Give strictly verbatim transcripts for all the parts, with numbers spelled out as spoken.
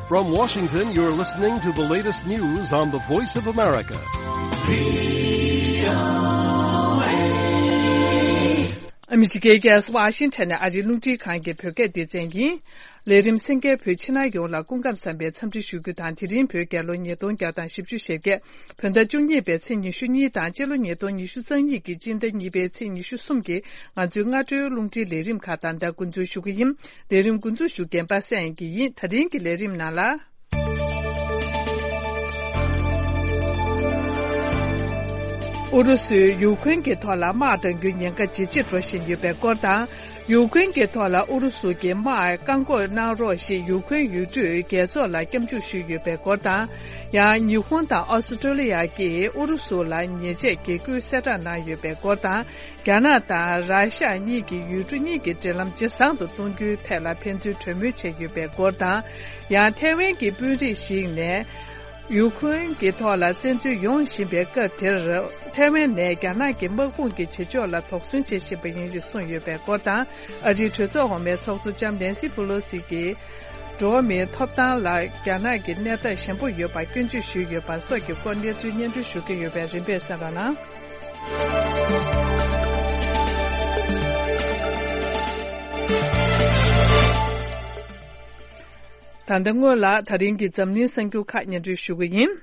From Washington, you're listening to the latest news on the Voice of America. ཨ་མི་རི་ཀའི་རྒྱལ་ས་ཝ་ཤིང་ཊོན་ནས་ཨ་རིའི་རླུང་འཕྲིན་ཁང་གི་བོད་སྐད་སྡེ་ཚན་ཡིན། ལས་རིམ་གསན་མཁན་བོད་ཕྱི་ནང་ཡོངས་ལ་སྐུ་ཁམས་བཟང་བའི་འཚམས་འདྲི་ཞུ་རྒྱུ་དང་། དེ་རིང་བོད་རྒྱལ་ལོ་ཉིས་སྟོང་བརྒྱ་དང་བཞི་བཅུ་ཞེ་བརྒྱད། བོད་ཟླ་བཅུ་གཉིས་པའི་ཚེས་ཉི་ཤུ་གཉིས་དང་། སྤྱི་ལོ་ཉིས་སྟོང་ཉི་ཤུ་རྩ་གཉིས་ཀྱི་སྤྱི་ཟླ་གཉིས་པའི་ཚེས་ཉི་ཤུ་གསུམ་གྱི་ང་ཚོའི་སྔ་དྲོའི་རླུང་འཕྲིན་ལས་རིམ་ཁག་ད་ལྟ་འགོ་འཛུགས་ཞུ་གི་ཡིན། ལས་རིམ་འགོ་འཛུགས་ཞུ་མཁན་པ་སངས་དབྱངས་སྐྱིད་ཡིན། ད་རིང་གི་ལས་རིམ་ནང་ལ། ཨུ་རུ་སུས་ཡུ་ཁུན་གྱི་ཐོག་ལ་དམག་འདྲེན་རྒྱུའི་ཉེན་ཁ་ཇེ་ཆེར་འགྲོ་བཞིན་ཡོད་པའི་སྐོར་དང་། ཡུ་ཁུན་གྱི་ཐོག་ལ་ཨུ་རུ་སུ་གྱི་དམག་བཀག་འགོག་གནང་རོགས་ཞེས་ཡུ་ཁུན་ཡུལ་གྲུས་རྒྱལ་ཚོགས་ལ་སྐྱབས་འཇུག་ཞུས་ཡོད་པའི་སྐོར་དང་། ཡང་ཉི་ཧོང་དང་ཨོ་སི་ཀྲོ་ལི་ཡ་གིས་ཨུ་རུ་སུ་ལ་ཉེས་ཆད་འགེལ་རྒྱུའི་གསལ་བསྒྲགས་གནང་ཡོད་པའི་སྐོར་དང་། རྒྱ་ནག་དང་ར་ཤ་གཉིས་ཀྱི་ཡུལ་གྲུ་གཉིས་ཀྱི་འབྲེལ་ལམ་ཇེ་བཟང་དུ་གཏོང་རྒྱུའི་ཐད་ལ་ཕན་ཚུན་གྲོས་མོལ་བྱས་ཡོད་པའི་སྐོར་དང་། ཡང་ཐའེ་ཝན་གྱི་དཔོན་རིགས་ཤིག་ནས། ཡུ་ཁུན་གྱི་ཐོག་ལ་བཙན་འཛུལ་ཡོང་བཞིན་པའི་སྐབས་དེར། ཐའེ་ཝན་ནས་རྒྱ་ནག་གི་དམག་དཔུང་གི་བྱེད་ཕྱོགས་ལ་དོགས་ཟོན་བྱེད་བཞིན་པ་ཡིན་ཞེས་གསུངས་ཡོད་པའི་སྐོར་དང་། ཨ་རིའི་གྲོས་ཚོགས་འོག་མའི་ཚོགས་གཙོ་ལྕམ་ནན་སི་པུ་ལོ་སི་གིས། འགྲོ་བ་མིའི་ཐོབ་ཐང་ལ་རྒྱ་ནག་གི་གནས་སྟངས་ཞན་པོ་ཡོད་པར་སྐྱོན་བརྗོད་ཞུས་ཡོད་པ་སོགས་ཀྱི་སྐོར་གནས་ཚུལ་སྙན་སྒྲོན་ཞུ་གི་ཡོད་པས་རིམ་པས་གསན་རོགས་གནང་། ད་ལྟ་སྔོན་ལ་ད་རིང་གི་འཛམ་གླིང་གསར་འགྱུར་ཁག་སྙན་སྒྲོན་ཞུ་གི་ཡིན།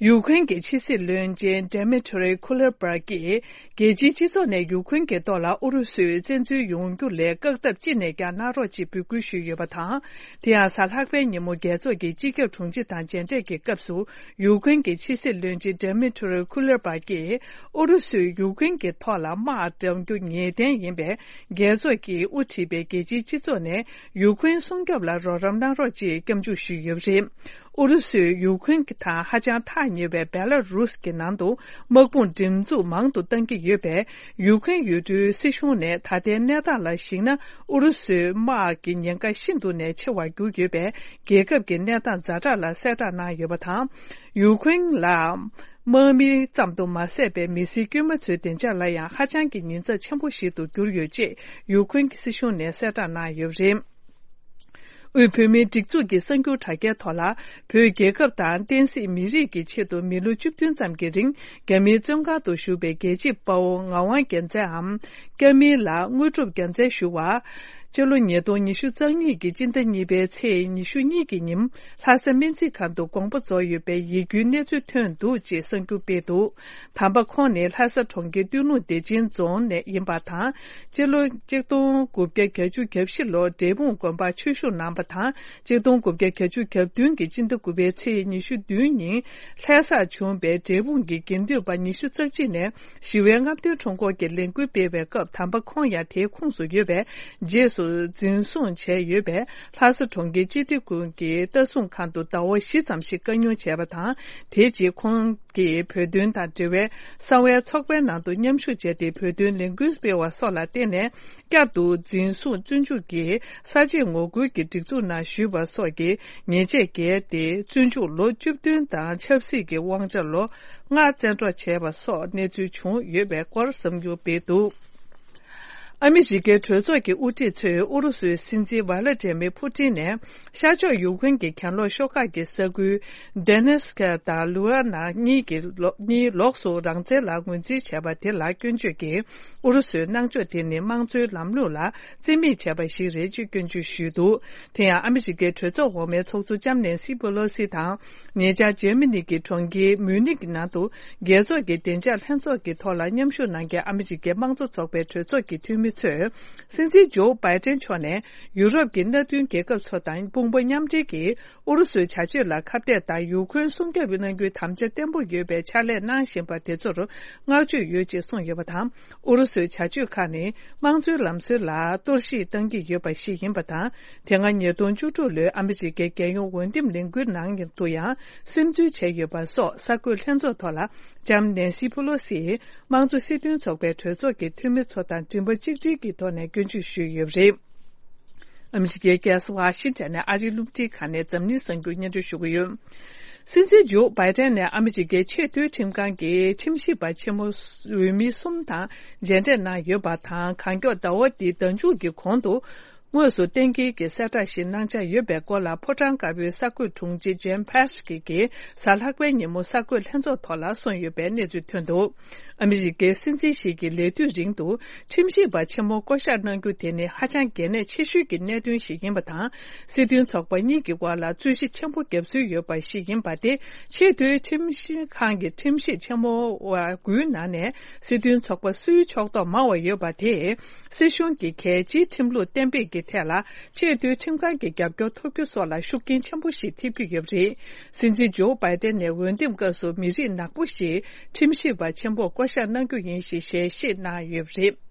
ཡུ་ཁུན་གྱི་ཕྱི་སྲིད་བློན་ཆེན་ཌེ་མི་ཊི་རི་ཁུ་ལེར་པར་གྱིས། རྒྱལ་སྤྱིའི་སྤྱི་ཚོགས་ནས་ཡུ་ཁུན་གྱི་ཐོག་ལ་ཨུ་རུ་སུས་བཙན་འཛུལ་ཡོང་རྒྱུ་ལས་བཀག་ཐབས་ཅི་ནས་ཀྱང་གནང་རོགས་ཅེས་འབོད་སྐུལ་ཞུས་ཡོད་པ་དང་། དེ་ཡང་གཟའ་ལྷག་པའི་ཉིན་མོ་རྒྱལ་ཚོགས་ཀྱི་སྤྱི་ཁྱབ་དྲུང་ཆེ་དང་མཇལ་འཕྲད་ཀྱི་སྐབས་སུ། ཡུ་ཁུན་གྱི་ཕྱི་སྲིད་བློན་ཆེན་ཌེ་མི་ཊི་རི་ཁུ་ལེར་པ་གྱིས། ཨུ་རུ་སུས་ཡུ་ཁུན་གྱི་ཐོག་ལ་དམག་བཀྲམ་རྒྱུ་ངེས་གཏན་ཡིན་པས། རྒྱལ་ཚོགས་ཀྱིས་དབུ་ཁྲིད་པའི་རྒྱལ་སྤྱིའི་སྤྱི་ཚོགས་ནས་ཡུ་ཁུན་སྲུང་སྐྱོབ་ལ་རོགས་རམ་གནང་རོགས་ཅེས་སྐྱབས་འཇུག་ཞུས་ཡོད་པ་རེད། ཨུ་རུ་སུས་ཡུ་ཁུན་དང་ཧ་ཅང་ཐག་ཉེ་བའི་བེ་ལ་རུས་ཀྱི་ནང་དུ་དམག་དཔུང་སྒྲིག་འཛུགས་མང་དུ་གཏང་གི་ཡོད་པས། ཡུ་ཁུན་ཡུལ་གྲུའི་སྲིད་གཞུང་ནས་ད་ལྟའི་གནས་སྟངས་ལ་གཞིགས་ན། ཨུ་རུ་སུའི་དམག་གི་ཉེན་ཁ་ཤིན་ཏུ་ནས་ཆེ་བར་གྱུར་ཡོད་པས། རྒྱལ་ཁབ་ཀྱི་གནས་སྟངས་ཛ་དྲག་ལ་གསལ་བསྒྲགས་གནང་ཡོད་པ་དང་། ཡུ་ཁུན་ལ་དམག་མི་ཙམ་དུ་མ་ཟད་པའི་མི་སེར་དཀྱུས་མ་ཚོའི་བདེ་འཇགས་ལ་ཡང་ཧ་ཅང་གི་ཉེན་ཚབས་ཆེན་པོ་ཞིག་ཏུ་གྱུར་ཡོད་ཅེས་ཡུ་ཁུན་གྱི་སྲིད་གཞུང་ནས་གསལ་བསྒྲགས་གནང་ཡོད་པ་རེད། དབུས་བོད་མིའི་སྒྲིག་འཛུགས་ཀྱི་གསར་འགྱུར་དྲ་རྒྱའི་ཐོག་ལ། བོད་རྒྱལ་ཁབ་དང་བསྟན་སྲིད་མི་རིགས་ཀྱི་ཆེད་དུ་མི་ལོ་བཅུ་བདུན་ཙམ་གྱི་རིང་རྒྱ་མིའི་བཙོན་ཁང་དུ་བཞུགས་པའི་རྒྱལ་གཅེས་དཔའ་བོ་ངག་དབང་རྒྱལ་མཚན་འམ། སྐྱབས་མིང་ལ་དངོས་གྲུབ་རྒྱལ་མཚན་ཞུ་བ། སྤྱི་ལོ་ཉིས་སྟོང་ཉི་ཤུ་རྩ་གཉིས་ཀྱི་སྤྱི་ཟླ་གཉིས་པའི་ཚེས་ཉི་ཤུ་གཉིས་ཀྱི་ཉིན། ལྷ་ས་སྨན་རྩིས་ཁང་དུ་དགོངས་པ་རྫོགས་ཡོད་པའི་ཡིད་སྐྱོའི་གནས་ཚུལ་ཐོན་འདུག་ཅེས་གསར་འགྱུར་སྤེལ་འདུག་དམ་པ་ཁོང་ནི་ལྷ་ས་གྲོང་ཁྱེར་སྟོད་ལུང་བདེ་ཆེན་རྫོང་ནས་ཡིན་པ་དང་། སྤྱི་ལོ་གཅིག་སྟོང་དགུ་བརྒྱ་བརྒྱད་ཅུ་གྱ་བཞི་ལོར་འབྲས་སྤུངས་དགོན་པར་ཆོས་ཞུགས་གནང་བ་དང་། གཅིག་སྟོང་དགུ་བརྒྱ་བརྒྱད་ཅུ་གྱ་བདུན་གྱི་སྤྱི་ཟླ་དགུ་པའི་ཚེས་ཉི་ཤུ་བདུན་ཉིན། ལྷ་སར་བྱུང་བའི་འབྲས་སྤུངས་ཀྱི་དགེ་འདུན་པ་ཉི་ཤུ་རྩ་གཅིག་ནས། ཞི་བའི་རྔམ་སྟོན་ཁྲོམ་སྐོར་གྱི་ལས་འགུལ་སྤེལ་བའི་སྐབས། དམ་པ་ཁོང་ཡང་དེའི་ཁོངས་སུ་ཡོད་པས། རྗེས་སུ་འཛིན་བཟུང་བྱས་ཡོད་པས། ལྷ་ས་གྲོང་ཁྱེར་སྤྱི་བདེ་ཁང་གི་ལྟ་སྲུང་ཁང་དུ་ཟླ་བ་བཞི་ཙམ་ཞིག་བཀའ་བསྙོན་བྱས་པ་དང་། དེའི་རྗེས་ཁོང་གིས་བོད་དོན་དང་འབྲེལ་བའི་གསང་བའི་ཚོགས་པའི་ནང་དུ་མཉམ་ཞུགས་བྱས་ཏེ། བོད་དོན་ལས་འགུལ་སྤེལ་བ་སོགས་ལ་བརྟེན་ནས། བསྐྱར་དུ་འཛིན་བཟུང་བཙོན་འཇུག་གིས་གསར་བརྗེ་ངོ་རྒོལ་གྱི་སྒྲིག་འཛུགས་ནང་ཞུགས་པ་སོགས་ཀྱི་ཉེས་ཆད་འགེལ་ཏེ། བཙོན་འཇུག་ལོ་བཅུ་བདུན་དང་ཆབ་སྲིད་ཀྱི་དབང་ཆ་ལོ་ལྔ་བཙན་འཕྲོག་བྱས་པ་སོགས་གནས་ཚུལ་བྱུང་ཡོད་པའི་སྐོར་གསར་འགྱུར་སྤེལ་འདུག་ཨ་མི་རི་ཀའི་གྲོས་ཚོགས་ཀྱི་དབུ་ཁྲིད་ཚོས་ཨུ་རུ་སུའི་སྲིད་འཛིན་ཝ་ལ་ཏྲེ་མི་ཕུ་ཏིན་ནས། ཤར་ཕྱོགས་ཡུ་ཁུན་གྱི་གྱེན་ལོགས་ཤོག་ཁག་གི་ས་ཁུལ་ཌེ་ནེ་སི་ཀ་དང་ལུ་ཨ་ན་གཉིས་ཀྱི་ལོ་གཉིས་ལོགས་སུ་རང་བཙན་ལ་ངོས་འཛིན་བྱས་པ་དེ་ལ་སྐྱོན་བརྗོད་ཀྱིས། ཨུ་རུ་སུའི་གནང་ཕྱོགས་དེ་ནི་དམངས་གཙོའི་ལམ་ལུགས་ལ་བརྩི་མེད་བྱས་པ་ཞིག་རེད་ཅེས་སྐྱོན་བརྗོད་ཞུས་འདུག་དེ་ཡང་ཨ་མི་རི་ཀའི་གྲོས་ཚོགས་འོག་མའི་ཚོགས་གཙོ་ལྕམ་ནན་སི་པེ་ལོ་སི་དང་། ཉེ་ཆར་འཇར་མ་ནི་གི་གྲོང་ཁྱེར་མུ་ནིག་ནང་དུ། རྒྱལ་ཚོགས་ཀྱི་བདེ་འཇགས་ལྷན་ཚོགས་ཀྱི་ཐོག་ལ་མཉམ་ཞུགས་གནང་མཁན་ཨ་མི་རི་ཀའི་དམངས་གཙོ་ཚོགས་པའི་གྲོས་ཚོགས་ཀྱི་འཐུས་མི་ཚོས། སྲིད་འཛིན་ཇོ་བྷའི་ཏན་མཆོག་ནས་ཡུ་རོབ་ཀྱི་མནའ་མཐུན་རྒྱལ་ཁབ་ཚོ་དང་དཔུང་པ་མཉམ་འབྲེལ་གྱིས། ཨུ་རུ་སུའི་བྱ་སྤྱོད་ལ་ཁ་གཏད་དང་། ཡུ་ཁུན་སྲུང་སྐྱོབ་གནང་རྒྱུའི་དམ་བཅའ་བརྟན་པོ་ཡོད་པའི་ཕྱག་ལས་གནང་བཞིན་པ་དེ་ཚོར་བསྔགས་བརྗོད་ཡོད་ཅེས་གསུངས་ཡོད་པ་དང་། ཨུ་རུ་སུའི་བྱ་སྤྱོད་ཁག་ནི་དམངས་གཙོའི་ལམ་སྲོལ་ལ་གཏོར་བཤིག་གཏང་གི་ཡོད་པ་ཞིག་ཡིན་པ་དང་། དེ་སྔ་ཉིས་སྟོང་བཅུ་དྲུག་ལོའི་ཨ་མི་རི་ཀའི་རྒྱལ་ཡོངས་འོས་འདེམས་ལས་འགུལ་ནང་དུ་ཡང་སིམ་འཛུལ་བྱས་ཡོད་པ་སོགས་གསར་འགོད་ལྷན་ཚོགས་ཐོག་ལ་ལྕམ་ནན་སི་ཕུ་ལོ་སིས་དམངས་གཙོ་སྲིད་དོན་ཚོགས་པའི་གྲོས་ཚོགས་ཀྱི་འཐུས་མི་ཚོ་དང་མགྲིན་པ་གཅིག་སྒྲིལ་གྱི་ཐོག་ནས་སྐྱོན་བརྗོད་ཞུས་ཡོད་པ་རེད། ཨ་མི་རི་ཀའི་རྒྱལ་ས་ཝ་ཤིང་ཊོན་ནས་ཨ་རིའི་རླུང་འཕྲིན་ཁང་ནས་འཛམ་གླིང་གསར་འགྱུར་སྙན་སྒྲོན་ཞུ་གི་ཡོད། སྲིད་འཛིན་ཇོ་བྷའི་ཏན་ནས་ཨ་མི་རི་ཀའི་ཆེས་མཐོའི་ཁྲིམས་ཁང་གི་ཁྲིམས་ཞིབ་པ་ཆེན་མོ་འོས་མི་གསུམ་དང་མཇལ་འཕྲད་གནང་ཡོད་པ་དང་། གང་མགྱོགས་ཟླ་བ་འདིའི་ཟླ་མཇུག་གི་གོང་དུ། དངོས་སུ་གཏན་འཁེལ་གྱི་གསལ་བསྒྲགས་ཤིག་གནང་འཆར་ཡོད་པའི་སྐོར་ལ། ཕོ་བྲང་དཀར་པོའི་གསར་འགོད་དྲུང་ཆེ་ཇེན་ཕེ་སི་ཀི་གིས་གཟའ་ལྷག་པའི་ཉིན་མོ་གསར་འགོད་ལྷན་ཚོགས་ཐོག་ལ་གསུངས་ཡོད་པའི་གནས་ཚུལ་ཐོན་འདུག་ཨ་མི་རི་ཀའི་སྲིད་འཛིན་ཞིག་གི་ལས་དུས་རིང་དུ་ཁྲིམས་ཞིབ་པ་ཆེན་མོ་བསྐོ་གཞག་གནང་རྒྱུ་དེ་ནི་ཧ་ཅང་གལ་གནད་ཆེ་ཤོས་ཀྱི་གནད་དོན་ཞིག་ཡིན་པ་དང་། སྲིད་དོན་ཚོགས་པ་གཉིས་ཀྱི་དབར་ལ་རྩོད་གཞི་ཆེན་པོ་བརྒྱབ་སྲོལ་ཡོད་པ་ཞིག་ཡིན་པ་དེ། ཆེས་མཐོའི་ཁྲིམས་ཞིབ་ཁང་གི་ཁྲིམས་ཞིབ་ཆེན་མོ་བ་དགུའི་ནང་ནས་སྲིད་དོན་ཚོགས་པ་སུའི་ཕྱོགས་གཏོགས་མང་བ་ཡོད་པ་དེས། སྲིད་གཞུང་གི་གལ་ཆེའི་ཁྲིམས་ལུགས་གཏན་འབེབས་ཀྱི་ཐད་ལ་ཆེས་མཐོའི་ཁྲིམས་ཁང་གི་རྒྱབ་སྐྱོར་ཐོབ་རྒྱུ་སོགས་ལ་ཤུགས་རྐྱེན་ཆེན་པོ་ཞིག་ཐེབས་ཀྱི་ཡོད་པ་རེད། སྲིད་འཛིན་ཇོ་བྷའི་ཏན་ནས་འོས་འདེམས་སྐབས་སུ་མི་རིགས་ནག་པོ་ཞིག་ཁྲིམས་ཞིབ་པ་ཆེན་པོར་བསྐོ་གཞག་གནང་རྒྱུ་ཡིན་ཞེས་ཞལ་བཞེས་གནང་ཡོད་པ་རེད།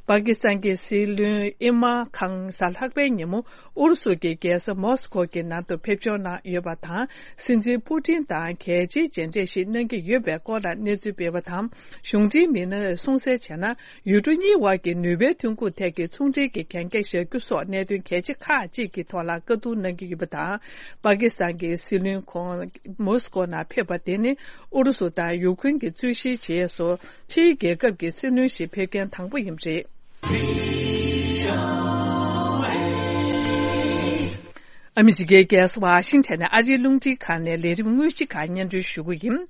པ་ཀི་སི་ཐན་གྱི་སྲིད་བློན་ཨི་མ་ཁང་གཟའ་ལྷག་པའི་ཉིན་མོ་ཨུ་རུ་སུ་གྱི་རྒྱལ་ས་མོ་སི་ཁོ་གི་ནང་དུ་ཕེབས་འབྱོར་གནང་ཡོད་པ་དང་། སྲིད་འཛིན་པུ་ཏིན་དང་གལ་ཆེའི་མཇལ་འཕྲད་ཞིག་གནང་གི་ཡོད་པའི་སྐོར་ལ་གནས་ཚུལ་སྤེལ་བ་དང་། གཞུང་འབྲེལ་མི་སྣས་གསུངས་གསལ་བྱས་ན། ཡུལ་གྲུ་གཉིས་དབར་གྱི་ནུས་པའི་ཐོན་ཁུངས་ཐད་ཀྱི་ཚོང་འབྲེལ་གྱི་གན་རྒྱ་བཞག་རྒྱུ་སོགས་གནད་དོན་གལ་ཆེ་ཁག་ཅིག་གི་ཐོག་ལ་བཀའ་བསྡུར་གནང་གི་ཡོད་པ་དང་། པ་ཀི་སི་ཐན་གྱི་སྲིད་བློན་ཁོང་མོ་སི་ཀོ་ནང་ཕེབས་པ་དེ་ནི་ཨུ་རུ་སུ་དང་ཡུ་ཀེ་རེན་གྱི་རྩོད་གཞིའི་རྗེས་སུ། ཕྱིའི་རྒྱལ་ཁབ་ཀྱི་སྲིད་བློན་ཞིག་ཕེབས་མཁན་དང་པོ་ཡིན་པ་རེད། ཨ་མི་རི་ཀའི་རྒྱལ་ས་ཝ་ཤིང་ཊོན་ནས་ཨ་རིའི་རླུང་འཕྲིན་ཁང་ནས་ལས་རིམ་དངོས་གཞི་ཁག་སྙན་སྒྲོན་ཞུ་གི་ཡིན།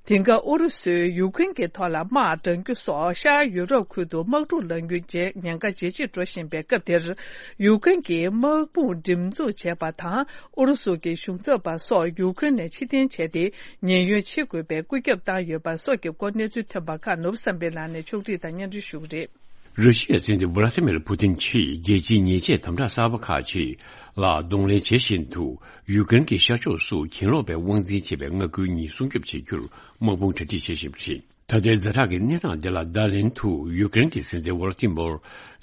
དེང་སྐབས་ཨུ་རུ་སུས་ཡུཀ་རེན་གྱི་ཐོག་ལ་དམག་དྲངས་རྒྱུ་སོགས་ཤར་ཡུ་རོབ་ཁུལ་དུ་དམག་འཁྲུག་ལངས་རྒྱུ་ཉེན་ཁ་ཇེ་ཆེར་འགྲོ་བཞིན་པའི་སྐབས་དེར། ཡུཀ་རེན་གྱི་དམག་དཔུང་སྒྲིག་འཛུགས་བྱས་པ་དང་ཨུ་རུ་སུ་གྱི་གཞུང་ཚབ་པ་སོགས་ཡུཀ་རེན་ནས་ཕྱིར་འཐེན་བྱས་ཏེ། ཉེན་གཡོལ་བྱེད་དགོས་པའི་བཀོད་ཁྱབ་བཏང་ཡོད་པ་སོགས་ཀྱི་སྐོར་གནས་ཚུལ་ཐོན་པ་ཁག་ནོར་བུ་བསམ་འཕེལ་ལགས་ནས་ཕྱོགས་སྒྲིག་དང་སྙན་སྒྲོན་ཞུ་གི་རེད། ར་ཤི་ཡའི་སྲིད་འཛིན་ཝ་ལ་ཏི་མིར་ཕུ་ཏིན་གྱིས་རྒྱལ་སྤྱིའི་ཉེས་ཆད་དམ་དྲག་གསར་པ་ཁག་ཅིག་ལ་གདོང་ལེན་བྱེད་བཞིན་དུ། ཡུཀ་རེན་གྱི་ཤར་ཕྱོགས་སུ་གྱེན་ལོག་པའི་དབང་འཛིན་བྱེད་པའི་མངའ་ཁུལ་གཉིས་སྲུང་སྐྱོབ་བྱེད་རྒྱུར་དམག་དཔུང་གྲ་སྒྲིག་བྱེད་བཞིན་པ་རེད། ད་ལྟའི་ཛ་དྲག་གི་གནས་སྟངས་འདི་ལ་བརྡ་ལན་དུ། ཡུཀ་རེན་གྱི་སྲིད་འཛིན་ཝོ་ལ་ཏི་མོར་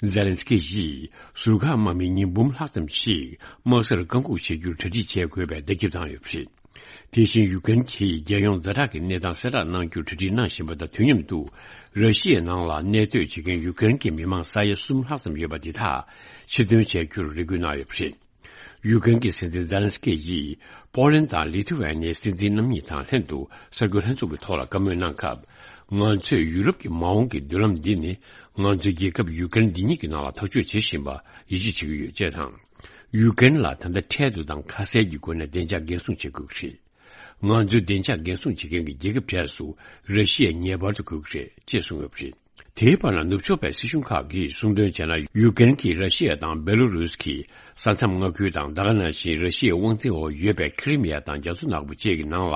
ཛེ་ལན་སི་ཀི་ཡིས་ཟུར་བཀག་དམག་མི་ཉིས་འབུམ་ལྷག་ཙམ་ཞིག་དམག་སར་བཀག་འགོག་བྱེད་རྒྱུར་གྲ་སྒྲིག་བྱེད་དགོས་པའི་བརྡ་ཁྱབ་བཏང་ཡོད་པ་རེད། དེ་བཞིན་ཡུཀ་རེན་གྱིས་རྒྱལ་ཡོངས་ཛ་དྲག་གི་གནས་སྟངས་གསལ་བསྒྲགས་གནང་རྒྱུར་གྲ་སྒྲིག་གནང་བཞིན་པ་དང་། དུས་མཉམ་དུ་ར་ཤི་ཡའི་ནང་ལ་གནས་སྡོད་བྱེད་མཁན་ཡུཀ་རེན་གྱི་མི་མང་ས་ཡ་གསུམ་ལྷག་ཙམ་ཡོད་པ་འདི་དག་ཕྱིར་འདོན་བྱ་རྒྱུར་རེ་སྐུལ་གནང་ཡོད་པ་རེད། ཡུཀ་རེན་གྱི་སྲིད་འཛིན་ཛེ་ལན་སི་ཀི་ཡིས་པོ་ལན་དང་ལི་ཐུ་ཝེ་ནིའི་སྲིད་འཛིན་རྣམ་གཉིས་དང་ལྷན་དུ་གསར་འགོད་ལྷན་ཚོགས་ཀྱི་ཐོག་ལ་བཀའ་མོལ་གནང་སྐབས། ང་ཚོས་ཡུ་རོབ་ཀྱི་མ་འོངས་ཀྱི་མདུན་ལམ་འདི་ནི་ང་ཚོའི་རྒྱལ་ཁབ་ཡུཀ་རེན་འདི་ཉིད་ཀྱི་ནང་ལ་ཐག་གཅོད་བྱེད་བཞིན་པ་ཡིད་ཆེས་བྱེད་ཀྱི་ཡོད་ཅེས་དང་། ཡུཀ་རེན་ལ་ད་ལྟ་འཕྲལ་དུ་དང་ཁ་གསལ་གྱི་སྒོ་ནས་བདེ་འཇགས་འགན་སྲུང་བྱེད་དགོས་ཀྱི་རེད། ང་ཚོའི་བདེ་འཇགས་འགན་སྲུང་བྱེད་མཁན་གྱི་རྒྱལ་ཁབ་གྲས་སུ་ར་ཤི་ཡ་ངེས་པར་དུ་དགོས་ཀྱི་རེད་ཅེས་གསུངས་ཡོད་པ་རེད། དེའི་བར་ན་ནུབ་ཕྱོགས་པའི་སྲིད་གཞུང་ཁག་གིས་གསུངས་དོན་བྱས་ན། ཡུཀ་རེན་གྱིས་ར་ཤི་ཡ་དང་སྦེ་ལོ་རུས་ཀྱི་ས་མཚམས་མངའ་ཁུལ་དང་། ད་ག་ནང་བཞིན་ར་ཤི་ཡའི་དབང་འཛིན་འོག་ཡོད་པའི་ཁི་རི་མི་ཡ་དང་རྒྱ་མཚོ་ནག་པོ་བཅས་ཀྱི་ནང་ལ་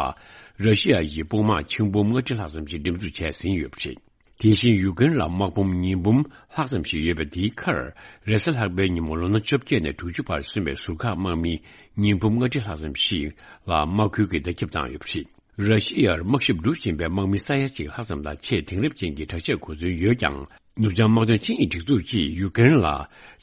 ར་ཤི་ཡ་ཡི་དཔུང་དམག་ཆིག་འབུམ་ལྔ་ཁྲི་ལྷག་ཙམ་ཞིག་འགྲེམས་འཛུགས་བྱས་ཟིན་ཡོད་པ་རེད། དེ་བཞིན་ཡུཀ་རེན་ལ་དམག་དཔུང་ཉིས་འབུམ་ལྷག་ཙམ་ཞིག་ཡོད་པ་དེའི་ཁར། རེས་གཟའ་ལྷག་པའི་ཉིན་མོ་ལོ་ན་བཅོ་བརྒྱད་ནས་དྲུག་ཅུ་བར་སོན་པའི་ཟུར་བཀག་དམག་མི་ཉིས་འབུམ་ལྔ་ཁྲི་ལྷག་ཙམ་ཞིག་ལ་དམག་ཁུལ་གྱི་བརྡ་ཁྱབ་བཏང་ཡོད་པ་རེད། ར་ཤི་ཡར་དམག་ཞབས་སྒྲུབ་བཞིན་པའི་དམག་མི་ས་ཡ་གཅིག་ལྷག་ཙམ་ལ་ཆེས་དེང་རབས་ཅན་གྱི་དྲག་ཆས་གོ་མཚོན་ཡོད་ཀྱང་། ནུབ་བྱང་དམག་དོན་ཆིངས་ཡིག་སྒྲིག་འཛུགས་ཀྱིས་ཡུཀ་རེན་ལ་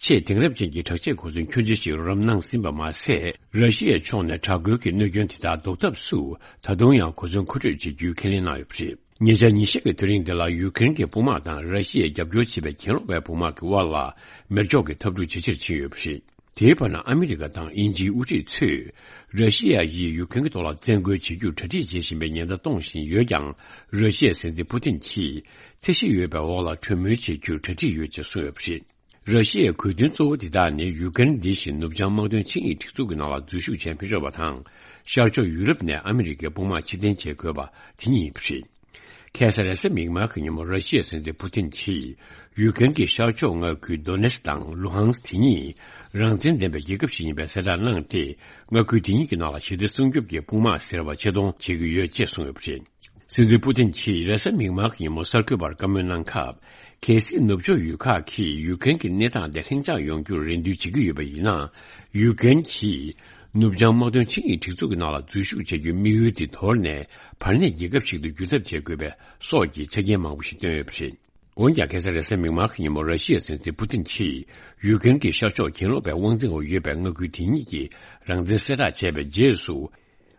ཆེས་དེང་རབས་ཅན་གྱི་དྲག་ཆས་གོ་མཚོན་ཁྱོན་ཆེ་ཞིག་རོགས་རམ་གནང་ཟིན་པ་མ་ཟད། ར་ཤི་ཡའི་ཕྱོགས་ནས་དྲག་རྒོལ་གྱི་གནོད་སྐྱོན་དེ་དག་ཟློག་ཐབས་སུ་ད་དུང་ཡང་གོ་མཚོན་མཁོ་སྤྲོད་བྱེད་རྒྱུའི་ཁས་ལེན་གནང་ཡོད་པ་རེད། ཉེ་ཆར་ཉིན་ཤས་ཀྱི་དུས་རིང་འདི་ལ་ཡུཀ་རེན་གྱི་དཔུང་དམག་དང་ར་ཤི་ཡས་རྒྱབ་སྐྱོར་བྱེད་པའི་གྱེན་ལོག་པའི་དཔུང་དམག་གི་དབར་ལ་མེ་སྒྱོགས་ཀྱི་འཐབ་འཁྲུག་ཇེ་ཆེར་ཕྱིན་ཡོད་པ་རེད། དེའི་བར་ན་ཨ་མི་རི་ཀ་དང་དབྱིན་ཇིའི་དབུ་ཁྲིད་ཚོས་ར་ཤི་ཡ་ཡིས་ཡུཀ་རེན་གྱི་ཐོག་ལ་བཙན་རྒོལ་བྱེད་རྒྱུར་གྲ་སྒྲིག་བྱེད་བཞིན་པའི་ཉེན་བརྡ་གཏོང་བཞིན་ཡོད་ཀྱང་། ར་ཤི་ཡའི་སྲིད་འཛིན་ཕུ་ཏིན་གྱིས་ཚད་གཞི་ཡོད་པའི་འོག་ལ་གྲོས་མོལ་བྱེད་རྒྱུར་གྲ་སྒྲིག་ཡོད་ཅེས་གསུངས་ཡོད་པ་རེད། ར་ཤི་ཡའི་དགོས་འདུན་གཙོ་བོ་འདི་དག་ནི་ཡུཀ་རེན་འདི་བཞིན་ནུབ་བྱང་དམག་དོན་ཆིངས་ཡིག་སྒྲིག་འཛུགས་ཀྱི་ནང་ལ་འཛུལ་ཞུགས་བྱས་མི་ཆོག་པ་དང་། ཤར་ཕྱོགས་ཡུ་རོབ་ནས་ཨ་མི་རི་ཀའི་དཔུང་དམག་ཕྱིར་འཐེན་བྱེད་དགོས་པ་དེ་གཉིས་ཡིན་པ་རེད། ཁ་སང་རེས་གཟའ་མིག་དམར་གྱི་ཉིན་མོ་ར་ཤི་ཡའི་སྲིད་འཛིན་ཕུ་ཏིན་གྱིས་ཡུཀ་རེན་གྱི་ཤར་ཕྱོགས་མངའ་ཁུལ་དོ་ནེ་སི་དང་ལུ་ཧང་སི་དེ་གཉིས་རང་བཙན་ལྡན་པའི་རྒྱལ་ཁབ་ཞིག་ཡིན་པའི་གསལ་བསྒྲགས་གནང་སྟེ། མངའ་ཁུལ་དེ་གཉིས་ཀྱི་ནང་ལ་ཞི་བདེ་སྲུང་སྐྱོབ་ཀྱི་དཔུང་དམག་ཟེར་བ་ཆེད་གཏོང་བྱེད་ཀྱི་ཡོད་ཅེས་གསུངས་ཡོད་པ་རེད། སྲིད་འཛིན་ཕུ་ཏིན་གྱིས་རེས་གཟའ་མིག་དམར་གྱི་ཉིན་མོ་གསར་འགོད་པར་བཀའ་མོལ་གནང་སྐབས། གལ་སྲིད་ནུབ་ཕྱོགས་ཡུལ་ཁག་གིས་ཡུཀ་རེན་གྱི་གནས་སྟངས་དེ་ལྷིང་འཇགས་ཡོང་རྒྱུར་རེ་འདུན་བྱེད་ཀྱི་ཡོད་པ་ཡིན་ན། ཡུཀ་རེན་གྱིས་ནུབ་བྱང་དམག་དོན་ཆིངས་ཡིག་སྒྲིག་འཛུགས་ཀྱི་ནང་ལ་འཛུལ་ཞུགས་བྱ་རྒྱུའི་དམིགས་ཡུལ་དེ་དོར་ནས། བར་གནས་རྒྱལ་ཁབ་ཞིག་ཏུ་འགྱུར་ཐབས་བྱེད་དགོས་པའི་སོགས་ཀྱི་ཆ་རྐྱེན་མང་པོ་ཞིག་བཏོན་ཡོད་པ་རེད། འོན་ཀྱང་། ཁ་སང་རེས་གཟའ་མིག་དམར་གྱི་ཉིན་མོ་ར་ཤི་ཡའི་སྲིད་འཛིན་ཕུ་ཏིན་གྱིས་ཡུཀ་རེན་གྱི་ཤར་ཕྱོགས་གྱེན་ལོག་པའི་དབང་འཛིན་འོག་ཡོད་པའི་མངའ་ཁུལ་དེ་གཉིས་ཀྱི་རང་བཙན་གསལ་བསྒྲགས་བྱས་པའི་རྗེས་སུ།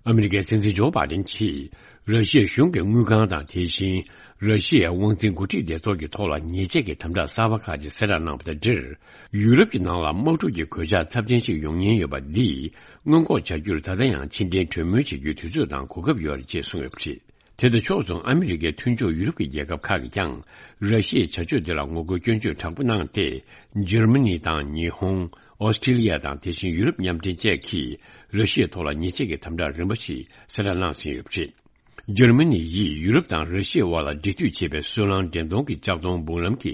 ཨ་མི་རི་ཀའི་སྲིད་འཛིན་ཇོ་བྷ་དན་གྱིས་ར་ཤི་ཡའི་གཞུང་གི་དངུལ་ཁང་དང་། དེ་བཞིན་ ར་ཤི་ཡའི་དབང་འཛིན་འགོ་ཁྲིད་སྡེ་ཚོགས་ཀྱི་ཐོག་ལ་ཉེས་ཆད་ཀྱི་དམ་དྲག་གསར་པ་ཁག་ཅིག་གསལ་བསྒྲགས་གནང་བ་དང་འབྲེལ། ཡུ་རོབ་ཀྱི་ནང་ལ་དམག་འཁྲུག་གི་གོད་ཆག་ཚབས་ཆེན་ཞིག་ཡོང་ཉེན་ཡོད་པ་འདིས་སྔོན་འགོག་བྱ་རྒྱུར་ད་ལྟ་ཡང་ཕྱི་འབྲེལ་གྲོས་མོལ་བྱེད་རྒྱུའི་དུས་ཚོད་དང་གོ་སྐབས་ཡོད་རེད་ཅེས་གསུངས་ཡོད་པ་རེད། དེ་དང་ཕྱོགས་མཚུངས་ཨ་མི་རི་ཀའི་མཐུན་ཕྱོགས་ཡུ་རོབ་ཀྱི་རྒྱལ་ཁབ་ཁག་གིས་ཀྱང་ར་ཤི་ཡའི་བྱ་སྤྱོད་འདི་ལ་ངོ་རྒོལ་སྐྱོན་བརྗོད་དྲག་པོ་གནང་སྟེ། འཇར་མ་ནི་དང་ཉི་ཧོང་། ཨོ་སི་ཀྲི་ལི་ཡ་དང་དེ་བཞིན་ཡུ་རོབ་མཉམ་འབྲེལ་བཅས་ཀྱིས་ར་ཤི་ཡའི་ཐོག་ལ་ཉེས་ཆད་ཀྱི་དམ་དྲག་རིམ་པ་ཞིག་གསལ་བསྒྲགས་གནང་ཟིན་ཡོད་པ་རེད། འཇར་མ་ནི་ཡིས་ཡུ་རོབ་དང་ར་ཤི་ཡའི་དབར་ལ་འབྲེལ་མཐུད་བྱེད་པའི་སོལ་རླངས་འདྲེན་གཏོང་གི་ལྕགས་མདོང་འབུམ་ལམ་གྱི་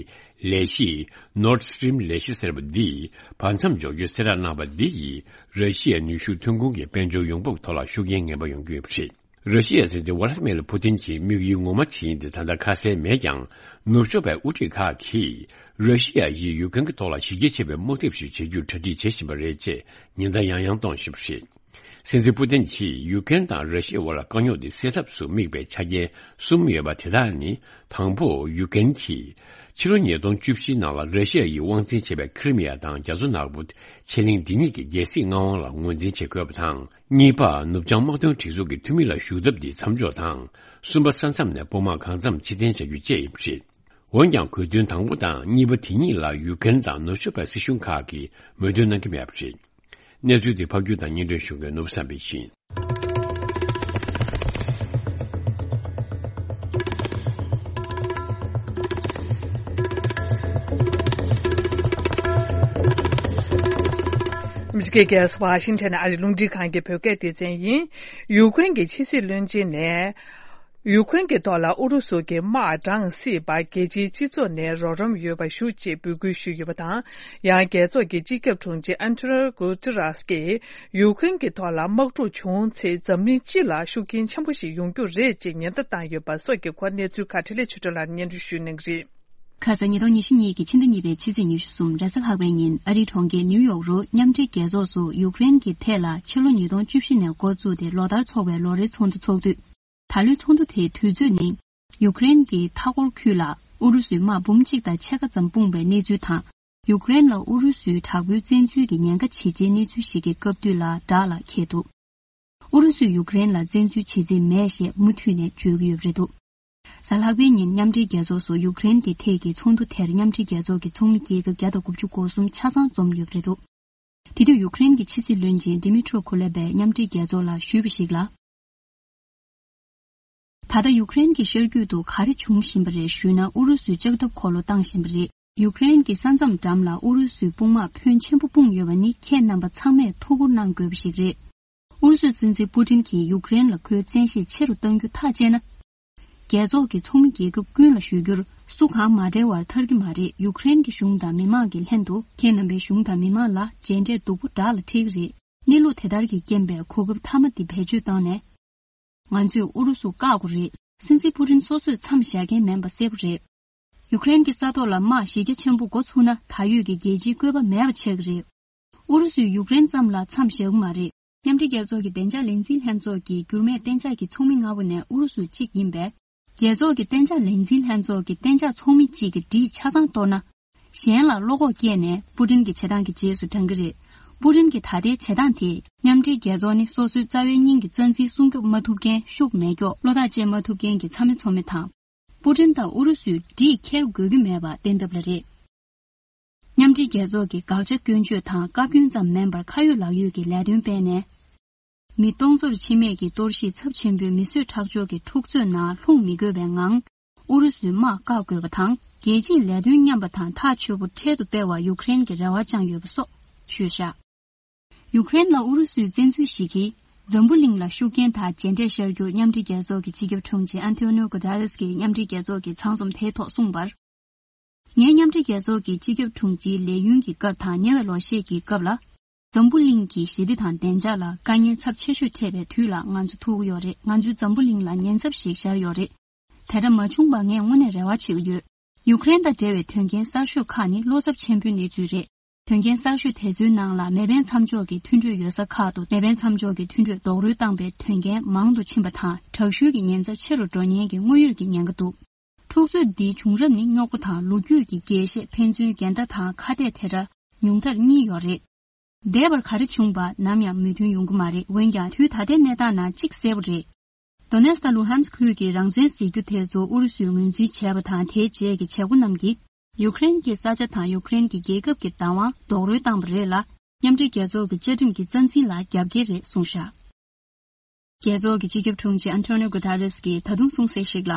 ལས་གཞི་Nord Stream་ལས་གཞི་ཟེར་བ་འདིས་བར་མཚམས་འཇོག་རྒྱུའི་གསལ་བསྒྲགས་གནང་བ་འདི་ཡིས་ར་ཤི་ཡའི་ནུས་ཤུགས་ཐོན་ཁུངས་ཀྱི་དཔལ་འབྱོར་ཡོང་འབབ་ཐོག་ལ་ཤུགས་རྐྱེན་ངན་པ་ཡོང་གི་ཡོད་པ་རེད། ར་ཤི་ཡའི་སྲིད་འཛིན་ཝ་ལ་ཏི་མེར་ཕུ་ཏིན་གྱི་དམིགས་ཡུལ་ངོ་མ་ཇི་ཡིན་དེ་ད་ལྟ་ཁ་གསལ་མེད་ཀྱང་། ནུབ་ཕྱོགས་པའི་དབུ་ཁྲིད་ཁག་གིས་ར་ཤི་ཡ་ཡིས་ཡུ་ཀེན་གྱི་ཐོག་ལ་གཞི་རྒྱ་ཆེ་བའི་དམག་འཐབ་ཞིག་བྱེད་རྒྱུར་གྲ་སྒྲིག་བྱེད་བཞིན་པ་རེད་ཅེས་ཉེན་བརྡ་ཡང་ཡང་གཏོང་བཞིན་པ་རེད། སྲིད་འཛིན་པུ་ཏིན་གྱིས་ཡུ་ཀེན་དང་ར་ཤི་ཡའི་དབར་ལ་དཀའ་རྙོག་འདི་སེལ་ཐབས་སུ་དམིགས་པའི་ཆ་རྐྱེན་གསུམ་ཡོད་པ་དེ་དག་ནི། དང་པོ། ཡུ་ཀེན་གྱིས་ཕྱི་ལོ་ཉིས་སྟོང་བཅུ་བཞིའི་ནང་ལ་ར་ཤི་ཡ་ཡིས་དབང་འཛིན་བྱས་པའི་ཁི་རི་མི་ཡ་དང་རྒྱ་མཚོ་ནག་པོ་ཆེ་གླིང་འདི་གཉིས་ཀྱི་རྒྱལ་སྲིད་མངའ་དབང་ལ་ངོས་འཛིན་བྱེད་དགོས་པ་དང་། གཉིས་པ། ནུབ་བྱང་དམག་དོན་སྒྲིག་འཛུགས་ཀྱི་འཐུས་མི་ལ་ཞུགས་ཐབས་འདི་མཚམས་འཇོག་དང་། གསུམ་པ། ས་མཚམས་ནས་དཔུང་དམག་གང་འཚམ་ཕྱིར་འཐེན་བྱ་རྒྱུ་བཅས་ཡིན་པ་རེད། འོན་ཀྱང་། དགོས་འདུན་དང་པོ་དང་གཉིས་པ་དེ་གཉིས་ལ་ཡུ་ཀེན་དང་ནུབ་ཕྱོགས་པའི་སྲིད་གཞུང་ཁག་གིས་མོས་མཐུན་གནང་གི་མེད་པ་རེད། གནས་ཚུལ་དེ་ཕབ་སྒྱུར་དང་སྙན་སྒྲོན་ཞུ་མཁན་ནོར་བུ་བསམ་འཕེལ་ཡིན། ཨ་མི་རི་ཀའི་རྒྱལ་ས་ཝ་ཤིང་ཊོན་ཨ་རིའི་རླུང་འཕྲིན་ཁང་གི་བོད་སྐད་སྡེ་ཚན་ཡིན། ཡུ་ཀེ་རེན་གྱི་ཕྱི་སྲིད་བློན་ཆེན་ནས། ཡུ་ཀེ་རེན་གྱི་ཐོག་ལ་ཨུ་རུ་སུ་གྱི་དམག་འབྲང་སྲིད་པ་རྒྱལ་སྤྱིའི་སྤྱི་ཚོགས་ནས་རོགས་རམ་ཡོད་པ་ཞུ་ཅེས་འབོད་སྐུལ་ཞུས་ཡོད་པ་དང་། ཡང་རྒྱལ་ཚོགས་ཀྱི་སྤྱི་ཁྱབ་དྲུང་ཆེ་ཨན་ཊོ་ནིའོ་གུ་ཏེ་རེས་ཀྱིས་ཡུ་ཀེ་རེན་གྱི་ཐོག་ལ་དམག་འཁྲུག་བྱུང་ཚེ་འཛམ་གླིང་སྤྱི་ལ་ཤུགས་རྐྱེན་ཆེན་པོ་ཞིག་ཡོང་རྒྱུ་རེད་ཅེས་ཉེན་བརྡ་བཏང་ཡོད་པ་སོགས་ཀྱི་སྐོར་གནས་ཚུལ་ཁག་འཕྲིན་ལས་ཆོས་སྒྲོན་ལགས་སྙན་སྒྲོན་ཞུ་གནང་གི་རེད། ཁ་ས་ཉིས་སྟོང་ཉི་ཤུ་གཉིས་ཀྱི་ཕྱི་ཟླ་གཉིས་པའི་ཕྱི་ཚེས་ཉི་ཤུ་གསུམ་རེས་གཟའ་ལྷག་པའི་ཉིན་ཨ་རིའི་གྲོང་ཁྱེར་ནིའུ་ཡོག་རུ་མཉམ་འབྲེལ་རྒྱལ་ཚོགས་སུ་ཡུ་ཀེ་རེན་གྱི་ཐད་ལ་ཕྱི་ལོ་ཉིས་སྟོང་བཅུ་བཞི་ནས་འགོ་བཙུགས་ཏེ་ལོ་ལྟར་འཚོགས་པའི་ལོ་རེའི་ཚོགས་འདུ་འཚོགས་དུས། ད་ལོའི་ཚོགས་འདུ་དེའི་དུས་ཚོད་ནི། ཡུ་ཀེ་རེན་གྱི་མཐའ་འཁོར་ཁུལ་ལ་ཨུ་རུ་སུའི་དམག་འབུམ་གཅིག་དང་ཕྱེད་ཀ་ཙམ་སྤུངས་པའི་གནས་ཚུལ་དང་། ཡུ་ཀེ་རེན་ལ་ཨུ་རུ་སུའི་དྲག་པོའི་བཙན་འཛུལ་གྱི་ཉེན་ཁ་ཇེ་ཆེའི་གནས་ཚུལ་ཞིག་གི་སྐབས་དུས་ལ་བསྒྲགས་ལ་འཁེལ་འདུག་ཨུ་རུ་སུས་ཡུ་ཀེ་རེན་ལ་བཙན་འཛུལ་བྱེད་རྩིས་མེད་ཞེས་མུ་མཐུད་ནས་བརྗོད་ཀྱི་ཡོད་པ་རེད་འདུག་གཟའ་ལྷག་པའི་ཉིན་མཉམ་འབྲེལ་རྒྱལ་ཚོགས་སུ་ཡུ་ཀེ་རེན་གྱི་ཐད་ཀྱི་ཚོགས་འདུ་དེར་མཉམ་འབྲེལ་རྒྱལ་ཚོགས་ཀྱི་ཚོགས་མི་རྒྱལ་ཁབ་བརྒྱ་དང་དགུ་བཅུ་གོ་གསུམ་ཆ་ཚང་འཛོམས་ཡོད་པ་རེད་འདུག་དེ་དུས་ཡུ་ཀེ་རེན་གྱི་ཕྱི་སྲིད་བློན་ཆེན་ཌི་མི་ཊྲོ་ཁུ་ལེ་བས་མཉམ་འབྲེལ་རྒྱལ་ཚོགས་ལ་ཞུས་པ་ཞིག་ལ། ད་ལྟ་ཡུ་ཀེ་རེན་གྱི་ཤར་རྒྱུད་དུ་ག་རེ་བྱུང་བཞིན་པ་རེད་ཞུས་ན། ཨུ་རུ་སུས་ལྕགས་ཐབ་འཁོར་ལོ་བཏང་བཞིན་པ་རེད། ཡུ་ཀེ་རེན་གྱི་ས་མཚམས་འགྲམ་ལ་ཨུ་རུ་སུའི་དཔུང་དམག་ཕོན་ཆེན་པོ་སྤུངས་ཡོད་པ་ནི་ཁྱེད་རྣམ་པ་ཚང་མས་ཐུགས་ཁུར་གནང་དགོས་པ་ཞིག་རེད། ཨུ་རུ་སུའི་སྲིད་འཛིན་པུ་ཏིན་གྱིས་ཡུ་ཀེ་རེན་ལ་ཁོའི་བཙན་ཤེད་ཆེ་རུ་གཏང་རྒྱུ་ཐག་བཅད་ན། རྒྱལ་ཚོགས་ཀྱི་ཚོགས་མི་རྒྱལ་ཁབ་ཀུན་ལ་ཞུ་རྒྱུར། སུ་གང་མ་བྲེལ་བར་ཐར་གྱི་མ་རེད། ཡུ་ཀེ་རེན་གྱི་གཞུང་དང་མི་མང་གི་ལྷན་དུ་ཁྱེད་རྣམ་པའི་གཞུང་དང་མི་མང་ལ་རྗེས་འབྲས་སྡུག་པོ་དགྲ་ལ་འཁྲི་གི་རེད། གནས་ལུགས་དེ་ལྟར་གྱི་རྐྱེན་པས་གོ་སྐབས་མཐའ་མ་འདི་བེད་སྤྱོད་བཏང་ནས། ང་ཚོས་ཨུ་རུ་སུ་བཀག་དགོས་རེད། སྲིད་འཛིན་པུ་ཏིན་སོ་སོས་མཚམས་བཞག་མཁན་མིན་པ་གསལ་པོ་རེད། ཡུ་ཀེ་རེན་གྱི་ས་ཐོག་ལ་དམག་གཞི་རྒྱ་ཆེན་པོ་འགོ་ཚུགས་ན་ད་ཡོད་ཀྱི་རྒྱལ་སྤྱིའི་བཀོད་པ་མེད་པ་ཆགས་ཀྱི་རེད། ཨུ་རུ་སུས་ཡུཀ་རེན་ཙམ་ལ་མཚམས་བཞག་གི་མ་རེད། མཉམ་འབྲེལ་རྒྱལ་ཚོགས་ཀྱི་བདེ་འཇགས་ལས་འཛིན་ལྷན་ཚོགས་ཀྱི་འགྱུར་མེད་གཏན་འཇགས་ཀྱི་ཚོགས་མི་ལྔ་པོ་ནས་ཨུ་རུ་སུ་གཅིག་ཡིན་པས། རྒྱལ་ཚོགས་ཀྱི་གཏན་འཇགས་ལས་འཛིན་ལྷན་ཚོགས་ཀྱི་གཏན་འཇགས་ཚོགས་མི་གཅིག་གི་སྒྲིག་ཆ་ཚང་གཏོར་ན། གཞན་ལ་བློ་ཁོག་སྐྱེས་ནས་པུ་ཏིན་གྱི་བྱེད་སྟངས་ཀྱི་རྗེས་སུ་འབྲང་གི་རེད། པུ་ཏིན་གྱི་ད་ལྟའི་བྱེད་སྟངས་དེས་མཉམ་འབྲེལ་རྒྱལ་ཚོགས་ནི་སོ་སོའི་རྩ་བའི་སྙིང་གི་རྩ་འཛིན་སྲུང་སྐྱོབ་མ་ཐུབ་མཁན་ཤུགས་མེད་མགྱོགས་བློ་ཐག་བཅད་མ་ཐུབ་མཁན་གྱི་ཚ་མེ་ཚོ་མེ་དང་། པུ་ཏིན་དང་ཨུ་རུ་སུས་སྒྲིག་འཁྱེར་དགོས་ཀྱི་མེད་པ་བསྟན་ཐབས་ལ་རེད། མཉམ་འབྲེལ་རྒྱལ་ཚོགས་ཀྱི་དགག་བྱ་སྐྱོན་བརྗོད་དང་བཀའ་བཀྱོན་ཙམ་མིན་པར་ཁ་ཡོད་ལག་ཡོད་ཀྱི་ལས་དོན་སྤེལ་ནས། མི་སྟོང་ཚོར་འཆི་རྨས་ཀྱི་གཏོར་བཤིག་ཚབས་ཆེན་པོའི་མི་གསོད་ཁྲག་སྦྱོར་གྱི་འཁྲུག་རྩོད་ནང་ལྷུང་མི་དགོས་པའི་ངང་། ཨུ་རུ་སུའི་དམག་བཀག་དགོས་པ་དང་། རྒྱལ་སྤྱིའི་ལས་དོན་མཉམ་པ་དང་ཐག་ཆོད་པོ་འཕྲལ་དུ་སྤེལ་བར་ཡུཀ་རེན་གྱིས་རེ་བ་བཅངས་ཡོད་པ་སོགས་ཞུས་བཞག་ཡུཀ་རེན་ལ་ཨུ་རུ་སུའི་བཙན་འཛུལ་ཞིག་གིས། འཛམ་བུ་གླིང་ལ་ཤུགས་རྐྱེན་དང་རྗེས་འབྲས་ཤར་རྒྱུ། མཉམ་འབྲེལ་རྒྱལ་ཚོགས་ཀྱི་སྤྱི་ཁྱབ་དྲུང་ཆེ་ཨན་ཐོ་ནིའོ་གུ་ཏ་རེས་ཀྱིས་མཉམ་འབྲེལ་རྒྱལ་ཚོགས་ཀྱི་ཚང་འཛོམས་དེའི་ཐོག་གསུངས་པར། ངས་མཉམ་འབྲེལ་རྒྱལ་ཚོགས་ཀྱི་སྤྱི་ཁྱབ་དྲུང་ཆེའི་ལས་ཡུན་གྱི་སྐབས་དང་ཉེ་བའི་ལོ་ཤས་ཀྱི་སྐབས་ལ། འཛམ་བུ་གླིང་གི་ཞི་བདེ་དང་བདེ་འཇགས་ལ་དཀའ་ངལ་ཚབས་ཆེ་ཤོས་འཕྲད་པའི་དུས་ལ་ང་ཚོ་ཐུག་གི་ཡོད་རེད། ང་ཚོའི་འཛམ་བུ་གླིང་ལ་ཉེན་ཚབས་ཤིག་ཤར་ཡོད་རེད། དེ་འདྲ་མ་བྱུང་བ་ངས་དངོས་གནས་རེ་བ་བྱེད་ཀྱི་ཡོད། ཡུཀ་རེན་དང་འབྲེལ་བའི་དོན་རྐྱེན་གསར་ཤོས་ཁག་ནི་བློ་འཚབ་ཆེན་པོའི་གནས་ཚུལ་རེད། དོན་རྐྱེན་གསར་ཤོས་དེ་ཚོའི་ནང་ལ་མེ་འཕེན་མཚམས་འཇོག་གི་མཐུན་གྲོས་ཡོད་ས་ཁག་ཏུ་མེ་འཕེན་མཚམས་འཇོག་གི་མཐུན་གྲོས་རྡོག་རོལ་བཏང་པའི་དོན་རྐྱེན་མང་དུ་ཕྱིན་པ་དང་། དྲག་ཤུལ་གྱི་ཉེན་ཚབས་ཆེ་རུ་འགྲོ་ཉེན་གྱི་དངོས་ཡོད་ཀྱི་ཉེན་ཁ་འདུག་འཁྲུག་རྩོད་འདིའི་བྱུང་རབས་ནི་རྙོག་པ་དང་ལོ་རྒྱུས་ཀྱི་རྒྱས་བཤད། ཕན་ཚུན་འགལ་ཟླ་དང་ཁ་གཏད་དེ་འདྲ་ཉུང་མཐར་གཉིས་ཡོད་རེད། འདས་པར་ག་རེ་བྱུང་བ་ནམ་ཡང་མོས་མཐུན་ཡོང་གི་མ་རེད། འོན་ཀྱང་དུས་ད་ལྟའི་གནས་སྟངས་ནང་གཅིག་གསལ་པོ་རེད། དོ་ནེ་སི་དང་ལུ་ཧན་སི་ཁུལ་གྱི་རང་བཙན་ཟེར་རྒྱུ་དེ་ཚོ་ཨུ་རུ་སུས་ངོས་འཛིན་བྱས་པ་དང་། དེའི་རྗེས་ཀྱི་བྱེད་སྒོ་རྣམས་ཀྱིས་ཡུཀ་རེན་གྱི་ས་ཆ་དང་ཡུཀ་རེན་གྱི་རྒྱལ་ཁབ་ཀྱི་བདག་དབང་རྡོག་རོལ་བཏང་བ་རེད་ལ། མཉམ་འབྲེལ་རྒྱལ་ཚོགས་ཀྱི་བཅའ་ཁྲིམས་ཀྱི་རྩ་འཛིན་ལ་རྒྱབ་འགལ་རེད་གསུངས་བཞག་རྒྱལ་ཚོགས་ཀྱི་སྤྱི་ཁྱབ་དྲུང་ཆེ་ཨན་ཐོ་ནིའོ་གུ་ཏ་རེས་ཀྱིས་ད་དུང་གསུངས་གསལ་ཞིག་ལ།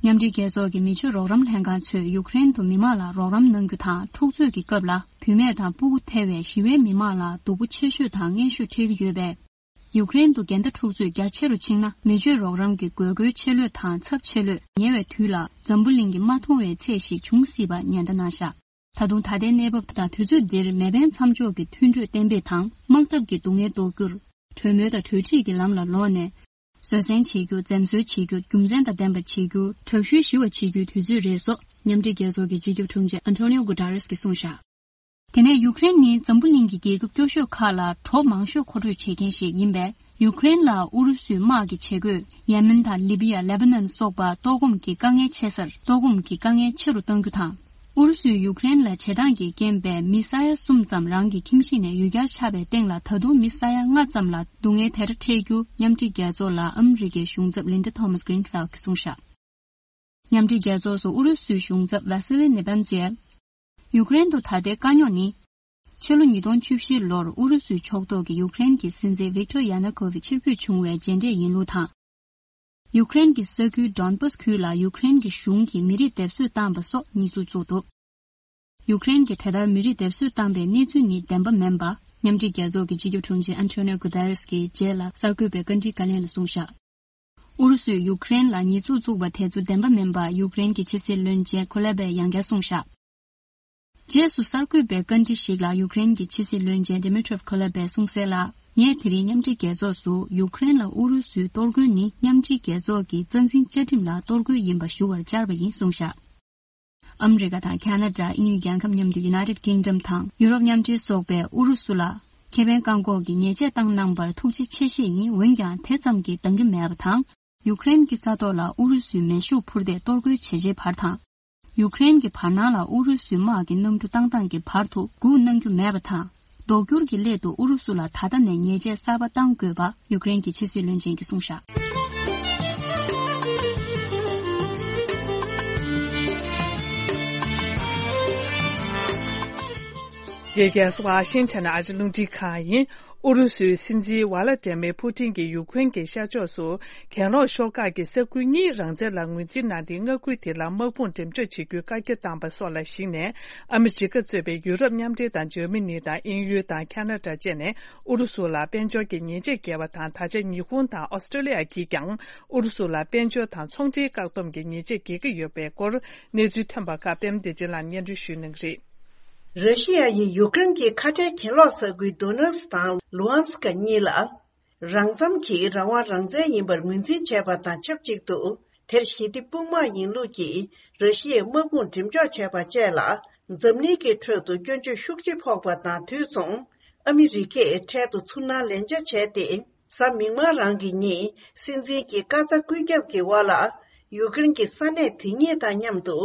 མཉམ་འབྲེལ་རྒྱལ་ཚོགས་ཀྱི་མི་ཆོས་རོགས་རམ་ལྷན་ཁང་ཚོས་ཡུཀ་རེན་དུ་མི་མང་ལ་རོགས་རམ་གནང་རྒྱུ་དང་། འཁྲུག་རྩོད་ཀྱི་སྐབས་ལ་བུད་མེད་དང་སྤུ་གུ་ཐེ་བའི་ཞི་བའི་མི་མང་ལ་སྡུག་པོ་ཆེ་ཤོས་དང་ངན་ཤོས་འཕྲད་ཀྱི་ཡོད་པས། ཡུཀ་རེན་དུ་འགལ་ཟླ་འཁྲུག་རྩོད་རྒྱ་ཆེ་རུ་ཕྱིན་ན། མི་ཆོས་རོགས་རམ་གྱི་དགོས་མཁོའི་ཆེ་ལོས་དང་ཚབས་ཆེ་ལོས་ཉེ་བའི་དུས་ལ་འཛམ་བུ་གླིང་གིས་མ་མཐོང་བའི་ཚད་ཞིག་འབྱུང་སྲིད་པ་ཉེན་བརྡ་གནང་བཞག་ད་དུང་ད་ལྟའི་གནས་བབ་དང་དུས་ཚོད་འདིར་མེ་འཕེན་མཚམས་འཇོག་གི་མཐུན་གྲོས་གཏན་འབེབས་དང་། དམག་འཐབ་ཀྱི་སྡུག་བསྔལ་ཟློག་རྒྱུར། གྲོས་མོལ་དང་གྲོས་འགྲིག་གི་ལམ་ལ་ལོག་ནས། བཟོད་བསྲན་བྱེད་རྒྱུ། འཛེམ་ཟོན་བྱེད་རྒྱུ། རྒྱུ་མཚན་དང་ལྡན་པ་བྱེད་རྒྱུ། དྲག་ཤུལ་ཞི་བ་བྱེད་རྒྱུའི་དུས་ཚོད་རེད་སོགས་མཉམ་འབྲེལ་རྒྱལ་ཚོགས་ཀྱི་སྤྱི་ཁྱབ་དྲུང་ཆེ་ཨན་ཐོ་ནིའོ་གུ་ཏ་རེས་ཀྱིས་གསུངས་བཞག་དེ་ནས་ཡུཀ་རེན་ནི་འཛམ་བུ་གླིང་གི་རྒྱལ་ཁབ་སྐྱོ་ཤོས་ཁག་ལ་གྲོ་མང་ཤོས་མཁོ་སྤྲོད་བྱེད་མཁན་ཞིག་ཡིན་པས། ཡུཀ་རེན་ལ་ཨུ་རུ་སུའི་དམག་གི་བྱེད་སྒོས་ཡེ་མེན་དང་ལི་བི་ཡ། ལེ་བྷ་ནན་སོགས་པ་ལྟོགས་སྐོམ་གྱི་དཀའ་ངལ་ཆེ་སར་ལྟོགས་སྐོམ་གྱི་དཀའ་ངལ་ཆེ་རུ་གཏང་རྒྱུ་དང་། ཨུ་རུ་སུས་ཡུཀ་རེན་ལ་བྱེད་སྟངས་ཀྱི་རྐྱེན་པས་མི་ས་ཡ་གསུམ་ཙམ་རང་གི་ཁྱིམ་གཞིས་ནས་ཡུལ་གྱར་ཆགས་པའི་སྟེང་ལ། ད་དུང་མི་ས་ཡ་ལྔ་ཙམ་ལ་སྡུག་བསྔལ་དེ་འདྲ་འཕྲད་རྒྱུ་མཉམ་འབྲེལ་རྒྱལ་ཚོགས་ལ་ཨ་མི་རི་ཀའི་གཞུང་ཚབ་ལིན་ཌ་ཐོ་མཱས་གྷི་རིན་ཕེལ་གྱིས་གསུངས་བཞག་མཉམ་འབྲེལ་རྒྱལ་ཚོགས་སུ་ཨུ་རུ་སུའི་གཞུང་ཚབ་ཝ་སི་ལི་ནེ་བན་ཛེ། ཡུཀ་རེན་དུ་ད་ལྟའི་དཀའ་རྙོག་ནི། ཕྱི་ལོ་ཉིས་སྟོང་བཅུ་བཞི་ལོར་ཨུ་རུ་སུའི་ཕྱོགས་གཏོགས་ཀྱི་ཡུཀ་རེན་གྱི་སྲིད་འཛིན་ཝིག་ཏོར་ཡ་ནུ་ཀོ་ཝིཆ་ཕྱིར་འབུད་བྱུང་བའི་རྗེས་འབྲས་ཡིན་ལུགས་དང་། ཡུཀ་རེན་གྱི་ས་ཁུལ་ཌོན་པཱས་ཁུལ་ལ་ཡུཀ་རེན་གྱི་གཞུང་གིས་མི་རིགས་སྡེབ་གསོད་བཏང་བ་སོགས་གནས་ཚུལ་བཙུགས་འདུག་ཡུཀ་རེན་གྱིས་དེ་ལྟར་མི་རིགས་སྡེབ་གསོད་བཏང་པའི་གནས་ཚུལ་ནི་བདེན་པ་མིན་པ། མཉམ་འབྲེལ་རྒྱལ་ཚོགས་ཀྱི་སྤྱི་ཁྱབ་དྲུང་ཆེ་ཨན་ཐོ་ནིའོ་གུ་ཏ་རེས་ཀྱིས་རྗེས་ལ་གསར་འགོད་པའི་བཀའ་འདྲིའི་བཀའ་ལན་ལ་གསུངས་བཞག་ཨུ་རུ་སུས་ཡུཀ་རེན་ལ་ཉེས་འཛུགས་བཙུགས་པ་དེ་ཚོ་བདེན་པ་མིན་པ། ཡུཀ་རེན་གྱི་ཕྱི་སྲིད་བློན་ཆེན་ཁོ་ལེ་བས་ཡང་བསྐྱར་གསུངས་བཞག་རྗེས་སུ་གསར་འགོད་པའི་བཀའ་འདྲི་ཞིག་ལ་ཡུཀ་རེན་གྱི་ཕྱི་སྲིད་བློན་ཆེན་ཌི་མི་ཏྲོབ་ཁོ་ལེ་བས་གསུངས་གསལ་ལ། ངས་དེ་རིང་མཉམ་འབྲེལ་རྒྱལ་ཚོགས་སུ་ཡུཀ་རེན་ལ་ཨུ་རུ་སུའི་གཏོར་རྒོལ་ནི་མཉམ་འབྲེལ་རྒྱལ་ཚོགས་ཀྱི་རྩ་འཛིན་བཅའ་ཁྲིམས་ལ་གཏོར་རྒོལ་ཡིན་པ་ཞུ་བར་བཅར་བ་ཡིན་གསུངས་བཞག་ཨ་མི་རི་ཀ་དང་ཁ་ན་ཌ། དབྱིན་ཡུལ་རྒྱལ་ཁབ་མཉམ་དུ་United Kingdom དང་ཡུ་རོབ་མཉམ་འབྲེལ་སོགས་པས་ཨུ་རུ་སུ་ལ་ཁེ་ཕན་བཀག་འགོག་གི་ཉེས་ཆད་བཏང་གནང་བར་ཐུགས་རྗེ་ཆེ་ཞུས་ཡིན། འོན་ཀྱང་དེ་ཙམ་གྱིས་འདང་གི་མེད་པ་དང་། ཡུཀ་རེན་གྱི་ས་ཐོག་ལ་ཨུ་རུ་སུའི་མེ་ཤུགས་འཕུར་མདེལ་གཏོར་རྒོལ་བྱས་རྗེས་བར་དང་། ཡུཀ་རེན་གྱི་བར་སྣང་ལ་ཨུ་རུ་སུའི་དམག་གི་གནམ་གྲུ་བཏང་སྟངས་ཀྱི་བར་དུ་སྒུག་གནང་རྒྱུ་མེད་པ་དང་། ལྡོག་སྐྱོར་གྱི་སླད་དུ་ཨུ་རུ་སུ་ལ་ད་ལྟ་ནས་ཉེས་ཆད་གསར་པ་གཏང་དགོས་པ་ཡུཀ་རེན་གྱི་ཕྱི་སྲིད་བློན་ཆེན་གྱིས་གསུངས་བཞག་རྒྱལ་ཁབ་ཝ་ཤིང་ཊོན་ཨ་རི་རླུང་འཕྲིན་ཁང་ཡིན། ཨུ་རུ་སུའི་སྲིད་འཛིན་ཝ་ལ་ཏེ་མེ་ཕུ་ཏིན་གྱིས་ཡུ་ཁུན་གྱི་ཤར་ཕྱོགས་སུ་གྱེན་ལོག་ཤོག་ཁག་གི་ས་ཁུལ་གཉིས་རང་བཙན་ལ་ངོས་འཛིན་གནང་སྟེ། མངའ་ཁུལ་དེ་ལ་དམག་དཔུང་འགྲེམས་འཇོག་བྱེད་རྒྱུའི་བཀའ་རྒྱ་བཏང་པ་སོགས་ལ་གཞིགས་ནས། ཨ་མི་རི་ཀ་གཙོས་པའི་ཡུ་རོབ་མཉམ་འབྲེལ་དང་འཇར་མ་ནི་དང་དབྱིན་ཡུལ་དང་ཁ་ན་ཌ་བཅས་ནས་ཨུ་རུ་སུ་ལ་དཔལ་འབྱོར་གྱི་ཉེས་ཆད་བཀལ་བ་དང་། ད་ཆ་ཉི་ཧོང་དང་ཨོ་སི་ཀྲོ་ལི་ཡ་གིས་ཀྱང་ཨུ་རུ་སུ་ལ་དཔལ་འབྱོར་དང་ཚོང་འབྲེལ་བཀག་སྡོམ་གྱི་ཉེས་ཆད་འགེལ་གྱི་ཡོད་པའི་སྐོར། གནས་ཚུལ་ཐོན་པ་ཁག་པད་མ་བདེ་ཆེན་ལགས་སྙན་སྒྲོན་ཞུ་གནང་གི་རེད། ར་ཤི་ཡ་ཡིས་ཡུ་ཀེ་རེན་གྱི་ཁ་བྲལ་གྱེན་ལོག་ས་ཁུལ་དོ་ནེ་སི་དང་ལུ་ཧན་སི་ཀ་གཉིས་ལ། རང་འཚམ་གྱིས་རང་དབང་རང་བཙན་ཡིན་པར་ངོས་འཛིན་བྱས་པ་དང་ཆབས་ཅིག་ཏུ། དེར་ཞི་བདེ་དཔུང་དམག་ཡིན་ལུགས་ཀྱིས་ར་ཤི་ཡའི་དམག་དཔུང་འགྲེམས་འཇོག་བྱས་པ་བཅས་ལ། འཛམ་གླིང་གི་ཁྲོད་དུ་སྐྱོན་བརྗོད་ཤུགས་ཆེ་ཕོག་པ་དང་དུས་མཚུངས། ཨ་མི་རི་ཀས་འཕྲལ་དུ་ཚུར་སྣང་ལན་ཆ་བྱས་ཏེ། གཟའ་མིག་དམར་རང་གི་ཉིན། སྲིད་འཛིན་གྱི་བཀའ་རྩ་བཀོད་ཁྱབ་ཀྱི་འོག་ལ། ཡུ་ཀེ་རེན་གྱི་ས་གནས་དེ་ཉིད་དང་མཉམ་དུ།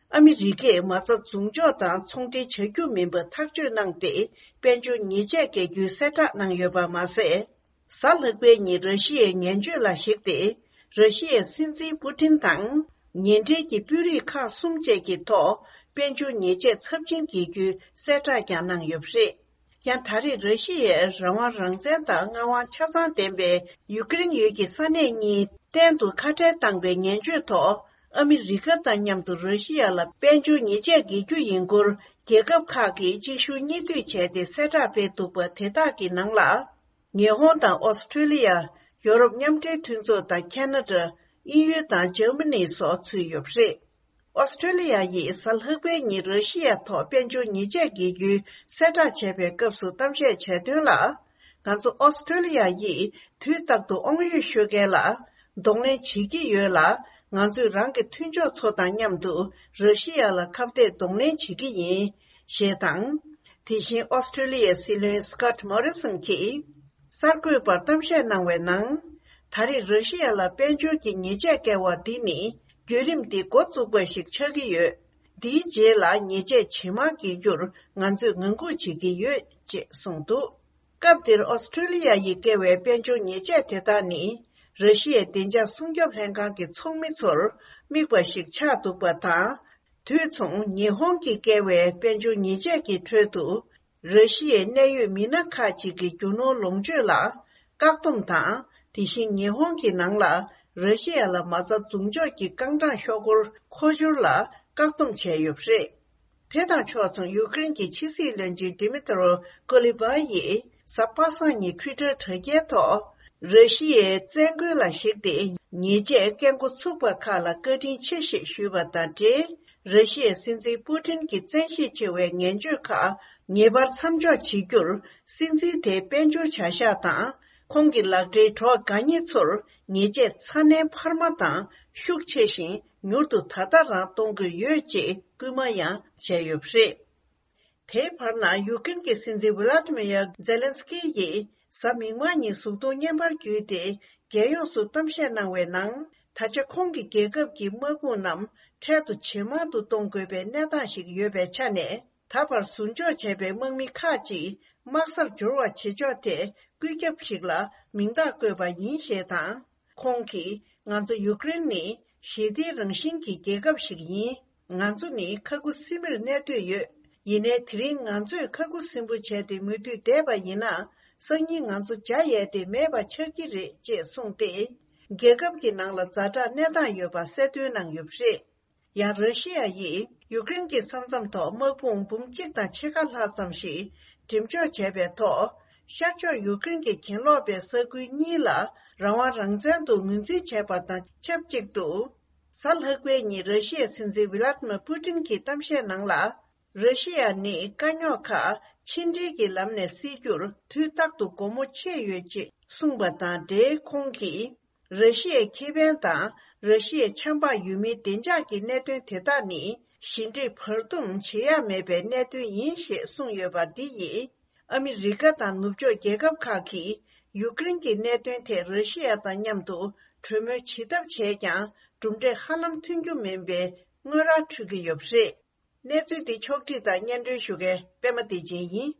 ཨ་མི་རི་ཀས་མ་རྩ་མཚམས་འཇོག་དང་ཚོང་འབྲེལ་བྱ་རྒྱུ་མིན་པ་ཐག་གཅོད་གནང་སྟེ། དཔལ་འབྱོར་ཉེས་ཆད་འགེལ་རྒྱུའི་གསལ་བསྒྲགས་གནང་ཡོད་པ་མ་ཟད། གཟའ་ལྷག་པའི་ཉིན་ར་ཤི་ཡའི་ངན་བྱུས་ལ་གཞིགས་ཏེ། ར་ཤི་ཡའི་སྲིད་འཛིན་པུ་ཏིན་དང་། ཉེ་འབྲེལ་གྱི་དཔོན་རིགས་ཁག་གསུམ་བཅས་ཀྱི་ཐོག་དཔལ་འབྱོར་ཉེས་ཆད་ཚབས་ཆེན་འགེལ་རྒྱུའི་གསལ་བསྒྲགས་ཀྱང་གནང་ཡོད་པ་རེད། ཡང་ད་རེས་ར་ཤི་ཡས་རང་དབང་རང་བཙན་དང་མངའ་དབང་ཆ་ཚང་ལྡན་པའི་ཡུ་ཀེ་རེན་ཡུལ་གྱི་ས་གནས་གཉིས་གཏན་དུ་ཁ་བྲལ་བཏང་པའི་ངན་བྱུས་ཐོག་ཨ་མི་རི་ཀ་དང་མཉམ་དུ་ར་ཤི་ཡ་ལ་དཔལ་འབྱོར་ཉེས་ཆད་འགེལ་རྒྱུ་ཡིན་སྐོར། རྒྱལ་ཁབ་ཁག་གིས་གཅིག་མཇུག་གཉིས་མཐུད་བྱས་ཏེ་གསལ་བསྒྲགས་སྤེལ་འདུག་པ་དེ་དག་གི་ནང་ལ། ཉི་ཧོང་དང་ཨོ་སི་ཀྲོ་ལི་ཡ། ཡོ་རོབ་མཉམ་འབྲེལ་མཐུན་ཚོགས་དང་ཁ་ན་ཌ། དབྱིན་ཡུལ་དང་འཇར་མ་ནི་སོགས་ཚུད་ཡོད་པ་རེད། ཨོ་སི་ཀྲོ་ལི་ཡ་ཡིས་གཟའ་ལྷག་པའི་ཉིན་ར་ཤི་ཡ་ཐོག་དཔལ་འབྱོར་ཉེས་ཆད་འགེལ་རྒྱུའི་གསལ་བསྒྲགས་བྱས་པའི་སྐབས་སུ་གཏམ་བཤད་བྱས་དོན་ལ། ང་ཚོ་ཨོ་སི་ཀྲོ་ལི་ཡ་ཡིས་དུས་རྟག་ཏུ་དབང་ཡོད་ཤོད་མཁན་ལ། གདོང་ལེན་བྱེད་ཀྱི་ཡོད་ལ། ང་ཚོས་རང་གི་མཐུན་ཕྱོགས་ཚོ་དང་མཉམ་དུ་ར་ཤི་ཡ་ལ་ཁ་གཏད་གདོང་ལེན་བྱེད་ཀྱི་ཡིན། ཞེས་དང་། དེ་བཞིན་ཨོ་སི་ཀྲོ་ལི་ཡའི་སྲིད་བློན་སི་ཀོཊ་མོ་རི་སོན་གྱིས། གསར་འགོད་པར་གཏམ་བཤད་གནང་བའི་ནང་། ད་རེས་ར་ཤི་ཡ་ལ་དཔལ་འབྱོར་གྱི་ཉེས་ཆད་བཀལ་བ་འདི་ནི། བརྒྱུད་རིམ་འདི་འགོ་བཙུགས་པ་ཞིག་ཆགས་ཀྱི་ཡོད། འདིའི་རྗེས་ལ་ཉེས་ཆད་ཇེ་མང་འགེལ་རྒྱུར་ང་ཚོས་ངང་སྒུག་བྱེད་ཀྱི་ཡོད། ཅེས་གསུངས་འདུག་སྐབས་དེར་ཨོ་སི་ཀྲོ་ལི་ཡ་ཡིས་བཀལ་བའི་དཔལ་འབྱོར་ཉེས་ཆད་དེ་དག་ནི། ར་ཤི་ཡའི་བདེ་འཇགས་སྲུང་སྐྱོབ་ལྷན་ཁང་གི་ཚོགས་མི་ཚོར་དམིགས་པ་ཞིག་ཆགས་འདུག་པ་དང་། དུས་མཚུངས་ཉི་ཧོང་གིས་བཀལ་བའི་དཔལ་འབྱོར་ཉེས་ཆད་ཀྱི་ཁྲོད་དུ། ར་ཤི་ཡའི་གནད་ཡོད་མི་སྣ་ཁག་ཅིག་གི་རྒྱུ་ནོར་ལོངས་སྤྱོད་ལ་བཀག་སྡོམ་དང་། དེ་བཞིན་ཉི་ཧོང་གི་ནང་ལ་ར་ཤི་ཡ་ལ་མ་རྩ་འཛུགས་འཇོག་གི་རྐང་གྲངས་ཤོག་སྒོར་མཁོ་སྦྱོར་ལ་བཀག་སྡོམ་བྱས་ཡོད་པ་རེད། དེ་དང་ཕྱོགས་མཚུངས་ཡུ་ཀེ་རེན་གྱི་ཕྱི་སྲིད་བློན་ཆེན་ཌི་མི་ཏྲོ་ཀོ་ལི་བྷ་ཡིས་གཟའ་པ་སངས་ཉིན་ཊུའི་ཊར་དྲ་རྒྱའི་ཐོག་ར་ཤི་ཡའི་བཙན་རྒོལ་ལ་གཞིགས་ཏེ་ཉེས་ཆད་བཀལ་འགོ་ཚུགས་པ་ཁག་ལ་བཀའ་དྲིན་ཆེ་ཞེས་ཞུས་པ་དང་འབྲེལ། ར་ཤི་ཡའི་སྲིད་འཛིན་པུ་ཏིན་གྱི་བཙན་ཤེད་ཆེ་བའི་ངན་སྤྱོད་ཁག་ངེས་པར་མཚམས་འཇོག་བྱེད་རྒྱུར་སྲིད་འཛིན་དེའི་དཔལ་འབྱོར་བྱ་གཞག་དང་། ཁོང་གི་ལག་འབྲེལ་གྲོགས་དགའ་ཉེ་ཚོར་ཉེས་ཆད་ཚ་ནན་འཕར་མ་དང་ཤུགས་ཆེ་ཞིང་མྱུར་དུ་ད་ལྟ་རང་གཏོང་དགོས་ཡོད་ཅེས་སྐུལ་མ་ཡང་བྱས་ཡོད་པ་རེད། དེའི་བར་ན་ཡུཀ་རེན་གྱི་སྲིད་འཛིན་ཝི་ལ་ཏི་མི་ཡར་ཛེ་ལན་སི་ཀི་ཡིས་གཟའ་མིག་དམར་ཉིན་གཟུགས་མཐོང་བརྙན་པར་བརྒྱུད་དེ། རྒྱལ་ཡོངས་སུ་གཏམ་བཤད་གནང་བའི་ནང་། ད་ཆ་ཁོང་གི་རྒྱལ་ཁབ་ཀྱི་དམག་དཔུང་རྣམས་འཕྲལ་དུ་ཇེ་མང་དུ་གཏོང་དགོས་པའི་གནས་སྟངས་ཤིག་ཡོད་པའི་ཆ་ནས། ད་བར་ཟུར་འཇོག་བྱས་པའི་དམག་མི་ཁག་ཅིག་དམག་སར་འབྱོར་བ་བྱེད་ཕྱོགས་ཐད་བཀོད་ཁྱབ་ཞིག་ལ་མིང་རྟགས་བཀོད་པ་ཡིན་ཞེས་དང་། ཁོང་གིས་ང་ཚོ་ཡུཀ་རེན་ནི་ཞི་བདེའི་རང་བཞིན་གྱི་རྒྱལ་ཁབ་ཞིག་ཡིན། ང་ཚོ་ནི་ཁ་ཁུ་སིམ་མེར་གནས་འདོད་ཡོད། ཡིན་ནའི་དེ་རིང་ང་ཚོས་ཁ་ཁུ་སིམ་པོ་བྱས་ཏེ་མུ་མཐུད་བསྡད་པ་ཡིན་ན། སང་ཉིན་ང་ཚོ་བྱ་ཡས་དེ་མེད་པ་ཆགས་ཀྱི་རེད་ཅེས་གསུངས་ཏེ། རྒྱལ་ཁབ་ཀྱི་ནང་ལ་ཛ་དྲག་གནས་སྟངས་ཡོད་པ་གསལ་སྟོན་གནང་ཡོད་པ་རེད། ཡང་ར་ཤི་ཡ་ཡིས་ཡུཀ་རེན་གྱི་ས་མཚམས་ཐོག་དམག་དཔུང་འབུམ་གཅིག་དང་ཕྱེད་ཀ་ལྷག་ཙམ་ཞིག་འགྲེམས་འཇོག་བྱས་པའི་ཐོག་ཤར་ཕྱོགས་ཡུཀ་རེན་གྱི་གྱེན་ལོག་པའི་ས་ཁུལ་གཉིས་ལ་རང་དབང་རང་བཙན་དུ་ངོས་འཛིན་བྱས་པ་དང་ཆབས་ཅིག་ཏུ། གཟའ་ལྷག་པའི་ཉིན་ར་ཤི་ཡའི་སྲིད་འཛིན་ཝི་ལ་ཏི་མི་པུ་ཏིན་གྱིས་གཏམ་བཤད་ནང་ལ། ར་ཤི་ཡ་ནི་དཀའ་རྙོག་ཁག་ཕྱི་འབྲེལ་གྱི་ལམ་ནས་སེལ་རྒྱུར་དུས་རྟག་ཏུ་སྒོ་མོ་ཕྱེ་ཡོད་ཅེས་གསུངས་པ་དང་འབྲེལ། ཁོང་གིས། ར་ཤི་ཡའི་ཁེ་ཕན་དང་ར་ཤི་ཡའི་ཆབ་འབངས་ཡུལ་མིའི་བདེ་འཇགས་ཀྱི་གནད་དོན་དེ་དག་ནི་ཞི་འགྲིག་བར་འདུམ་བྱེད་ཡ་མེད་པའི་གནད་དོན་ཡིན་ཞེས་གསུངས་ཡོད་པ་འདི་ཡིས་ཨ་མི་རི་ཀ་དང་ནུབ་ཕྱོགས་རྒྱལ་ཁབ་ཁག་གིས་ཡུཀ་རེན་གྱི་གནད་དོན་ཐད་ར་ཤི་ཡ་དང་མཉམ་དུ་གྲོས་མོལ་བྱེད་ཐབས་བྱས་ཀྱང་གྲུབ་འབྲས་ཧ་ལམ་ཐོན་རྒྱུ་མིན་པའི་སྔོན་ར་འཕྲོད་ཀྱི་ཡོད་པ་རེད། གནས་ཚུལ་འདི་ཕྱོགས་བསྒྲིགས་དང་སྙན་སྒྲོན་ཞུ་མཁན་པད་མ་བདེ་ཆེན་ཡིན།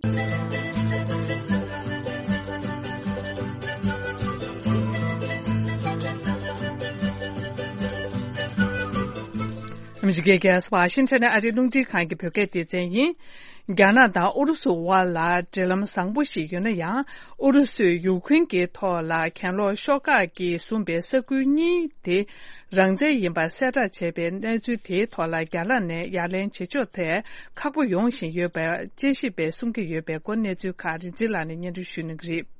ཨ་མི་རི་ཀའི་རྒྱལ་ས་ཝ་ཤིང་ཊོན་ནས་ཨ་རིའི་རླུང་འཕྲིན་ཁང་གི་བོད་སྐད་སྡེ་ཚན་ཡིན། རྒྱ་ནག་དང་ཨུ་རུ་སུ་དབར་ལ་འབྲེལ་ལམ་བཟང་པོ་ཞིག་ཡོད་ན་ཡང་། ཨུ་རུ་སུས་ཡུཀ་རེན་གྱི་ཐོག་ལ་གྱེན་ལོག་ཤོག་ཁག་གིས་བཟུང་པའི་ས་ཁུལ་གཉིས་དེ། རང་བཙན་ཡིན་པ་གསལ་བསྒྲགས་བྱས་པའི་གནས་ཚུལ་དེའི་ཐོག་ལ་རྒྱ་ནག་ནས་ཡ་ལན་བྱེད་ཕྱོགས་ཐད་ཁག་པོ་ཡོང་བཞིན་ཡོད་པ་དཔྱད་ཞིབ་པས་གསུང་གི་ཡོད་པའི་སྐོར་གནས་ཚུལ་ཁག་རིག་འཛིན་ལགས་ནས་སྙན་སྒྲོན་ཞུ་གནང་གི་རེད།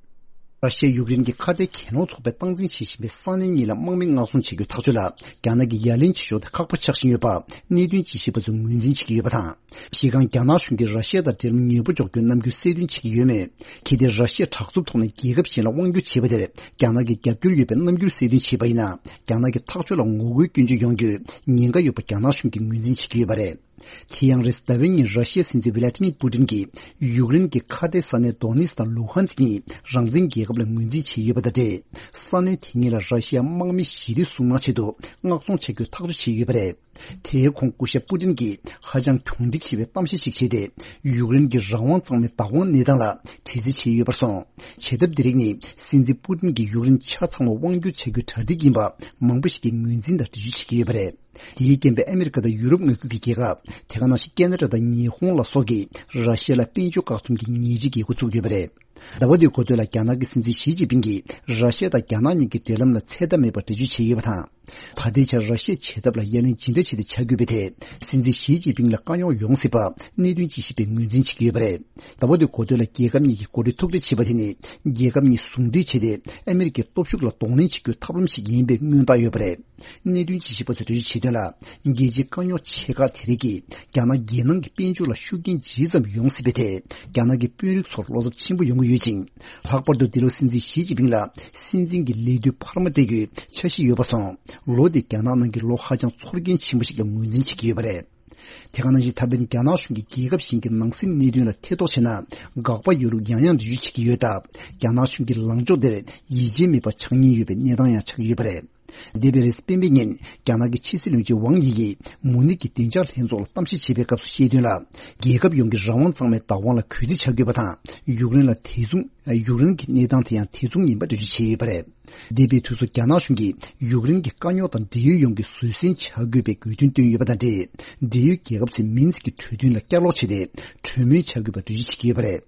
ར་ཤི་ཡ་ཡུཀ་རེན་གྱི་ཁ་བྲལ་གྱེན་ལོག་ཚོགས་པས་སྟངས་འཛིན་བྱེད་བཞིན་པའི་ས་གནས་གཉིས་ལ་དམག་མི་མངགས་ཚོང་བྱེད་རྒྱུའི་ཐག་གཅོད་ལ་རྒྱ་ནག་གིས་ཡ་ལན་བྱེད་ཕྱོགས་དེ་ཁག་པོ་ཆགས་བཞིན་ཡོད་པ་གནད་དོན་དཔྱད་ཞིབ་པ་ཚོས་ངོས་འཛིན་བྱེད་ཀྱི་ཡོད་པ་དང་། གཞི་རྐང་རྒྱ་ནག་གཞུང་གིས་ར་ཤི་ཡ་དང་འབྲེལ་ལམ་ཉེ་པོ་འཇོག་རྒྱུའི་རྣམ་འགྱུར་གསལ་སྟོན་བྱེད་ཀྱི་ཡོད་མོད། གལ་ཏེ་ར་ཤི་ཡས་དྲག་རྩུབ་ཐོག་ནས་རྒྱལ་ཁབ་གཞན་ལ་དབང་སྒྱུར་བྱས་པ་དེར་རྒྱ་ནག་གི་རྒྱབ་སྐྱོར་ཡོད་པའི་རྣམ་འགྱུར་གསལ་སྟོན་བྱས་པ་ཡིན་ན། རྒྱ་ནག་གི་ཐག་གཅོད་ལ་ངོ་རྒོལ་སྐྱོན་བརྗོད་ཡོང་རྒྱུའི་ཉེན་ཁ་ཡོད་པ་རྒྱ་ནག་གཞུང་གིས་ངོས་འཛིན་བྱེད་ཀྱི་ཡོད་པ་རེད། དེ་ཡང་རེས་གཟའ་ཟླ་བའི་ཉིན་ར་ཤི་ཡའི་སྲིད་འཛིན་ཝི་ལ་ཏི་མིར་པུ་ཏིན་གྱིས་ཡུཀ་རེན་གྱི་ཁ་བྲལ་ས་གནས་དོ་ནེ་སི་དང་ལུ་ཧན་སི་གཉིས་རང་བཙན་རྒྱལ་ཁབ་ལ་ངོས་འཛིན་བྱས་ཡོད་པ་དང་འབྲེལ། ས་གནས་དེ་གཉིས་ལ་ར་ཤི་ཡ་དམག་མི་ཞི་བདེ་སྲུང་གནང་ཆེད་དུ་མངགས་ཚོང་བྱ་རྒྱུའི་ཐག་གཅོད་བྱས་ཡོད་པ་རེད། དེའི་གོང་སྐུ་ཞབས་པུ་ཏིན་གྱིས་ཧ་ཅང་གྱོང་སྒྲིག་ཆེ་བའི་གཏམ་བཤད་ཞིག་བྱས་ཏེ། ཡུཀ་རེན་གྱི་རང་དབང་གཙང་མའི་བདག་དབང་གནས་སྟངས་ལ་དྲི་རྩད་བྱས་ཡོད་པར་སོང་། བྱེད་ཐབས་འདི་རིགས་ནི་སྲིད་འཛིན་པུ་ཏིན་གྱིས་ཡུཀ་རེན་ཆ་ཚང་ལ་དབང་སྒྱུར་བྱ་རྒྱུའི་གྲ་སྒྲིག་ཡིན་པ་མང་པོ་ཞིག་གིས་ངོས་འཛིན་དང་འགྲེལ་བརྗོད་བྱེད་ཀྱི་ཡོད་པ་རེད། དེའི་རྐྱེན་པས་ཨ་མི་རི་ཀ་དང་ཡུ་རོབ་མངའ་ཁུལ་གྱི་རྒྱལ་ཁབ། དེ་ག་ནང་བཞིན་ཁེ་ན་ཌ་དང་ཉི་ཧོང་ལ་སོགས་ཀྱིས་ར་ཤི་ཡ་ལ་དཔལ་འབྱོར་བཀག་སྡོམ་གྱི་ཉེས་ཆད་འགེལ་འགོ་ཚུགས་ཡོད་པ་རེད། ཟླ་བ་འདིའི་འགོ་སྟོད་ལ་རྒྱ་ནག་གི་སྲིད་འཛིན་ཞི་ཅིན་ཕིང་གིས་ར་ཤི་ཡ་དང་རྒྱ་ནག་གཉིས་ཀྱི་འབྲེལ་ལམ་ལ་ཚད་ལྡན་མེད་པར་འགྲེལ་བརྗོད་བྱས་ཡོད་པ་དང་། ད་ལྟའི་ཆར་ར་ཤི་ཡའི་བྱེད་ཐབས་ལ་ཡ་ལན་ཇི་འདྲ་བྱས་ཏེ་བྱ་དགོས་པའི་ཐད་སྲིད་འཛིན་ཞི་ཅིན་ཕིང་ལ་དཀའ་རྙོག་ཡོང་སྲིད་པ་གནད་དོན་དཔྱད་ཞིབ་པས་ངོས་འཛིན་བྱེད་ཀྱི་ཡོད་པ་རེད། ཟླ་བ་འདིའི་འགོ་སྟོད་ལ་རྒྱལ་ཁབ་གཉིས་ཀྱིས་འགོ་ཁྲིད་ཐུག་འཕྲད་བྱས་པ་དེ་ནི་རྒྱལ་ཁབ་གཉིས་ཟུང་འབྲེལ་བྱས་ཏེ་ཨ་མི་རི་ཀའི་སྟོབས་ཤུགས་ལ་གདོང་ལེན་བྱེད་རྒྱུའི་ཐབས་ལམ་ཞིག་ཡིན་པའི་མངོན་རྟགས་ཡོད་པ་རེད། གནད་དོན་དཔྱད་ཞིབ་པ་ཚོས་འགྲེལ་བརྗོད་བྱས་དོན་ལ། རྒྱལ་སྤྱིའི་དཀའ་རྙོག་ཆེ་ཁག་དེ་རིགས་ཀྱིས་རྒྱ་ནག་རྒྱལ་ནང་གི་དཔལ་འབྱོར་ལ་ཤུགས་རྐྱེན་ཇི་ཙམ་ཡོང་སྲིད་པའི་ཐད་རྒྱ་ནག་གི་དཔོན་རིགས་ཚོར་བློ་འཚབ་ཆེན་པོ་ཡོང་གི་ཡོད་ཅིང་། ལྷག་པར་དུ་འདི་ལོ་སྲིད་འཛིན་ཞི་ཅིན་ཕིང་ལ་སྲིད་འཛིན་གྱི་ལས་དུས་འཕར་མ་སྤྲད་རྒྱུའི་འཆར་གཞི་ཡོད་པ་སོང་། ལོ་འདི་རྒྱ་ནག་ནང་གི་ལོ་ཧ་ཅང་ཚོར་སྐྱེན་ཆེན་པོ་ཞིག་ལ་ངོས་འཛིན་བྱེད་ཀྱི་ཡོད་པ་རེད། དེ་ག་ནང་བཞིན་ད་ཕན་རྒྱ་ནག་གཞུང་གིས་རྒྱལ་ཁབ་གཞན་གྱི་ནང་སྲིད་གནད་དོན་ལ་ཐེ་གཏོགས་བྱས་ན་དགག་པ་ཡོད་ལུགས་ཡང་ཡང་འགྲེལ་བརྗོད་བྱེད་ཀྱི་ཡོད་སྟབས། རྒྱ་ནག་གཞུང་གི་ལངས་ཕྱོགས་དེར་ཡིད་ཆེས་མེད་པ་ཆགས་ཉེན་ཡོད་པའི་གནས་སྟངས་ཡང་ཆགས་ཀྱི་ཡོད་པ་རེད། འདས་པའི་རེས་གཟའ་སྤེན་པའི་ཉིན་རྒྱ་ནག་གི་ཕྱི་སྲིད་བློན་ཆེན་ཝང་དབྱི་ཡིས་མུ་ནིག་གི་བདེ་འཇགས་ལྷན་ཚོགས་ལ་གཏམ་བཤད་བྱས་པའི་སྐབས་སུ་བཤད་དོན་ལ། རྒྱལ་ཁབ་ཡོངས་ཀྱི་རང་དབང་གཙང་མའི་བདག་དབང་ལ་གུས་བརྩི་བྱ་དགོས་པ་དང་། ཡུཀ་རེན་ལ་དེ་མཚུངས། ཡུཀ་རེན་གྱི་གནས་སྟངས་དེ་ཡང་དེ་མཚུངས་ཡིན་པ་འགྲེལ་བརྗོད་བྱས་ཡོད་པ་རེད། འདས་པའི་དུས་སུ་རྒྱ་ནག་གཞུང་གིས་ཡུཀ་རེན་གྱི་དཀའ་རྙོག་དང་འབྲེལ་ཡོད་ཡོངས་ཀྱི་བཟོད་བསྲན་བྱ་དགོས་པའི་དགོས་འདུན་བཏོན་ཡོད་པ་དང་འབྲེལ། འབྲེལ་ཡོད་རྒྱལ་ཁབ་ཚོས་མིན་སི་ཀྱི་གྲོས་མཐུན་ལ་བསྐྱར་ལོག་བྱས་ཏེ། གྲོས་མོལ་བྱ་དགོས་པ་འགྲེལ་བརྗོད་བྱེད་ཀྱི་ཡོད་པ་རེད།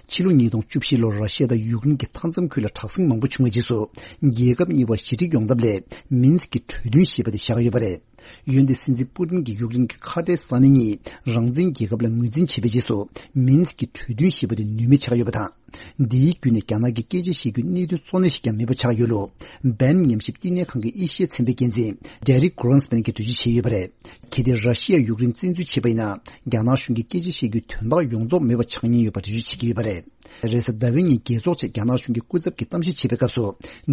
ཕྱི་ལོ་ཉིས་སྟོང་བཅུ་བཞི་ལོར་ར་ཤི་ཡ་དང་ཡུཀ་རེན་གྱི་མཐའ་མཚམས་ཁུལ་ལ་དྲག་ཟིང་མང་པོ་བྱུང་བའི་རྗེས་སུ། རྒྱལ་ཁབ་གཉིས་བར་ཞི་འགྲིག་ཡོང་ཐབས་སླད་མིན་སི་ཀྱི་གྲོས་མཐུན་ཞེས་པ་དེ་བཞག་ཡོད་པ་རེད། འོན་ཏེ་སྲིད་འཛིན་པུ་ཏིན་གྱིས་ཡུཀ་རེན་གྱི་ཁ་བྲལ་ས་གནས་གཉིས་རང་བཙན་རྒྱལ་ཁབ་ལ་ངོས་འཛིན་བྱས་པའི་རྗེས་སུ། མིན་སི་ཀྱི་གྲོས་མཐུན་ཞེས་པ་དེ་ནུས་མེད་ཆགས་ཡོད་པ་དང་། འདིའི་བརྒྱུད་ནས་རྒྱ་ནག་གི་སྐད་ཆ་བཤད་རྒྱུའི་གནད་དོན་གཙོ་གནད་ཞིག་ཀྱང་མེད་པ་ཆགས་ཡོད་ལུགས། བན་ཉམས་ཞིབ་བསྟི་གནས་ཁང་གི་ཨེ་ཤི་ཡ་ཚན་པའི་འགན་འཛིན་Derek Greenspan གྱིས་འགྲེལ་བརྗོད་བྱས་ཡོད་པ་རེད། གལ་ཏེ་ར་ཤི་ཡ་ཡུཀ་རེན་བཙན་འཛུལ་བྱས་པ་ཡིན་ན། རྒྱ་ནག་གཞུང་གི་སྐད་ཆ་བཤད་རྒྱུའི་དོན་དག་ཡོངས་རྫོགས་མེད་པ་ཆགས་ཉེན་ཡོད་པ་འགྲེལ་བརྗོད་བྱེད་ཀྱི་ཡོད་པ་རེད། རེས་གཟའ་ཟླ་བའི་ཉིན་རྒྱལ་ཚོགས་ཆེད་རྒྱ་ནག་གཞུང་གིས་སྐུ་ཚབ་ཀྱིས་གཏམ་བཤད་བྱེད་པའི་སྐབས་སུ།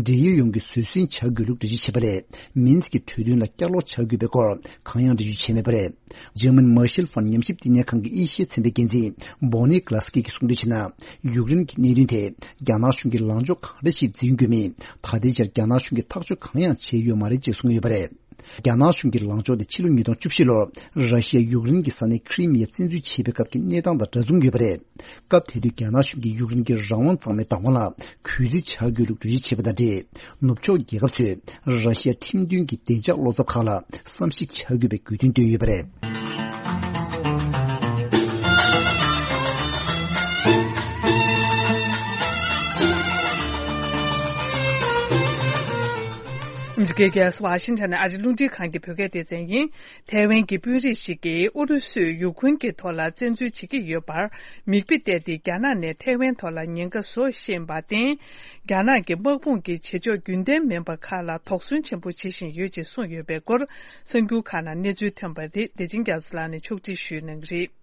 འབྲེལ་ཡོད་ཡོངས་ཀྱིས་བཟོད་བསྲན་བྱ་དགོས་ལུགས་འགྲེལ་བརྗོད་བྱས་པ་རེད། མིན་སི་ཀྱི་གྲོས་མཐུན་ལ་བསྐྱར་ལོག་བྱ་དགོས་པའི་སྐོར་གང་ཡང་འགྲེལ་བརྗོད་བྱས་མེད་པ་རེད། འཇར་མན་མར་ཤལ་ཧྥན་ཉམས་ཞིབ་བསྟི་གནས་ཁང་གི་ཨེ་ཤི་ཡ་ཚན་པའི་འགན་འཛིན་Bonnie Glaske གྱིས་གསུངས་དོན་བྱས་ན། ཡུཀ་རེན་གྱི་གནད་དོན་ཐད་རྒྱ་ནག་གཞུང་གིས་ལངས་ཕྱོགས་གང་འདྲ་ཞིག་འཛིན་དགོས་མིན། ད་ལྟའི་ཆར་རྒྱ་ནག་གཞུང་གིས་ཐག་གཅོད་གང་ཡང་བྱས་ཡོད་མ་རེད་ཅེས་གསུངས་ཡོད་པ་རེད། རྒྱ་ནག་གཞུང་གི་ལངས་ཕྱོགས་དེ་ཕྱི་ལོ་ཉིས་སྟོང་བཅུ་བཞི་ལོར་ར་ཤི་ཡ་ཡུཀ་རེན་གྱི་ས་གནས་ཁི་རི་མི་ཡ་བཙན་འཛུལ་བྱས་པའི་སྐབས་ཀྱི་གནས་སྟངས་དང་འདྲ་མཚུངས་ཡོད་པ་རེད། སྐབས་དེ་དུས་རྒྱ་ནག་གཞུང་གིས་ཡུཀ་རེན་གྱི་རང་དབང་གཙང་མའི་བདག་དབང་ལ་གུས་བརྩི་བྱ་དགོས་ལུགས་འགྲེལ་བརྗོད་བྱས་པ་དང་འབྲེལ། ནུབ་ཕྱོགས་རྒྱལ་ཁབ་ཚོས་ར་ཤི་ཡ་ཁྲིམས་མཐུན་གྱི་བདེ་འཇགས་བློ་འཚབ་ཁག་ལ་བསམ་གཞིག་བྱ་དགོས་པའི་དགོས་འདུན་བཏོན་ཡོད་པ་རེད། ཨ་མི་རི་ཀའི་རྒྱལ་ས་ཝ་ཤིང་ཊོན་ནས་ཨ་རིའི་རླུང་འཕྲིན་ཁང་གི་བོད་སྐད་སྡེ་ཚན་ཡིན། ཐའེ་ཝན་གྱི་དཔོན་རིགས་ཤིག་གིས་ཨུ་རུ་སུས་ཡུ་ཁུན་གྱི་ཐོག་ལ་བཙན་འཛུལ་བྱེད་ཀྱི་ཡོད་པར་མིག་དཔེ་བལྟས་ཏེ། རྒྱ་ནག་ནས་ཐའེ་ཝན་ཐོག་ལ་ཉེན་ཁ་བཟོ་ཤེས་པར་བརྟེན། རྒྱ་ནག་གི་དམག་དཔུང་གི་བྱེད་ཕྱོགས་རྒྱུན་ལྡན་མིན་པ་ཁག་ལ་དོགས་ཟོན་ཆེན་པོ་བྱེད་བཞིན་ཡོད་ཅེས་གསུངས་ཡོད་པའི་སྐོར། གསར་འགྱུར་ཁག་ནང་གནས་ཚུལ་ཐོན་པ་རེད། བདེ་ཆེན་རྒྱ་མཚོ་ལགས་ནས་ཕྱོགས་སྒྲིག་ཞུས་གནང་གི་རེད།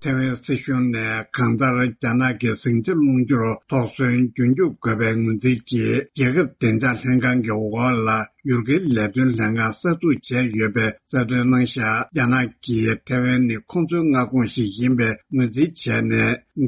ཐའེ་ཝན་སྲིད་གཞུང་ནས་གང་ལྟར་རྒྱ་ནག་གི་ཟིང་ཆ་སློང་རྒྱུར་དོགས་ཟོན་རྒྱུན་སྐྱོབ་དགོས་པའི་ངོས་འཛིན་གྱིས། རྒྱལ་ཁབ་བདེ་འཇགས་ལྷན་ཁང་གི་འོག་ལ་ཡུལ་སྐོར་ལས་དོན་ལྷན་ཁང་གསར་འཛུགས་བྱས་ཡོད་པའི་གསལ་སྟོན་གནང་བཞག་རྒྱ་ནག་གིས་ཐའེ་ཝན་ནི་ཁོང་ཚོའི་མངའ་ཁོངས་ཤིག་ཡིན་པའི་ངོས་འཛིན་བྱས་ནས།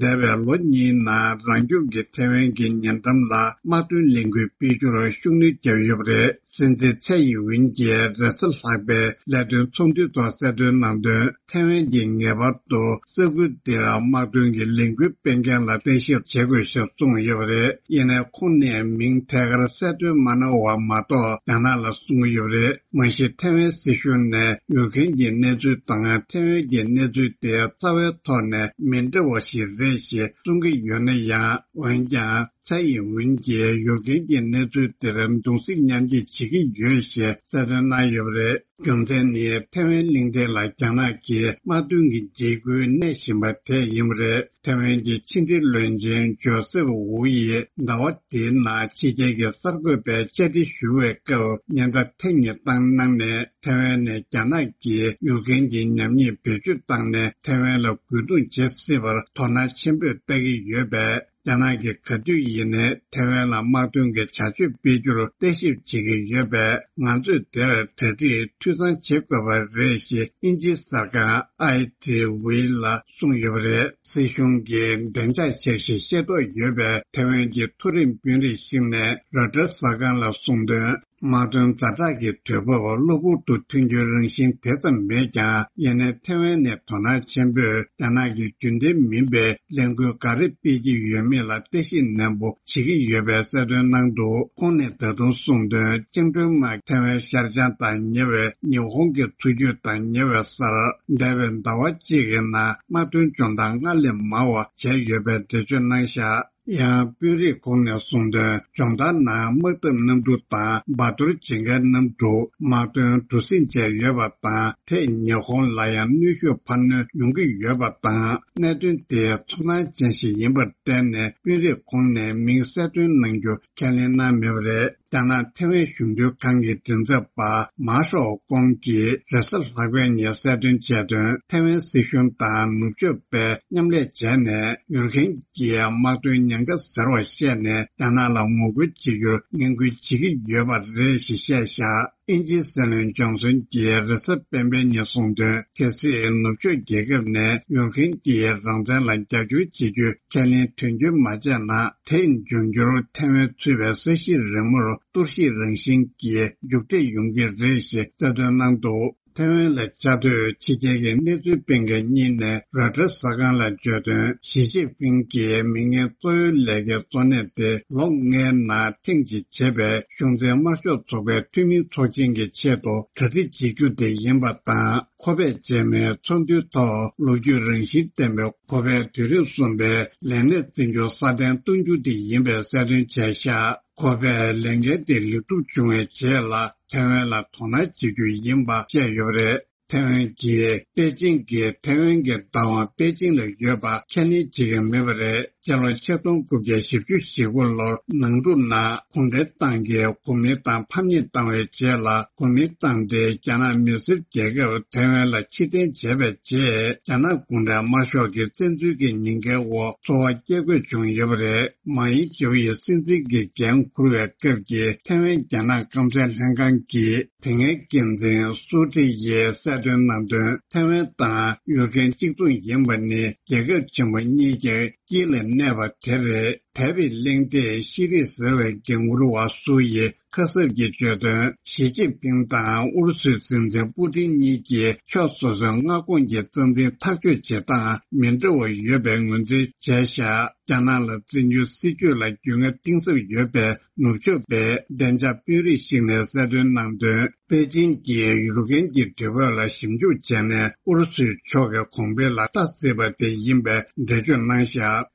འདས་པའི་ལོ་གཉིས་ནང་རང་སྐྱོང་གི་ཐའེ་ཝན་གྱི་ཉེ་འགྲམ་ལ་དམག་དོན་ལས་འགུལ་སྤེལ་རྒྱུར་ཤུགས་སྣོན་བརྒྱབ་ཡོད་པ་རེད། སྲིད་འཛིན་ཚའེ་ཡིན་ཝིན་གྱིས་རེས་གཟའ་ལྷག་པའི་ལས་དོན་ཚོགས་འདུའི་ཐོག་གསལ་སྟོན་གནང་དོན། ཐའེ་ཝན་གྱིས་ངེས་པར་དུ་ས་ཁུལ་འདིར་དམག་དོན་གྱི་ལས་འགུལ་སྤེལ་མཁན་ལ་བརྟག་ཞིབ་བྱེད་དགོས་ཞེས་གསུངས་ཡོད་པ་རེད། ཡིན་ནའི་ཁོང་ནས་མིང་ཐད་ཀར་གསལ་སྟོན་མ་གནང་བ་མ་གཏོགས། རྒྱ་ནག་ལ་གསུངས་ཡོད་པ་རེད། མ་གཞི་ཐའེ་ཝན་སྲིད་གཞུང་ནས་ཡུལ་མཁན་གྱི་གནས་ཚུལ་དང་ཐའེ་ཝན་གྱི་གནས་ཚུལ་དེ་རྩ་བའི་ཐོག་ནས་མི་འདྲ་བ་ཞིག་རེད་ཞེས་གསུང་གི་ཡོད་ན་ཡང་། འོན་ཀྱང་། ཚའེ་ཡིན་ཝིན་གྱིས་ཡུལ་མཁན་གྱི་གནས་ཚུལ་དེར་གདུང་སེམས་མཉམ་སྐྱེད་བྱེད་ཀྱི་ཡོད་ཞེས་གསལ་སྟོན་གནང་ཡོད་པ་རེད། རྒྱུ་མཚན་ནི་ཐའེ་ཝན་གླིང་ཕྲན་ལ་རྒྱ་ནག་གིས་དམག་དོན་གྱི་འཇིགས་སྐུལ་གནས་བཞིན་པ་དེ་ཡིན་པ་རེད། ཐའེ་ཝན་གྱི་ཕྱི་འབྲེལ་བློན་ཆེན་ཇོ་སེབ་ཝུ་ཡིས་ཟླ་བ་འདིའི་ནང་ཕྱི་རྒྱལ་གྱི་གསར་འགོད་པའི་བཅར་འདྲི་ཞུ་བའི་སྐབས་ཉེན་བརྡ་ཐེངས་གཉིས་བཏང་གནང་ནས། ཐའེ་ཝན་ནས་རྒྱ་ནག་གིས་ཡུལ་མཁན་གྱི་ཉམས་ཉེས་བེད་སྤྱོད་བཏང་ནས་ཐའེ་ཝན་ལ་རྒོལ་རྡུང་བྱེད་སྲིད་པར་དོ་སྣང་ཆེན་པོས་ལྟ་གི་ཡོད་པས། རྒྱ་ནག་གིས་ག་དུས་ཡིན་ནའི་ཐའེ་ཝན་ལ་དམག་དོན་གྱི་བྱ་སྤྱོད་སྤེལ་རྒྱུར་བརྟག་ཞིབ་བྱེད་ཀྱི་ཡོད་པས། ང་ཚོས་དེར་གྲ་སྒྲིག་འཐུས་ཚང་བྱེད་དགོས་པ་རེད་ཞེས་དབྱིན་ཇིའི་གསར་ཁང་ཨའི་ཊི་ཝི་ལ་གསུངས་ཡོད་པ་རེད། སྲིད་གཞུང་གིས་བདེ་འཇགས་འཆར་གཞི་ཤེས་རྟོགས་ཡོད་པའི་ཐའེ་ཝན་གྱི་མཐོ་རིམ་དཔོན་རིགས་ཤིག་ནས་རོའི་ཊར་གསར་ཁང་ལ་གསུངས་དོན། དམག་དོན་ཛ་དྲག་གི་དུས་བབ་གློ་བུར་དུ་ཐོན་རྒྱུའི་རང་བཞིན་དེ་ཙམ་མེད་ཀྱང་། ཡིན་ནའི་ཐའེ་ཝན་ནས་དོ་སྣང་ཆེན་པོས་རྒྱ་ནག་གིས་རྒྱུན་ལྡན་མིན་པའི་ལས་འགུལ་ག་རེ་སྤེལ་གྱི་ཡོད་མེད་ལ་བརྟག་ཞིབ་ནན་པོ་བྱེད་ཀྱི་ཡོད་པའི་གསལ་སྟོན་གནང་འདུག་ཁོང་ནས་ད་དུང་གསུངས་དོན། བཅིངས་འགྲོལ་དམག་ཐའེ་ཝན་ཤར་བྱང་དང་ཉེ་བའི་ཉི་ཧོང་གི་མཚོ་རྒྱུད་དང་ཉེ་བའི་སར་འདས་པའི་ཟླ་བ་གཅིག་གི་ནང་དམག་དོན་སྦྱོང་བརྡར་སྔར་ལས་མང་བ་བྱས་ཡོད་པའི་འགྲེལ་བརྗོད་གནང་བཞག་ཡང་དཔོན་རིགས་ཁོང་ནས་གསུངས་དོན། སྦྱོང་བརྡར་ནང་དམག་འཐབ་གནམ་གྲུ་དང་འབའ་ཐོར་བྱེད་མཁན་གནམ་གྲུ། དམག་དོན་གྲུ་གཟིངས་བཅས་ཡོད་པ་དང་། དེས་ཉི་ཧོང་ལ་ཡང་གནོན་ཤུགས་འཕར་སྣོན་ཡོང་གི་ཡོད་པ་དང་། གནད་དོན་དེ་ཚོར་སྣང་ཅན་ཞིག་ཡིན་པར་བརྟེན་ནས། དཔོན་རིགས་ཁོང་ནས་མིང་གསལ་སྟོན་གནང་རྒྱུ་ཁས་ལེན་གནང་མེད་པ་རེད། རྒྱ་ནག་ཐའེ་ཝན་གཞུང་དོན་ཁང་གི་མགྲིན་ཚབ་པ་མཱ་ཧྲོ་ཀོང་གིས་རེས་གཟའ་ལྷག་པའི་ཉིན་གསལ་སྟོན་བྱས་དོན། ཐའེ་ཝན་སྲིད་གཞུང་དང་ནུབ་ཕྱོགས་པས་མཉམ་ལས་བྱས་ནས། ཡུལ་མཁན་གྱི་དམག་དོན་ཉེན་ཁ་ཟེར་བ་བཤད་ནས། རྒྱ་ནག་ལ་ངོ་རྒོལ་བྱེད་རྒྱུར་ངན་སྐུལ་བྱེད་ཀྱི་ཡོད་པ་རེད་ཞེས་བཤད་བཞག་དབྱིན་ཇིའི་སྲིད་བློན་ཇོན་སོན་གྱིས་རེས་གཟའ་སྤེན་པའི་ཉིན་གསུངས་དོན། གལ་སྲིད་ནུབ་ཕྱོགས་རྒྱལ་ཁབ་ནས་ཡུཀ་རེན་གྱི་རང་བཙན་ལ་རྒྱབ་སྐྱོར་བྱེད་རྒྱུའི་ཁས་ལེན་དོན་འཁྱོལ་མ་བྱས་ན། དེས་འབྱུང་འགྱུར་ཐའེ་ཝན་ཚུད་པའི་ས་གཞི་རིལ་མོར་གཏོར་བཤིག་རང་བཞིན་གྱི་མཇུག་འབྲས་ཡོང་གི་རེད་ཞེས་གསལ་སྟོན་གནང་འདུག་ཐའེ་ཝན་ལ་བཅའ་སྡོད་ཕྱི་རྒྱལ་གྱི་གནས་ཚུལ་སྤེལ་མཁན་གཉིས་ནས་རོའི་ཊར་གསར་ཁང་ལ་བརྗོད་དོན། ཞི་ཅིན་ཕིང་གིས་མིང་ངན་གཙོ་བོའི་ལས་ཀའི་གཙོ་གནད་དེ་ལོ་ལྔའི་ནང་ཐེངས་གཅིག་བྱས་པའི་གཞུང་འཛིན་དམར་ཤོག་ཚོགས་པའི་འཐུས་མི་ཚོགས་ཆེན་གྱི་ཆེད་དུ་གྲ་སྒྲིག་བྱེད་རྒྱུ་དེ་ཡིན་པ་དང་། ཁོ་པས་རྗེས་མའི་ཚོགས་འདུའི་ཐོག་ལོ་རྒྱུས་རང་བཞིན་ལྡན་པའི་ཁོ་པའི་དུས་རིམ་གསུམ་པའི་ལས་གནས་བཙན་སྐྱོང་སྲ་བརྟན་གཏོང་རྒྱུ་དེ་ཡིན་པའི་གསལ་སྟོན་བྱས་ཤག་ཁོ་པས་ལས་འགན་དེ་ལེགས་གྲུབ་བྱུང་བའི་རྗེས་ལ་ཐའེ་ཝན་ལ་དོ་སྣང་བྱེད་རྒྱུ་ཡིན་པ་བཤད་ཡོད་པ་རེད། ཐའེ་ཝན་གྱིས་པེ་ཅིང་གིས་ཐའེ་ཝན་གྱི་བདག་དབང་པེ་ཅིང་ལ་ཡོད་པ་ཁས་ལེན་བྱེད་ཀྱི་མེད་པ་རེད། སྤྱི་ལོ་ཆིག་སྟོང་དགུ་བརྒྱ་བཞི་བཅུ་ཞེ་དགུ་ལོར་ནང་འཁྲུག་ནང་གུང་ཁྲན་ཏང་གིས་གོ་མིན་ཏང་ཕམ་ཉེས་བཏང་བའི་རྗེས་ལ། གོ་མིན་ཏང་དེ་རྒྱ་ནག་མི་སེར་རྒྱལ་ཁབ་ཐའེ་ཝན་ལ་ཕྱིར་འཐེན་བྱས་པའི་རྗེས། རྒྱ་ནག་གུང་ཁྲན་དམར་ཤོག་གི་བཙན་འཛུལ་གྱི་ཉེན་ཁའི་འོག་འཚོ་བ་སྐྱེལ་དགོས་བྱུང་ཡོད་པ་རེད། མཱ་ཡིན་ཇོ་ཡི་སྲིད་འཛིན་གྱི་འགན་འཁུར་བའི་སྐབས་ཀྱི་ཐའེ་ཝན་རྒྱ་ནག་སྐམ་སའི་ལྷན་ཁང་གི་དེ་སྔའི་འགན་འཛིན་སུའུ་ཀྲི་ཡིས་གསལ་སྟོན་གནང་དོན། ཐའེ་ཝན་དང་ཡུཀ་རེན་གཅིག་མཚུངས་ཡིན་པ་ནི་རྒྱལ་ཁབ་ཆེན་པོ་གཉིས་ཀྱི་དཀྱིལ་ལ་གནས་པ་དེ་རེད། དེ་བས་གླེང་སྟེགས་ཤེས་རིག་ཟེར་བའི་འགན་འཁུར་བ་སུའུ་ཡི་ཁ་གསབ་ཀྱིས་བརྗོད་དོན། ཞི་ཅིན་ཕིང་དང་ཨུ་རུ་སུའི་སྲིད་འཛིན་པུ་ཏིན་གཉིས་ཀྱིས་ཕྱོགས་སོ་སོའི་མངའ་ཁོངས་ཀྱི་རྩ་འཛིན་ཐག་གཅོད་བྱེད་སྟངས་མི་འདྲ་བ་ཡོད་པའི་ངོས་འཛིན་བྱས་ཤག་རྒྱ་ནག་ལ་བཙན་བྱོལ་སྲིད་བྱུས་ལ་རྒྱུས་མངའ་གཏིང་ཟབ་ཡོད་པའི་ནུབ་ཕྱོགས་པའི་བདེ་འཇགས་དཔོན་རིགས་ཤིག་ནས་གསལ་སྟོན་གནང་དོན། པེ་ཅིན་གྱིས་ཡུཀ་རེན་གྱི་དུས་བབ་ལ་ཞིབ་འཇུག་བྱས་ནས་ཨུ་རུ་སུའི་ཕྱོགས་ཀྱི་གོང་འཕེལ་ལ་ལྟ་སྲིད་པ་དེ་ཡིན་པའི་འགྲེལ་བརྗོད་གནང་ཤག་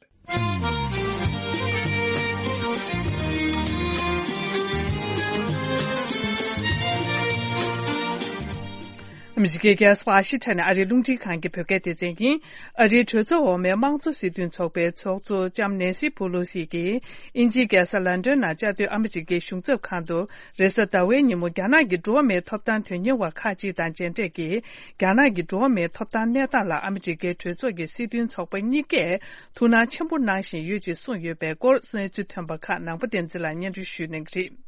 ཨ་མི་རི་ཀའི་རྒྱལ་ས་ཝ་ཤིང་ཊོན་ནས་ཨ་རིའི་རླུང་འཕྲིན་ཁང་གི་བོད་སྐད་སྡེ་ཚན་ཡིན། ཨ་རིའི་གྲོས་ཚོགས་འོག་མའི་དམངས་གཙོ་སྲིད་དོན་ཚོགས་པའི་ཚོགས་གཙོ་ལྕམ་ནེན་སི་པོ་ལོ་སི་གིས་དབྱིན་ཇིའི་རྒྱལ་ས་ལན་ཀྲན་ནང་བཅའ་སྡོད་ཨ་མི་རི་ཀའི་གཞུང་ཚབ་ཁང་དུ་རེས་གཟའ་ཟླ་བའི་ཉིན་མོ་རྒྱ་ནག་གི་འགྲོ་བ་མིའི་ཐོབ་ཐང་དོན་གཉེར་བ་ཁག་ཅིག་དང་མཇལ་འཕྲད་ཀྱིས། རྒྱ་ནག་གི་འགྲོ་བ་མིའི་ཐོབ་ཐང་གནས་སྟངས་ལ་ཨ་མི་རི་ཀའི་གྲོས་ཚོགས་ཀྱི་སྲིད་དོན་ཚོགས་པ་གཉིས་ཀས་ཐུགས་སྣང་ཆེན་པོ་གནང་བཞིན་ཡོད་ཅེས་གསུངས་ཡོད་པའི་སྐོར་གནས་ཚུལ་ཐོན་པ་ཁག་ནང་པ་བསྟན་འཛིན་ལགས་སྙན་སྒྲོན་ཞུ་གནང་གི་རེད།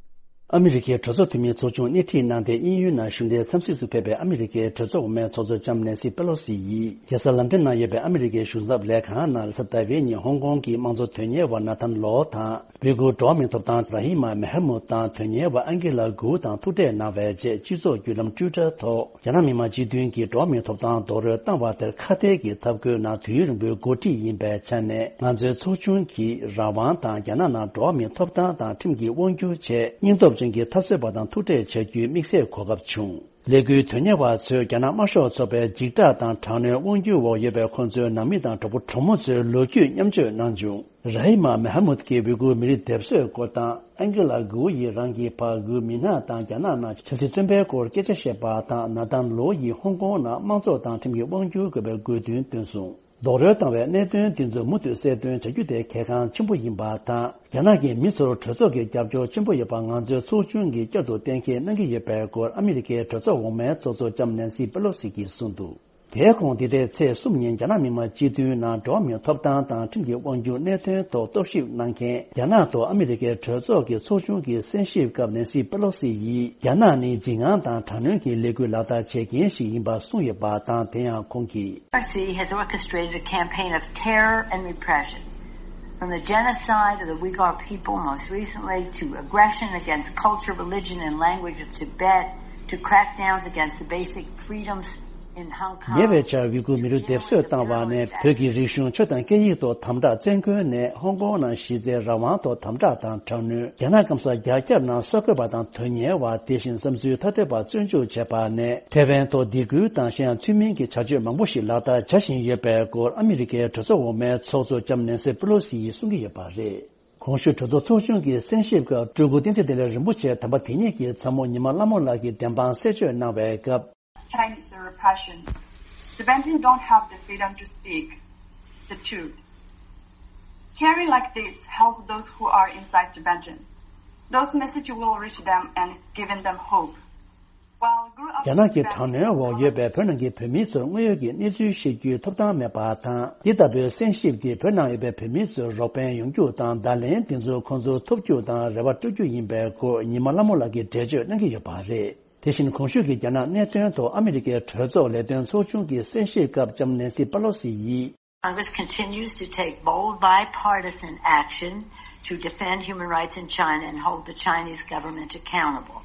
ཨ་མི་རི་ཀའི་གྲོས་ཚོགས་འཐུས་མིའི་ཚོགས་ཆུང་སྣེ་ཁྲིད་གནང་སྟེ་དབྱིན་ཡུལ་ནང་གཞུང་འབྲེལ་འཚམས་གཟིགས་སུ་ཕེབས་པའི་ཨ་མི་རི་ཀའི་གྲོས་ཚོགས་འོག་མའི་ཚོགས་གཙོ་ལྕམ་ནེན་སི་པེ་ལོ་སི་ཡིས་རྒྱལ་ས་ལན་ཀྲན་ནང་ཡོད་པའི་ཨ་མི་རི་ཀའི་གཞུང་ཚབ་ལས་ཁང་ནང་རེས་གཟའ་ཟླ་བའི་ཉིན་ཧོང་ཀོང་གི་དམངས་གཙོ་དོན་གཉེར་བ་ན་ཐན་ལོ་དང་། ཝི་གུར་འགྲོ་བ་མིའི་ཐོབ་ཐང་ར་ཧི་མ་མེ་ཧར་མུ་དང་དོན་གཉེར་བ་ཨན་ཀི་ལ་གུའུ་དང་ཐུག་འཕྲད་གནང་བའི་རྗེས། སྤྱི་ཚོགས་བརྒྱུད་ལམ་ཊུའི་ཊར་ཐོག་རྒྱ་ནག་མི་དམངས་སྤྱི་མཐུན་གྱིས་འགྲོ་བ་མིའི་ཐོབ་ཐང་རྡོག་རོལ་བཏང་བ་དེར་ཁ་གཏད་ཀྱི་འཐབ་རྒོལ་ནང་དུས་ཡུན་རིང་པོའི་འགོ་ཁྲིད་ཡིན་པའི་ཆ་ནས། ང་ཚོའི་ཚོགས་ཆུང་གིས་རང་དབང་དང་རྒྱ་ནག་ནང་འགྲོ་བ་མིའི་ཐོབ་ཐང་དང་ཁྲིམས་ཀྱི་དབང་སྒྱུར་ཆེད་སྙིང་སྟོབས་ཅན་གྱི་འཐབ་རྩོད་པ་དང་ཐུག་འཕྲད་བྱ་རྒྱུའི་དམིགས་བསལ་གོ་སྐབས་བྱུང་། ལས་འགུལ་དོན་གཉེར་བ་ཚོས་རྒྱ་ནག་དམར་ཤོག་ཚོགས་པའི་འཇིགས་སྐྲག་དང་དྲག་གནོན་དབང་སྒྱུར་འོག་ཡོད་པའི་ཁོང་ཚོའི་ནང་མི་དང་གྲོགས་པོ་གྲོགས་མོ་ཚོའི་ལོ་རྒྱུས་མཉམ་སྤྱོད་གནང་བྱུང་། ར་ཧི་མ་མེ་ཧ་མུད་ཀྱི་ཝི་གུར་མི་རིགས་སྡེབ་གསོད་སྐོར་དང་། ཨན་ཀི་ལ་གུའུ་ཡིས་རང་གི་ཕ་གུ་མི་ནག་དང་རྒྱ་ནག་ནང་ཆབ་སྲིད་བཙོན་པའི་སྐོར་སྐད་ཆ་བཤད་པ་དང་། ན་ཐན་ལོ་ཡིས་ཧོང་ཀོང་ནང་དམངས་གཙོ་དང་ཁྲིམས་ཀྱི་དབང་སྒྱུར་དགོས་པའི་དགོས་འདུན་བཏོན་སོང་། རྡོག་རོལ་བཏང་བའི་གནད་དོན་འདི་ཚོ་མུ་མཐུད་གསལ་སྟོན་བྱ་རྒྱུ་དེ་གལ་འགངས་ཆེན་པོ་ཡིན་པ་དང་། རྒྱ་ནག་གི་མི་ཚོར་གྲོས་ཚོགས་ཀྱི་རྒྱབ་སྐྱོར་ཆེན་པོ་ཡོད་པ་ང་ཚོའི་ཚོགས་ཆུང་གིས་བསྐྱར་དུ་གཏན་འཁེལ་གནང་གི་ཡོད་པའི་སྐོར་ཨ་མི་རི་ཀའི་གྲོས་ཚོགས་འོག་མའི་ཚོགས་གཙོ་ལྕམ་ནེན་སི་པེ་ལོ་སི་གིས་གསུངས་འདུག་དེའི་གོང་འདི་ཟླའི་ཚེས་གསུམ་ཉིན་རྒྱ་ནག་མི་དམངས་སྤྱི་འཐུས་ནང་འགྲོ་བ་མིའི་ཐོབ་ཐང་དང་ཁྲིམས་ཀྱི་དབང་སྒྱུར་གནད་དོན་ཐོག་རྟོག་ཞིབ་གནང་མཁན་རྒྱ་ནག་ཏུ་ཨ་མི་རི་ཀའི་གྲོས་ཚོགས་ཀྱི་ཚོགས་ཆུང་གི་གསན་ཞིབ་སྐབས་ནེན་སི་པེ་ལོ་སི་ཡིས། རྒྱ་ནག་ནི་འཇིགས་དངངས་དང་དྲག་གནོན་གྱི་ལས་འགུལ་ལག་བསྟར་བྱེད་མཁན་ཞིག་ཡིན་པ་གསུངས་ཡོད་པ་དང་། དེ་ཡང་ཁོང་གིས། R C has orchestrated a campaign of terror and repression, from the genocide of the Uyghur people most recently to aggression against culture, religion, and language of Tibet to crackdowns against the basic freedoms in Hong Kong. ཉེ་བའི་ཆར་ཝི་གུར་མི་རིགས་སྡེབ་གསོད་བཏང་བ་ནས། བོད་ཀྱི་རིག་གཞུང་། ཆོས་དང་སྐད་ཡིག་ཐོག་དམ་དྲག་བཙན་རྒོལ་ནས། ཧོང་ཀོང་ནང་གཞི་རྩའི་རང་དབང་ཐོག་དམ་དྲག་དང་དྲག་གནོན། རྒྱ་ནག་སྐམ་སར་རྒྱ་ཁྱབ་ནང་གསར་འགོད་པ་དང་དོན་གཉེར་བ། དེ་བཞིན་བསམ་ཚུལ་ཐ་དད་པ་བཙོན་འཇུག་བྱས་པ་ནས། ཐའེ་ཝན་ཐོག་སྡིགས་སྐུལ་དང་གཞན་ཡང་ཚུལ་མིན་གྱི་བྱ་སྤྱོད་མང་པོ་ཞིག་ལག་བསྟར་བྱ་བཞིན་ཡོད་པའི་སྐོར་ཨ་མི་རི་ཀའི་གྲོས་ཚོགས་འོག་མའི་ཚོགས་གཙོ་ལྕམ་ནེན་སི་པེ་ལོ་སི་ཡིས་གསུང་གི་ཡོད་པ་རེད། གོང་ཞུས་གྲོས་ཚོགས་ཚོགས་ཆུང་གི་གསན་ཞིབ་སྐབས། སྤྲུལ་སྐུ་བསྟན་འཛིན་བདེ་ལེགས་རིན་པོ་ཆེ་དམ་པ་དེ་ཉིད་ཀྱི་ཚ་མོ་ཉི་མ་ལྷ་མོ་ལགས་ཀྱིས་བདེན་དཔང་གསལ་བརྗོད་གནང་བའི་སྐབས། Chinese repression. Tibetan don't have the freedom to speak the truth. Carry like this help those who are inside Tibetan. Those message will reach them and giving them hope. While grew up རྒྱ་ནག་གི་དྲག་གནོན་འོག་ཡོད་པའི་བོད་ནང་གི་བོད་མི་ཚོར་དངོས་ཡོད་ཀྱི་གནས་ཚུལ་ཤེས་རྒྱུའི་ཐོབ་ཐང་མེད་པ་དང་། འདི་ལྟ་བུའི་གསན་ཞིབ་འདིས་བོད་ནང་ཡོད་པའི་བོད་མི་ཚོར་རོགས་ཕན་ཡོང་རྒྱུ་དང་། བརྡ་ལན་འདི་ཚོ་ཁོང་ཚོར་ཐོབ་རྒྱུ་དང་རེ་བ་སྤྲོད་རྒྱུ་ཡིན་པའི་སྐོར་ཉི་མ་ལྷ་མོ་ལགས་ཀྱིས་འགྲེལ་བརྗོད་གནང་གི་ཡོད་པ་རེད། དེ་བཞིན་གོང་ཞུས་ཀྱི་རྒྱ་ནག་གནད་དོན་ཐོག་ཨ་མི་རི་ཀའི་གྲོས་ཚོགས་ལས་དོན་ཚོགས་ཆུང་གི་གསན་ཞིབ་སྐབས་ལྕམ་ནེན་སི་པ་ལོ་སི་ཡིས། Congress continues to take bold bipartisan action to defend human rights in China and hold the Chinese government accountable.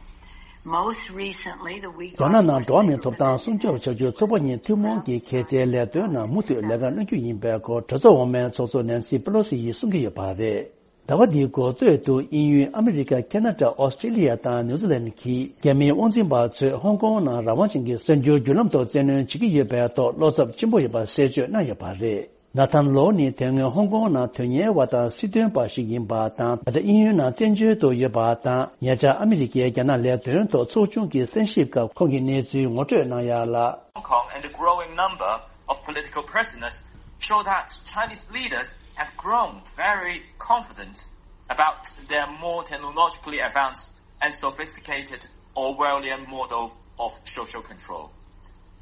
Most recently, the week རྒྱ་ནག་ནང་འགྲོ་བ་མིའི་ཐོབ་ཐང་སྲུང་སྐྱོབ་བྱ་རྒྱུ་ཚོགས་པ་གཉིས་ཐུན་མོང་གི་གལ་ཆེའི་ལས་དོན་ནང་མུ་མཐུད་ལས་ཀ་གནང་རྒྱུ་ཡིན་པའི་སྐོར་གྲོས་ཚོགས་འོག་མའི་ཚོགས་གཙོ་ནེན་སི་པེ་ལོ་སི་ཡིས་གསུང་གི་ཡོད་པ་རེད། ཟླ་བ་འདིའི་འགོ་སྟོད་དུ་དབྱིན་ཡུལ་ཨ་མི་རི་ཀ་ཁེ་ན་ཌ་ཨོ་སི་ཀྲི་ལི་ཡ་དང་ནིའུ་ཛི་ལན་གྱི་རྒྱ་མིའི་དབང་འཛིན་པ་ཚོས་ཧོང་ཀོང་ནང་རང་དབང་ཅན་གྱི་གསར་འགྱུར་བརྒྱུད་ལམ་ཐོག་བཙན་གནོན་བྱེད་ཀྱི་ཡོད་པའི་ཐོག་བློ་འཚབ་ཆེན་པོ་ཡོད་པ་གསལ་བརྗོད་གནང་ཡོད་པ་རེད། ན་ཐན་ལོ་ནི་དེ་སྔོན་ཧོང་ཀོང་ནང་དོན་གཉེར་བ་དང་སྲིད་དོན་པ་ཞིག་ཡིན་པ་དང་། ད་ཆ་དབྱིན་ཡུལ་ནང་བཙན་བྱོལ་དུ་ཡོད་པ་དང་། ཉེ་ཆར་ཨ་མི་རི་ཀའི་རྒྱ་ནག་ལས་དོན་ཐོག་ཚོགས་ཆུང་གི་གསན་ཞིབ་སྐབས་ཁོང་གིས་གནས་ཚུལ་ངོ་སྤྲོད་གནང་ཡ་ལ། Hong Kong and the growing number of political prisoners show that Chinese leaders have grown very confident about their more technologically advanced and sophisticated Orwellian model of social control.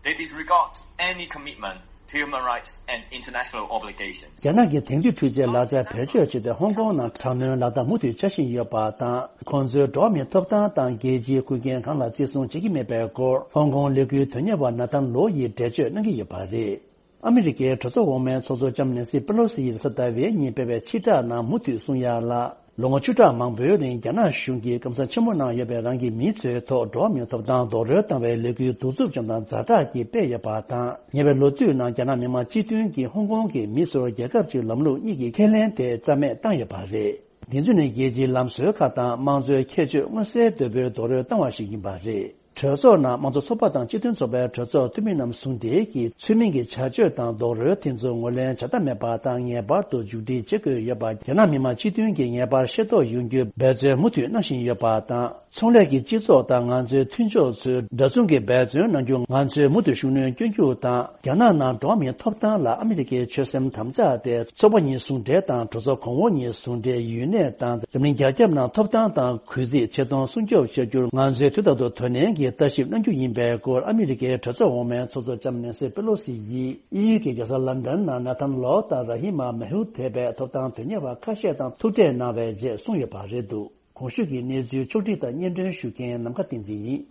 They disregard any commitment to human rights and international obligations. རྒྱ་ནག་གི་དེང་དུས་འཕྲུལ་ཆས་ལག་ཆ་བེད་སྤྱོད་བྱས་ཏེ་ཧོང་ཀོང་ནང་དྲག་གནོན་ལག་བསྟར་མུ་མཐུད་བྱ་བཞིན་ཡོད་པ་དང་། ཁོང་ཚོའི་འགྲོ་བ་མིའི་ཐོབ་ཐང་དང་རྒྱལ་སྤྱིའི་ཁུར་འགན་གང་ལ་བརྩི་སྲུང་བྱེད་ཀྱི་མེད་པའི་སྐོར་ཧོང་ཀོང་ལས་འགུལ་དོན་གཉེར་བ་ན་ཐན་ལོ་ཡིས་འགྲེལ་བརྗོད་གནང་གི་ཡོད་པ་རེད། ཨ་མི་རི་ཀའི་གྲོས་ཚོགས་འོག་མའི་ཚོགས་གཙོ་ལྕམ་ནེན་སི་པེ་ལོ་སི་ཡིས་གཟའ་ཟླ་བའི་ཉིན་སྤེལ་བའི་ཕྱིར་བསྒྲགས་ནང་མུ་མཐུད་གསུང་ཡ་ལ། ལོ་ངོ་བཅུ་ཕྲག་མང་པོའི་རིང་རྒྱ་ནག་གཞུང་གིས་སྐམ་ས་ཆེན་པོ་ནང་ཡོད་པའི་རང་གི་མིའི་ཚོའི་ཐོག་འགྲོ་བ་མིའི་ཐོབ་ཐང་རྡོག་རོལ་བཏང་བའི་ལས་འགུལ་གདུག་རྩུབ་ཅན་དང་ཛ་དྲག་གིས་སྤེལ་ཡོད་པ་དང་། ཉེ་བའི་ལོ་དུས་ནང་རྒྱ་ནག་མི་དམངས་སྤྱི་མཐུན་གྱིས་ཧོང་ཀོང་གི་མི་སེར་རྒྱལ་ཁབ་ཅིག་ལམ་ལུགས་གཉིས་ཀྱི་ཁས་ལེན་དེ་རྩ་མེད་བཏང་ཡོད་པ་རེད། འདི་ཚོ་ནི་རྒྱལ་སྤྱིའི་ལམ་སྲོལ་ཁག་དང་དམངས་གཙོའི་ཁྱད་ཆོས་མངོན་གསལ་དོད་པོའི་རྡོག་རོལ་བཏང་བ་ཞིག་ཡིན་པ་རེད། གྲོས་ཚོགས་ནང་དམངས་གཙོ་ཚོགས་པ་དང་སྤྱི་མཐུན་ཚོགས་པའི་གྲོས་ཚོགས་འཐུས་མི་རྣམས་ཟུང་འབྲེལ་གྱིས་ཚུལ་མིན་གྱི་བྱ་སྤྱོད་དང་རྡོག་རོལ་དེ་ཚོ་ངོས་ལེན་བྱ་ཐབས་མེད་པ་དང་ངེས་པར་དུ་མཇུག་སྒྲིལ་བྱེད་དགོས་ཡོད་པ་རྒྱ་ནག་མི་དམངས་སྤྱི་མཐུན་གྱིས་ངེས་པར་ཤེས་རྟོགས་ཡོང་རྒྱུའི་འབད་བརྩོན་མུ་མཐུད་གནང་བཞིན་ཡོད་པ་དང་། ཚོང་ལས་ཀྱི་སྤྱི་ཚོགས་དང་ང་ཚོའི་མཐུན་ཕྱོགས་ཚོས་འདྲ་མཚུངས་ཀྱི་འབད་བརྩོན་གནང་རྒྱུ་ང་ཚོས་མུ་མཐུད་ཤུགས་སྣོན་སྐྱོན་རྒྱུ་དང་། རྒྱ་ནག་ནང་འགྲོ་བ་མིའི་ཐོབ་ཐང་ལ་ཨ་མི་རི་ཀའི་ཆོད་སེམས་དམ་བཅའ་དེ་ཚོགས་པ་གཉིས་ཟུང་འབྲེལ་དང་གྲོས་ཚོགས་གོང་འོག་གཉིས་ཟུང་འབྲེལ་ཡུན་གནས་དང་། འཛམ་གླིང་རྒྱ་ཁྱབ་ནང་ཐོབ་ཐང་དང་གུས་བརྩི་ཆེ་མཐོང་སྲུང་སྐྱོབ་བྱ་རྒྱུར་ང་ཚོས་དུས་རྟག་ཏུ་དོ་ནན་གྱིས་ལྟ་ཞིབ་གནང་རྒྱུ་ཡིན་པའི་སྐོར་ཨ་མི་རི་ཀའི་གྲོས་ཚོགས་འོག་མའི་ཚོགས་གཙོ་ལྕམ་ནེན་སི་པེ་ལོ་སི་ཡིས་དབྱིན་ཡུལ་གྱི་རྒྱལ་ས་ལན་ཌན་ནང་ན་ཐན་ལོ་དང་ར་ཧི་མ་མེ་ཧུ་ཐེ་བའི་ཐོབ་ཐང་དོན་གཉེར་བ་ཁ་ཤས་དང་ཐུག་འཕྲད་གནང་བའི་རྗེས་གསུངས་ཡོད་པ་རེད་འདུག་གོང་ཞུས་ཀྱི་གནས་ཚུལ་ཕྱོགས་བསྒྲིགས་དང་སྙན་སྒྲོན་ཞུ་མཁན་ནམ་མཁའ་བསྟན་འཛིན་ཡིན།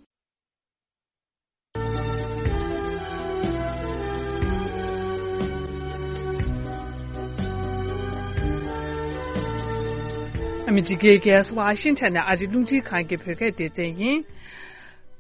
ཨ་མི་རི་ཀའི་རྒྱལ་ས་ཝ་ཤིང་ཊོན་ནས་ཨ་རིའི་རླུང་འཕྲིན་ཁང་གི་བོད་སྐད་སྡེ་ཚན་ཡིན།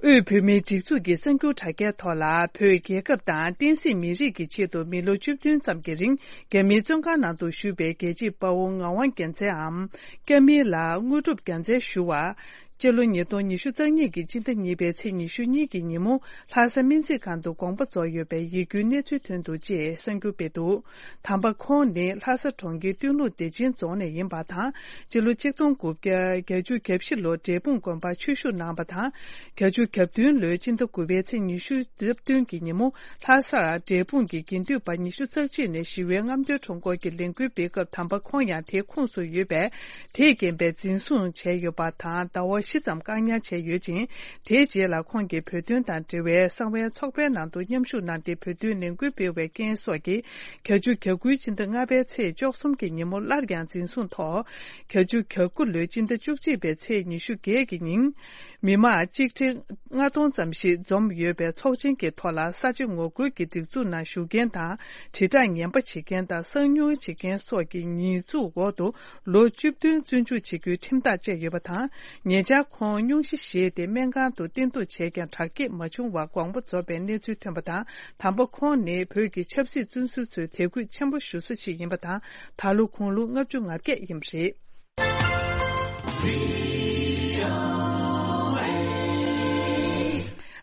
དབུས་བོད་མིའི་སྒྲིག་འཛུགས་ཀྱི་གསར་འགྱུར་དྲ་རྒྱའི་ཐོག་ལ་བོད་རྒྱལ་ཁབ་དང་བསྟན་སྲིད་མི་རིགས་ཀྱི་ཆེད་དུ་མི་ལོ་བཅུ་བདུན་ཙམ་གྱི་རིང་རྒྱ་མིའི་བཙོན་ཁང་ནང་དུ་བཞུགས་པའི་རྒྱལ་གཅེས་དཔའ་བོ་ངག་དབང་རྒྱལ་མཚན་འམ་སྐྱ་མིང་ལགས་དངོས་གྲུབ་རྒྱལ་མཚན་ཞུ་བ། སྤྱི་ལོ་ཉིས་སྟོང་ཉི་ཤུ་རྩ་གཉིས་ཀྱི་སྤྱི་ཟླ་གཉིས་པའི་ཚེས་ཉི་ཤུ་གཉིས་ཀྱི་ཉིན་མོ་ལྷ་ས་སྨན་རྩིས་ཁང་དུ་དགོངས་པ་རྫོགས་ཡོད་པའི་ཡིད་སྐྱོའི་གནས་ཚུལ་ཐོན་འདུག་ཅེས་གསར་འགྱུར་སྤེལ་འདུག་དམ་པ་ཁོང་ནི་ལྷ་ས་གྲོང་ཁྱེར་སྟོད་ལུང་བདེ་ཆེན་རྫོང་ནས་ཡིན་པ་དང་། སྤྱི་ལོ་གཅིག་སྟོང་དགུ་བརྒྱ་བརྒྱད་ཅུ་གྱ་བཞི་ལོར་འབྲས་སྤུངས་དགོན་པར་ཆོས་ཞུགས་གནང་བ་དང་། བརྒྱད་ཅུ་གྱ་བདུན་ལོའི་སྤྱི་ཟླ་དགུ་པའི་ཚེས་ཉི་ཤུ་རྩ་བདུན་གྱི་ཉིན་མོ་ལྷ་སར་འབྲས་སྤུངས་ཀྱི་དགེ་འདུན་པ་ཉི་ཤུ་རྩ་གཅིག་ནས་ཞི་བའི་རྔམ་སྟོན་ཁྲོམ་སྐོར་གྱི་ལས་འགུལ་སྤེལ་སྐབས་དམ་པ་ཁོང་ཡང་དེའི་ཁོངས་སུ་ཡོད་པས། དེས་རྐྱེན་པས་འཛིན་བཟུང་བྱས་ཡོད་པ་དང་ཟླ་བ་བཞི་ཙམ་བཀག་ཉར་བྱས་ཡོད་ཅིང་། དེའི་རྗེས་ལ་ཁོང་གིས་བོད་དོན་དང་འབྲེལ་བའི་གསང་བའི་ཚོགས་པའི་ནང་དུ་མཉམ་ཞུགས་གནང་སྟེ་བོད་དོན་ལས་འགུལ་སྤེལ་བའི་རྐྱེན་སོགས་ཀྱིས་བརྒྱད་ཅུ་གྱ་དགུའི་སྤྱི་ཟླ་ལྔ་པའི་ཚེས་བཅུ་གསུམ་གྱི་ཉིན་མོ་སླར་ཡང་འཛིན་བཟུང་ཐོག་བརྒྱད་ཅུ་གྱ་དགུ་ལོའི་སྤྱི་ཟླ་བཅུ་གཅིག་པའི་ཚེས་ཉི་ཤུ་བརྒྱད་ཀྱི་ཉིན། མི་མང་གཅིག་ཁྲི་ལྔ་སྟོང་ཙམ་ཞིག་འཛོམས་ཡོད་པའི་ཚོགས་ཆེན་གྱི་ཐོག་ལ་ས་བྱི་ངོ་རྒོལ་གྱི་སྒྲིག་འཛུགས་ནང་ཞུགས་མཁན་དང་། དྲིལ་བསྒྲགས་ངན་པ་བྱེད་མཁན་དང་གསང་ཉུལ་བྱེད་མཁན་སོགས་ཀྱི་ཉེས་འཛུགས་འོག་ཏུ་ལོ་བཅུ་བདུན་བཙོན་འཇུག་བྱེད་རྒྱུའི་ཁྲིམས་ཐག་བཅད་ཡོད་པ་དང་། ཉེ་ཆར་ཁོང་སྙུང་གཞི་བཞེས་ཏེ་སྨན་ཁང་དུ་བསྟེན་གཏུགས་བྱས་ཀྱང་དྲག་སྐྱེད་མ་བྱུང་བར་དགོངས་པ་རྫོགས་པའི་གནས་ཚུལ་ཐོན་པ་དང་། དམ་པ་ཁོང་ནི་བོད་ཀྱི་ཆབ་སྲིད་བཙོན་ཟུར་ཚོའི་དད་གུས་ཆེན་པོ་ཞུ་ས་ཞིག་ཡིན་པ་དང་། ད་ལོ་དགུང་ལོ་ལྔ་བཅུ་ང་བརྒྱད་ཡིན་པ་རེད།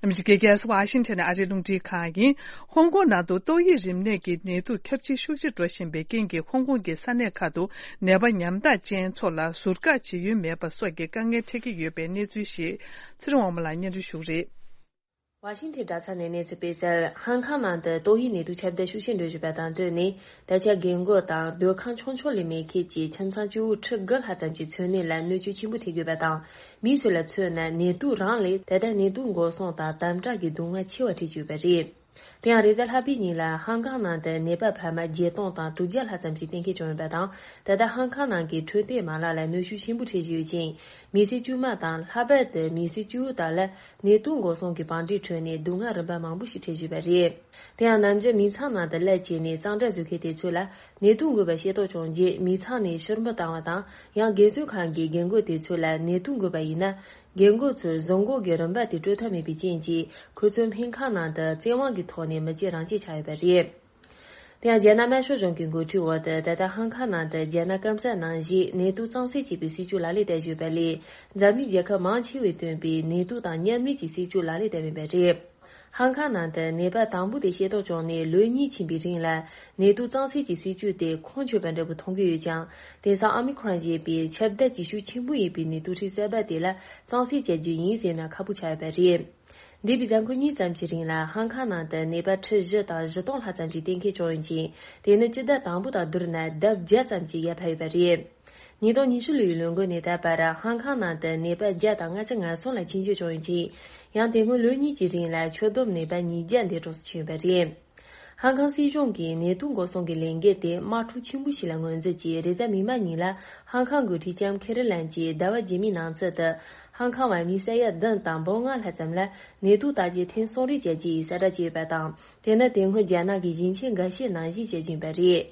ཨ་མི་རི་ཀའི་རྒྱལ་ས་ཝ་ཤིང་ཊོན་ནས་ཨ་རིའི་རླུང་འཕྲིན་ཁང་ཡིན། ཧོང་ཀོང་ནང་དུ་ཏོག་དབྱིབས་རིམས་ནད་ཀྱི་ནད་དུག་ཁྱབ་ཆེ་ཤུགས་ཆེ་འགྲོ་བཞིན་པའི་རྐྱེན་གྱིས་ཧོང་ཀོང་གི་ས་གནས་ཁག་ཏུ་ནད་པ་ཉམ་ཐག་ཅན་ཚོ་ལ་ཟུར་བཀག་བྱེད་ཡུལ་མེད་པ་སོགས་ཀྱི་དཀའ་ངལ་འཕྲད་ཀྱི་ཡོད་པའི་གནས་ཚུལ་ཞིག་ཚེ་རིང་དབང་མོ་ལགས་སྙན་སྒྲོན་ཞུ་གི་རེད། ཝ་ཤིང་ཐན་དྲ་ཚགས་ནས་གནས་ཚུལ་སྤེལ་གསལ། ཧང་ཁང་ནང་དུ་ཏོག་དབྱིབས་ནད་དུག་ཁྱབ་གདལ་ཤུགས་ཆེན་འགྲོ་བཞིན་པ་དང་བསྟུན་ནས། ད་ཆ་རྒན་རྒོན་དང་སྡོད་ཁང་ཆུང་ཆུང་ལས་མེད་ཁུལ་གྱི་ཁྱིམ་ཚང་བཅུ་དྲུག་དགུ་ལྷག་ཙམ་གྱི་འཚོ་གནས་ལ་གནོད་སྐྱོན་ཆེན་པོ་ཐེབས་ཡོད་པ་དང་། མི་ཚོ་ལ་མཚོན་ན་ནད་དུག་རང་ལས་ད་ལྟ་ནད་དུག་འགོག་སྲུང་དང་དམ་དྲག་གི་སྡུག་བསྔལ་ཆེ་བ་འཕྲད་ཀྱི་ཡོད་པ་རེད། དེ་ཡང་རེས་གཟའ་ལྷག་པའི་ཉིན་ལ་ཧང་ཀང་ནང་དུ་ནད་པ་ཕལ་མ་བརྒྱད་སྟོང་དང་དྲུག་བརྒྱ་ལྷག་ཙམ་ཞིག་གཏན་འཁེལ་བྱུང་ཡོད་པ་དང་། ད་ལྟ་ཧང་ཀང་ནང་གི་འཕྲོད་བསྟེན་མ་ལག་ལ་གནོན་ཤུགས་ཆེན་པོ་འཕྲད་བཞིན་ཡོད་ཅིང་། མི་སེར་དཀྱུས་མ་དང་། ལྷག་པར་དུ་མི་སེར་གཅིག་པུ་དག་ལ་ནད་དུག་འགོག་སྲུང་གི་བང་སྒྲིག་ཁྲོད་ནས་སྡུག་བསྔལ་རིམ་པ་མང་པོ་ཞིག་འཕྲད་བཞིན་པ་རེད། དེ་ཡང་ནམ་རྒྱུན་མི་ཚང་ནང་དུ་སླེབས་བྱས་ནས་གཙང་སྦྲ་བཟོ་མཁན་དེ་ཚོ་ལ་ནད་དུག་འགོས་པ་ཤེས་རྟོགས་བྱུང་རྗེས། མི་ཚང་ནས་ཕྱིར་འབུད་བཏང་བ་དང་། ཡང་རྒན་གསོ་ཁང་གི་རྒན་རྒོན་དེ་ཚོ་ལ་ནད་དུག་འགོས་པ་ཡིན་ན། རྒན་རྒོན་ཚོར་བཟོ་འགོག་གི་རིམ་པ་དེ་སྤྲོད་ཐབས་མེད་པའི་རྐྱེན་གྱིས། ཁོ་ཚོ་སྨན་ཁང་ནང་དུ་བཙན་དབང་གི་ཐོག་ནས་མི་བྱེད་རང་བྱེད་ཆགས་ཡོད་པ་རེད། དེ་ཡང་རྒྱ་ནག་དམར་ཤོག་གཞུང་གི་འགོ་ཁྲིད་འོག་ཏུ། ད་ལྟ་ཧང་ཀང་ནང་དུ་རྒྱ་ནག་སྐམ་ས་ནང་བཞིན་ནད་དུག་གཙང་སེལ་བྱེད་པའི་སྲིད་ཇུས་ལག་ལེན་བསྟར་བཞིན་ཡོད་པ་ལས། འཛམ་གླིང་རྒྱལ་ཁབ་མང་ཆེ་བས་བཏོན་པའི་ནད་དུག་དང་མཉམ་མེད་ཀྱི་སྲིད་ཇུས་ལག་ལེན་བསྟར་བཞིན་པ་རེད། ཧང་ཀང་ནང་དུ་ནད་པ་དང་པོ་དེ་ཤེས་རྟོགས་བྱུང་ནས་ལོ་གཉིས་ཕྱིན་པའི་རིང་ལ། ནད་དུག་གཙང་སེལ་གྱི་སྲིད་ཇུས་དེ་ཁུངས་འཁྱོལ་བ་འདྲ་པོ་མཐོང་གི་ཡོད་ཀྱང་། དེང་སང་ཨོ་མི་ཁོ་རོན་ཞེས་པའི་ཁྱབ་གདལ་གྱི་ཤུགས་ཆེན་པོ་ཡིན་པའི་ནད་དུག་ཁྲི་གསར་པ་དེ་ལ་གཙང་སེལ་བྱ་རྒྱུ་ཡིན་ཟེར་ན་ཁག་པོ་ཆགས་ཡོད་པ་རེད། འདས་པའི་གཟའ་འཁོར་གཉིས་ཙམ་གྱི་རིང་ལ་ཧང་ཀང་ནང་དུ་ནད་པ་ཁྲི་བཞི་དང་བཞི་སྟོང་ལྷག་ཙམ་ཞིག་གཏན་འཁེལ་བྱུང་ཡོད་ཅིང་། དེ་ནི་སྤྱི་ཟླ་དང་པོ་དང་བསྡུར་ན་ལྡབ་བརྒྱ་ཙམ་ཞིག་ཡར་འཕར་ཡོད་པ་རེད། ཉིས་སྟོང་ཉི་ཤུ་ལོའི་ལོ་འགོ་ནས་ད་བར་ཧང་ཀང་ནང་དུ་ནད་པ་བརྒྱ་དང་ལྔ་བཅུ་ང་གསུམ་ལ་ཆེད་བསྐྱོད་བྱུང་ཡོད་ཅིང་། ཡང་དེ་སྔོན་ལོ་གཉིས་ཀྱི་རིང་ལ་ཁྱོན་བསྡོམས་ནད་པ་ཉིས་བརྒྱ་འདས་གྲོངས་སུ་ཕྱིན་ཡོད་པ་རེད། ཧང་ཀང་སྲིད་གཞུང་གིས་ནད་དུག་འགོག་སྲུང་གི་ལས་འགུལ་དེ་དམག་འཁྲུག་ཆེན་པོ་ཞིག་ལ་ངོས་འཛིན་གྱིས། རེས་གཟའ་མིག་དམར་ཉིན་ལ་ཧང་ཀང་འགོ་ཁྲིད་ལྕམ་ཁེ་རི་ལན་གྱིས་ཟླ་བ་རྗེས་མའི་ནང་ཚུད་དུ། ཧང་ཀང་བ་མི་ས་ཡ་བདུན་དང་འབུམ་ལྔ་ལྷག་ཙམ་ལ་ནད་དུག་བརྟག་དཔྱད་ཐེངས་གསུམ་རེ་བྱ་རྒྱུ་ཡི་གསལ་བསྒྲགས་བྱས་ཡོད་པ་དང་། དེ་ནི་དེ་སྔོན་རྒྱ་ནག་གིས་ཞིང་ཆེན་འགའ་ཤས་ནང་བཞིན་བྱེད་བཞིན་པ་རེད།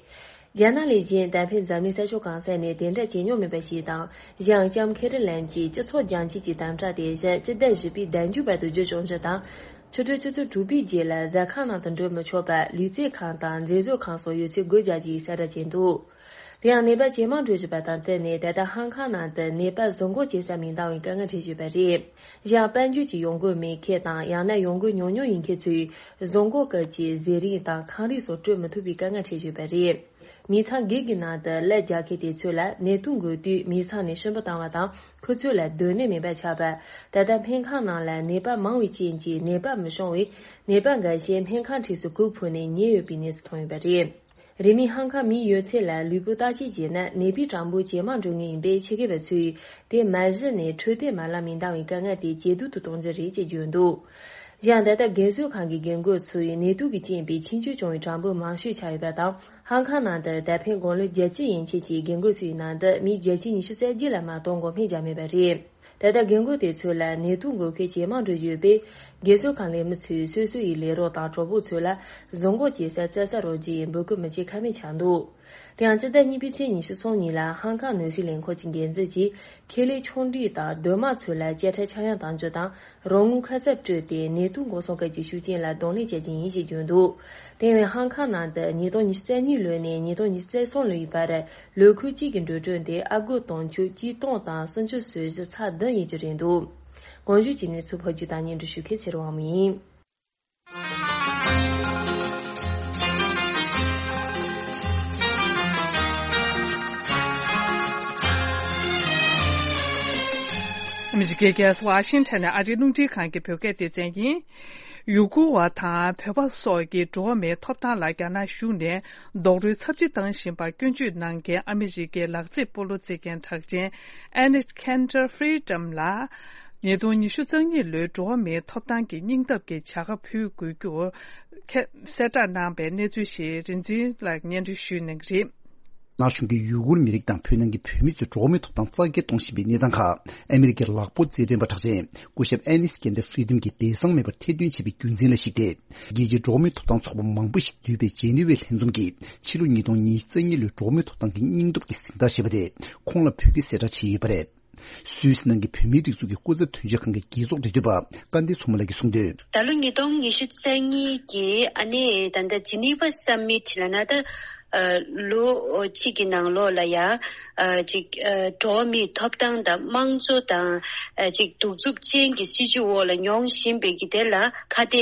རྒྱ་ནག་ལས་གཞན་ད་ཕན་འཛམ་གླིང་ས་ཕྱོགས་གང་ས་ནས་དེ་འདྲ་བྱེད་མྱོང་མེད་པ་ཞིག་དང་། གཞན་ལྕམ་ཁེ་རི་ལན་གྱིས་སྤྱི་ཚོགས་རྒྱང་ཆད་ཀྱི་དམ་དྲག་དེ་གཞི་སྤྱི་ཟླ་བཞི་པའི་ཟླ་མཇུག་བར་དུ་བརྗོད་བྱུང་རྒྱུ་དང་། ཕྱི་དྲོ་ཆུ་ཚོད་དྲུག་པའི་རྗེས་ལ་ཟ་ཁང་ནང་དུ་འགྲོ་མི་ཆོག་པ། ལུས་རྩལ་ཁང་དང་མཛེས་བཟོ་ཁང་སོགས་ཡོད་ཚད་སྒོ་རྒྱག་རྒྱུའི་གསལ་བསྒྲགས་བྱས་འདུག་དེ་ཡང་ནད་པ་ཇེ་མང་འགྲོ་བཞིན་པ་དང་བསྟུན་ནས། ད་ལྟ་ཧང་ཀང་ནང་དུ་ནད་པ་བཟོ་འགོག་བྱེད་ས་མི་འདང་བའི་དཀའ་ངལ་འཕྲད་བཞིན་པ་རེད། གཞན་དཔལ་འབྱོར་གྱི་ཡོང་སྒོ་མེད་མཁན་དང་། ཡང་ན་ཡོང་སྒོ་ཉུང་ཉུང་ཡིན་མཁན་ཚོས་བཟོ་འགོག་སྐབས་ཀྱི་ཟས་རིགས་དང་ཁང་རིགས་སོགས་སྤྲོད་མི་ཐུབ་པའི་དཀའ་ངལ་འཕྲད་བཞིན་པ་རེད། མི་ཚང་སྒེར་གྱི་ནང་དུ་ལས་རྒྱག་མཁན་དེ་ཚོ་ལ་ནད་དུག་འགོས་དུས་མི་ཚང་ནས་ཕྱིར་འབུད་བཏང་བ་དང་། ཁོ་ཚོ་ལ་སྡོད་གནས་མེད་པ་ཆགས་པ། ད་ལྟ་སྨན་ཁང་ནང་ལ་ནད་པ་མང་བའི་རྐྱེན་གྱིས་ནད་པ་མི་ཤོང་བས། ནད་པ་འགའ་ཤས་སྨན་ཁང་འཁྲིས་སུ་གོས་ཕུབ་ནས་ཉལ་ཡོད་པའི་གནས་སུ་ཐོན་ཡོད་པ་རེད། རིས་མེད་ཧང་ཀང་མིའི་ཡོད་ཚད་ལ་ལུས་པོ་བརྟག་དཔྱད་བྱས་ན། ནད་པའི་གྲངས་འབོར་ཇེ་མང་འགྲོ་ངེས་ཡིན་པས། ཆེད་མཁས་པ་ཚོས་དེ་མ་གཞི་ནས་འཕྲོད་བསྟེན་མ་ལག་མི་འདང་བའི་དཀའ་ངལ་དེ་ཇེ་སྡུག་ཏུ་གཏོང་རྒྱུ་རེད་ཅེས་བརྗོད་འདུག་གཞན་ད་ལྟ་རྒན་གསོ་ཁང་གི་རྒན་རྒོན་ཚོས་ནད་དུག་གིས་རྐྱེན་པས་ཆེད་བསྐྱོད་བྱུང་བའི་གྲངས་འབོར་མང་ཤོས་ཆགས་ཡོད་པ་དང་། ཧང་ཀང་ནང་དུ་ད་ཕན་དགུང་ལོ་བརྒྱད་ཅུ་ཡན་ཆད་ཀྱི་རྒན་རྒོན་ཚོའི་ནང་དུ་མི་བརྒྱ་ཆ་ཉི་ཤུ་རྩ་བརྒྱད་ལ་མ་གཏོགས་འགོག་སྨན་བརྒྱབ་མེད་པ་རེད། ད་ལྟ་རྒན་རྒོན་དེ་ཚོ་ལ་ནད་དུག་འགོས་མཁན་ཇེ་མང་འགྲོ་བཞིན་ཡོད་པས། རྒན་གསོ་ཁང་ལས་མི་ཚོས་སོ་སོ་ཡི་ལས་རོགས་དང་གྲོགས་པོ་ཚོ་ལ་བཟོ་འགོག་བྱེད་ས་བཙལ་ས་རོགས་ཀྱིས་འབོད་སྐུལ་མི་བྱེད་ཁ་མེད་ཆགས་འདུག་དེ་ཡང་སྤྱི་ཟླ་གཉིས་པའི་ཚེས་ཉི་ཤུ་གསུམ་ཉིན་ལ་ཧང་ཀང་ནོར་སྲིད་ལས་ཁུངས་ཀྱི་འགན་འཛིན་གྱིས། ཁེ་ལས་ཆུང་འབྲིང་དང་སྡོད་དམངས་ཚོ་ལ་དཔྱ་ཁྲལ་ཆག་ཡང་གཏང་རྒྱུ་དང་། རོགས་དངུལ་ཁ་གསབ་སྤྲོད་དེ་ནད་དུག་འགོག་སྲུང་སྐབས་ཀྱི་ཤུགས་རྐྱེན་ལ་གདོང་ལེན་བྱ་རྒྱུ་ཡིན་ཞེས་བརྗོད་འདུག་དེ་བས་ཧང་ཀང་ནང་དུ་ཉིས་སྟོང་ཉི་ཤུ་རྩ་གཉིས་ལོ་ནས་ཉིས་སྟོང་ཉི་ཤུ་རྩ་གསུམ་ལོའི་བར། ལོ་ཁུལ་གཅིག་གི་འགྲོ་གྲོན་དེ་ཨ་སྒོར་དུང་ཕྱུར་གཅིག་སྟོང་དང་སུམ་ཅུ་སོ་བཞི་ཚེག་བདུན་ཡིན་གྱི་རེད་འདུག་གོང་ཞུས་ཀྱི་གནས་ཚུལ་བོད་བརྒྱུད་དང་སྙན་སྒྲོན་ཞུ་མཁན་ཚེ་རིང་དབང་མོ་ཡིན། ཨ་མི་རི་ཀའི་རྒྱལ་ས་ཝ་ཤིང་ཊོན་ནས་ཨ་རིའི་རླུང་འཕྲིན་ཁང་གི་བོད་སྐད་སྡེ་ཚན་ཡིན། ཡུ་གུར་བ་དང་བོད་པ་སོགས་ཀྱི་འགྲོ་བ་མིའི་ཐོབ་ཐང་ལ་རྒྱ་ནག་གཞུང་ནས་རྡོག་རོལ་ཚབས་ཆེ་བཏང་བཞིན་པར་སྐྱོན་བརྗོད་གནང་མཁན་ཨ་མི་རི་ཀའི་ལག་རྩེད་སྤོ་ལོ་རྩེད་མཁན་གྲགས་ཅན་Annie Cantor Freedom ལ། ཉིས་སྟོང་ཉི་ཤུ་རྩ་གཉིས་ལོའི་འགྲོ་བ་མིའི་ཐོབ་ཐང་གི་སྙིང་སྟོབས་ཀྱི་བྱ་དགའ་ཕུལ་དགོས་རྒྱུར་གསལ་བསྒྲགས་གནང་པའི་གནས་ཚུལ་ཞིག་རིག་འཛིན་ལགས་སྙན་སྒྲོན་ཞུས་གནང་གི་རེད། ནག་གཞུང་གིས་ཡུ་གུར་མི་རིགས་དང་བོད་ནང་གི་བོད་མི་ཚོའི་འགྲོ་བ་མིའི་ཐོབ་ཐང་རྩ་འགེངས་གཏོང་བཞིན་པའི་གནས་སྟངས་ཁག་ཨ་མི་རི་ཀའི་ལག་སྤོ་རྩེད་འགྲན་པ་གྲགས་ཅན་སྐུ་ཞབས་Annie Cantor Freedom གྱིས་སྦས་གསང་མེད་པར་ཐེར་འདོན་བྱས་པའི་རྒྱུ་མཚན་ལ་གཞིགས་ཏེ། རྒྱལ་སྤྱིའི་འགྲོ་བ་མིའི་ཐོབ་ཐང་ཚོགས་པ་མང་པོ་ཞིག་འདུས་པའི་ཇེ་ནི་ཝའི་ལྷན་འཛོམས་ཀྱིས་ཕྱི་ལོ་ཉིས་སྟོང་ཉི་ཤུ་རྩ་གཉིས་ལོའི་འགྲོ་བ་མིའི་ཐོབ་ཐང་གི་སྙིང་སྟོབས་ཀྱི་གཟེངས་རྟགས་ཞེས་པ་དེ་ཁོང་ལ་ཕུལ་རྒྱུའི་གསལ་བསྒྲགས་བྱས་ཡོད་པ་རེད། སུད་སི་ནང་གི་བོད་མིའི་སྒྲིག་འཛུགས་ཀྱི་སྐུ་ཚབ་དོན་གཅོད་ཁང་གི་རྒྱལ་ཚོགས་འབྲེལ་མཐུད་པ་སྐལ་ལྡན་མཚོ་མོ་ལགས་ཀྱིས་གསུངས་དོན། ད་ལོ་ཉིས་སྟོང་ཉི་ཤུ་རྩ་གཉིས་ཀྱི་ཨ་ནི་ད་ལྟ་ཇི་ནི་ཝ་སམ་མིཊ་ལབ་ན་ད་ལོ་གཅིག་གི་ནང་ལོགས་ལ་ཡ་ཅིག་འགྲོ་བ་མིའི་ཐོབ་ཐང་དང་དམངས་གཙོ་དང་ཅིག་གདུག་རྩུབ་ཅན་གྱི་སྲིད་བྱུས་འོག་ལ་མྱོང་བཞིན་པའི་གི་དེ་ལ་ཁ་གཏད་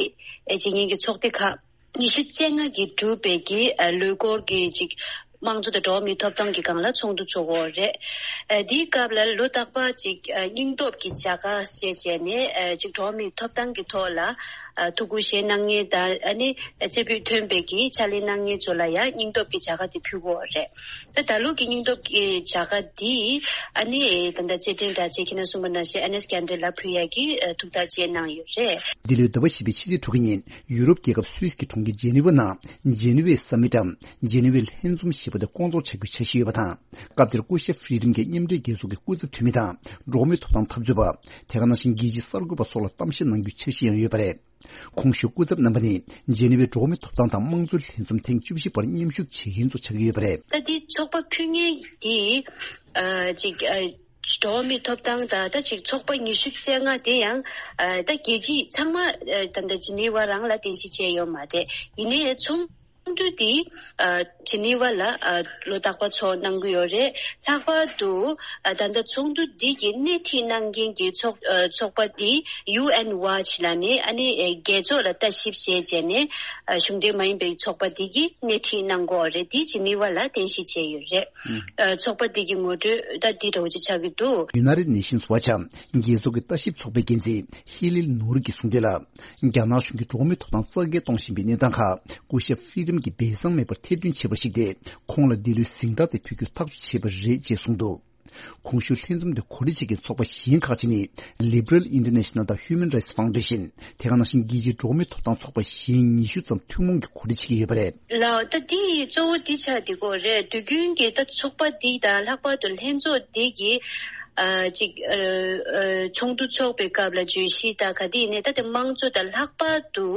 བྱེད་མཁན་གྱི་ཚོགས་སྡེ་ཁག་ཉི་ཤུ་རྩ་ལྔ་གིས་གྲུབ་པའི་གི་ལོ་འཁོར་གྱི་ཅིག་དམངས་གཙོ་དང་འགྲོ་བ་མིའི་ཐོབ་ཐང་གི་སྒང་ལ་ཚོགས་འདུ་ཚོགས་ཀྱི་ཡོད་རེད། ཨ་དེའི་སྐབས་ལ་ལོ་རྟག་པར་ཅིག་ཨ་སྙིང་སྟོབས་ཀྱི་བྱ་དགའ་ཞེས་བྱས་ནས་ཨ་ཅིག་འགྲོ་བ་མིའི་ཐོབ་ཐང་གི་ཐོག་ལ་ཨ་ཐུགས་ཁུར་བཞེས་གནང་མཁན་དང་ཨ་ནི་སྐྱེས་བུ་ཐོན་པའི་གི་ཕྱག་ལས་གནང་མཁན་ཚོ་ལ་ཡང་སྙིང་སྟོབས་ཀྱི་བྱ་དགའ་དེ་ཕུལ་གྱི་ཡོད་རེད། ད་ད་ལོ་གི་སྙིང་སྟོབས་ཀྱི་བྱ་དགའ་འདི་ཨ་ནི་ད་ལྟ་རྩེད་འགྲན་དྲ་རྒྱའི་ཁྱེད་རྣམ་གསུངས་པ་ནང་བཞིན་ཨེ་ནེས་ཀན་ཌར་ལ་ཕུལ་ཡག་གི་ཨ་ཐུགས་ཐག་བཅད་གནང་ཡོད་རེད། འདི་ལོའི་ཟླ་བ་བཞི་པའི་ཕྱི་ཚེས་དྲུག་ཉིན་ཡུ་རོབ་རྒྱལ་ཁབ་སུད་སི་གི་གྲོང་ཁྱེར་ཇེ་ནི་ཝ་ནང་ཇེ་ནི་ཝའི་སམ་མིཊ་འམ་ཇེ་ནི་ཝའི་ལྷན་འཛོམས་ཞེས་པ་དེ་སྐོང་ཚོགས་བྱ་རྒྱུའི་འཆར་གཞི་ཡོད་པ་དང་། སྐབས་དེར་སྐུ་ཞབས་ཧྥི་རི་ཌམ་གྱིས་མཉམ་འབྲེལ་རྒྱལ་ཚོགས་ཀྱི་སྐུ་ཚབ་འཐུས་མི་དང་འགྲོ་བ་མིའི་ཐོབ་ཐང་འཐབ་རྩོད་པ། དེ་ག་ནང་བཞིན་རྒྱལ་སྤྱིའི་གསར་འགོད་པ་སོགས་ལ་གཏམ་བཤད་གནང་རྒྱུའི་འཆར་གཞི་ཡང་ཡོད་པ་རེད། གོང་ཞུས་སྐུ་ཚབ་རྣམ་པ་ནི་ཇེ་ནི་ཝའི་འགྲོ་བ་མིའི་ཐོབ་ཐང་དང་དམངས་གཙོའི་ལྷན་འཛོམས་ཐེངས་བཅུ་བཞི་པར་མཉམ་ཞུགས་བྱེད་མཁན་ཚོ་ཆགས་ཀྱི་ཡོད་པ་རེད། ད་འདི་ཚོགས་པ་ཕུལ་མཁན་འདི་ཨ་ཅིག་ཨ་འགྲོ་བ་མིའི་ཐོབ་ཐང་དང་ད་ཅིག་ཚོགས་པ་ཉི་ཤུ་རྩ་ལྔ་དེ་ཡང་ཨ་ད་རྒྱལ་སྤྱི་ཚང་མ་ཨ་ད་ད་ཇི་ནི་ཝ་རང་ལ་རྟེན་གཞི་བྱས་ཡོད་མ་རེད། ཡིན་ནའི་ཚོགས་འདུ་འདི་ཨ་ཇི་ནི་ཝ་ལ་ཨ་ལོ་རྟག་པར་ཚོགས་གནང་གི་ཡོད་རེད། ལྷག་པར་དུ་ཨ་ད་ལྟ་ཚོགས་འདུ་འདི་གི་སྣེ་ཁྲིད་གནང་མཁན་གྱི་ཚོགས་ཨ་ཚོགས་པ་འདི་ཡུ་ཨེན་ཝ་ཆི་ལབ་ནས་ཨ་ནི་ཨ་རྒྱལ་ཚོགས་ལ་ལྟ་ཞིབ་བྱས་བྱས་ནས་ཨ་གཞུང་འབྲེལ་མ་ཡིན་པའི་ཚོགས་པ་འདི་གི་སྣེ་ཁྲིད་གནང་གི་ཡོད་རེད། འདི་ཇི་ནི་ཝ་ལ་རྟེན་གཞི་བྱས་ཡོད་རེད། ཨ་ཚོགས་པ་འདི་གི་ངོ་སྤྲོད་ད་འདི་འདྲ་བོ་ཅིག་ཆགས་ཀྱི་འདུག། ཡུ་ནའི་ཊེཌ་ནེ་ཤན་སི་ཝ་ཆི་འམ་རྒྱལ་ཚོགས་ཀྱི་ལྟ་ཞིབ་ཚོགས་པའི་འགན་འཛིན་ཧི་ལིལ་ནུར་གྱིས་གསུངས་དོན་ལ། རྒྱ་ནག་གཞུང་གིས་འགྲོ་བ་མིའི་ཐོབ་ཐང་རྩ་འགེངས་གཏོང་བཞིན་པའི་གནས་སྟངས་ཁག་སྐུ་ཞབས་ཧྥི་རི་ཌམ་གྱིས་སྦས་གསང་མེད་པར་ཐེར་འདོན་བྱས་པར་གཞིགས་ཏེ། ཁོང་ལ་འདི་ལོའི་གཟེངས་རྟགས་དེ་ཕུལ་རྒྱུར་ཐག་གཅོད་བྱས་པ་རེད་ཅེས་གསུངས་འདུག། གོང་ཞུས་ལྷན་འཛོམས་དེ་གོ་སྒྲིག་བྱེད་མཁན་ཚོགས་པ་གཞན་ཁག་ཅིག་ནི་Liberal International དང་Human Rights Foundation། དེ་ག་ནང་བཞིན་རྒྱལ་སྤྱིའི་འགྲོ་བ་མིའི་ཐོབ་ཐང་ཚོགས་པ་གཞན་ཉི་ཤུ་ཙམ་ཐུན་མོང་གིས་གོ་སྒྲིག་བྱེད་ཀྱི་ཡོད་པ་རེད། ལགས། ད་འདི་གཙོ་བོ་འདི་ཆགས་བསྡད་ཀྱི་ཡོད་རེད། དུས་རྒྱུན་གྱི་ད་ཚོགས་པ་འདི་དང་ལྷག་པར་དུ་ལྷན་ཚོགས་འདི་གི་ཨ་ཅིག་ཨ་ཨ་ཚོགས་འདུ་འཚོགས་པའི་སྐབས་ལ་བརྗོད་གཞི་དང་ག་དེ་ཡིན་ནའི་ད་དེ་དམངས་གཙོ་དང་ལྷག་པར་དུ་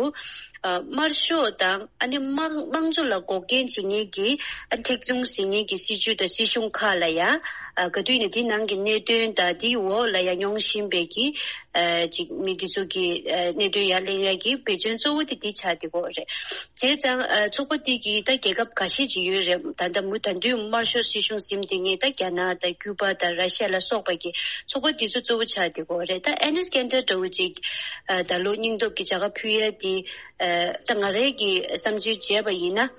ཨ་དམར་ཤོག་དང་ཨ་ནི་དམངས་དམངས་གཙོ་ལ་འགོག་རྐྱེན་བྱེད་མཁན་གྱི་ཨ་མཁྲེགས་བཟུང་བྱེད་མཁན་གྱི་སྲིད་བྱུས་དང་སྲིད་གཞུང་ཁག་ལ་ཡང་ཨ་ག་དུས་ཡིན་ནའི་དེའི་ནང་གི་གནད་དོན་དང་དེའི་འོག་ལ་ཡང་མྱོང་བཞིན་པའི་གི་ཨ་ཅིག་མི་དེ་ཚོ་གི་ཨ་གནད་དོན་ཡར་གླེང་ཡག་གི་འབད་བརྩོན་གཙོ་བོ་དེ་འདི་ཆགས་བསྡད་ཀྱི་ཡོད་རེད། བྱས་ཙང་ཨ་ཚོགས་པ་འདི་གི་ད་རྒྱལ་ཁབ་འགའ་ཤས་ཅིག་ཡོད་རེད། ད་ལྟ་མུ་ད་དུང་དམར་ཤོག་སྲིད་གཞུང་ཟིན་བསྡད་མཁན་ད་རྒྱ་ནག་དང་ཀུ་པ་དང་ར་ཤ་ལ་སོགས་པ་གི་ཚོགས་པ་འདི་ཚོ་གཙོ་བོ་ཆགས་བསྡད་ཀྱི་ཡོད་རེད། ད་ཨེ་ནེས་ཀན་ཌར་འདྲ་བོ་ཅིག་ཨ་ད་ལོ་སྙིང་སྟོབས་ཀྱི་བྱ་དགའ་ཕུལ་ཡ་དེ་ཨ་ད་ང་རའི་གི་བསམ་ཚུལ་བྱས་པ་ཡིན་ན་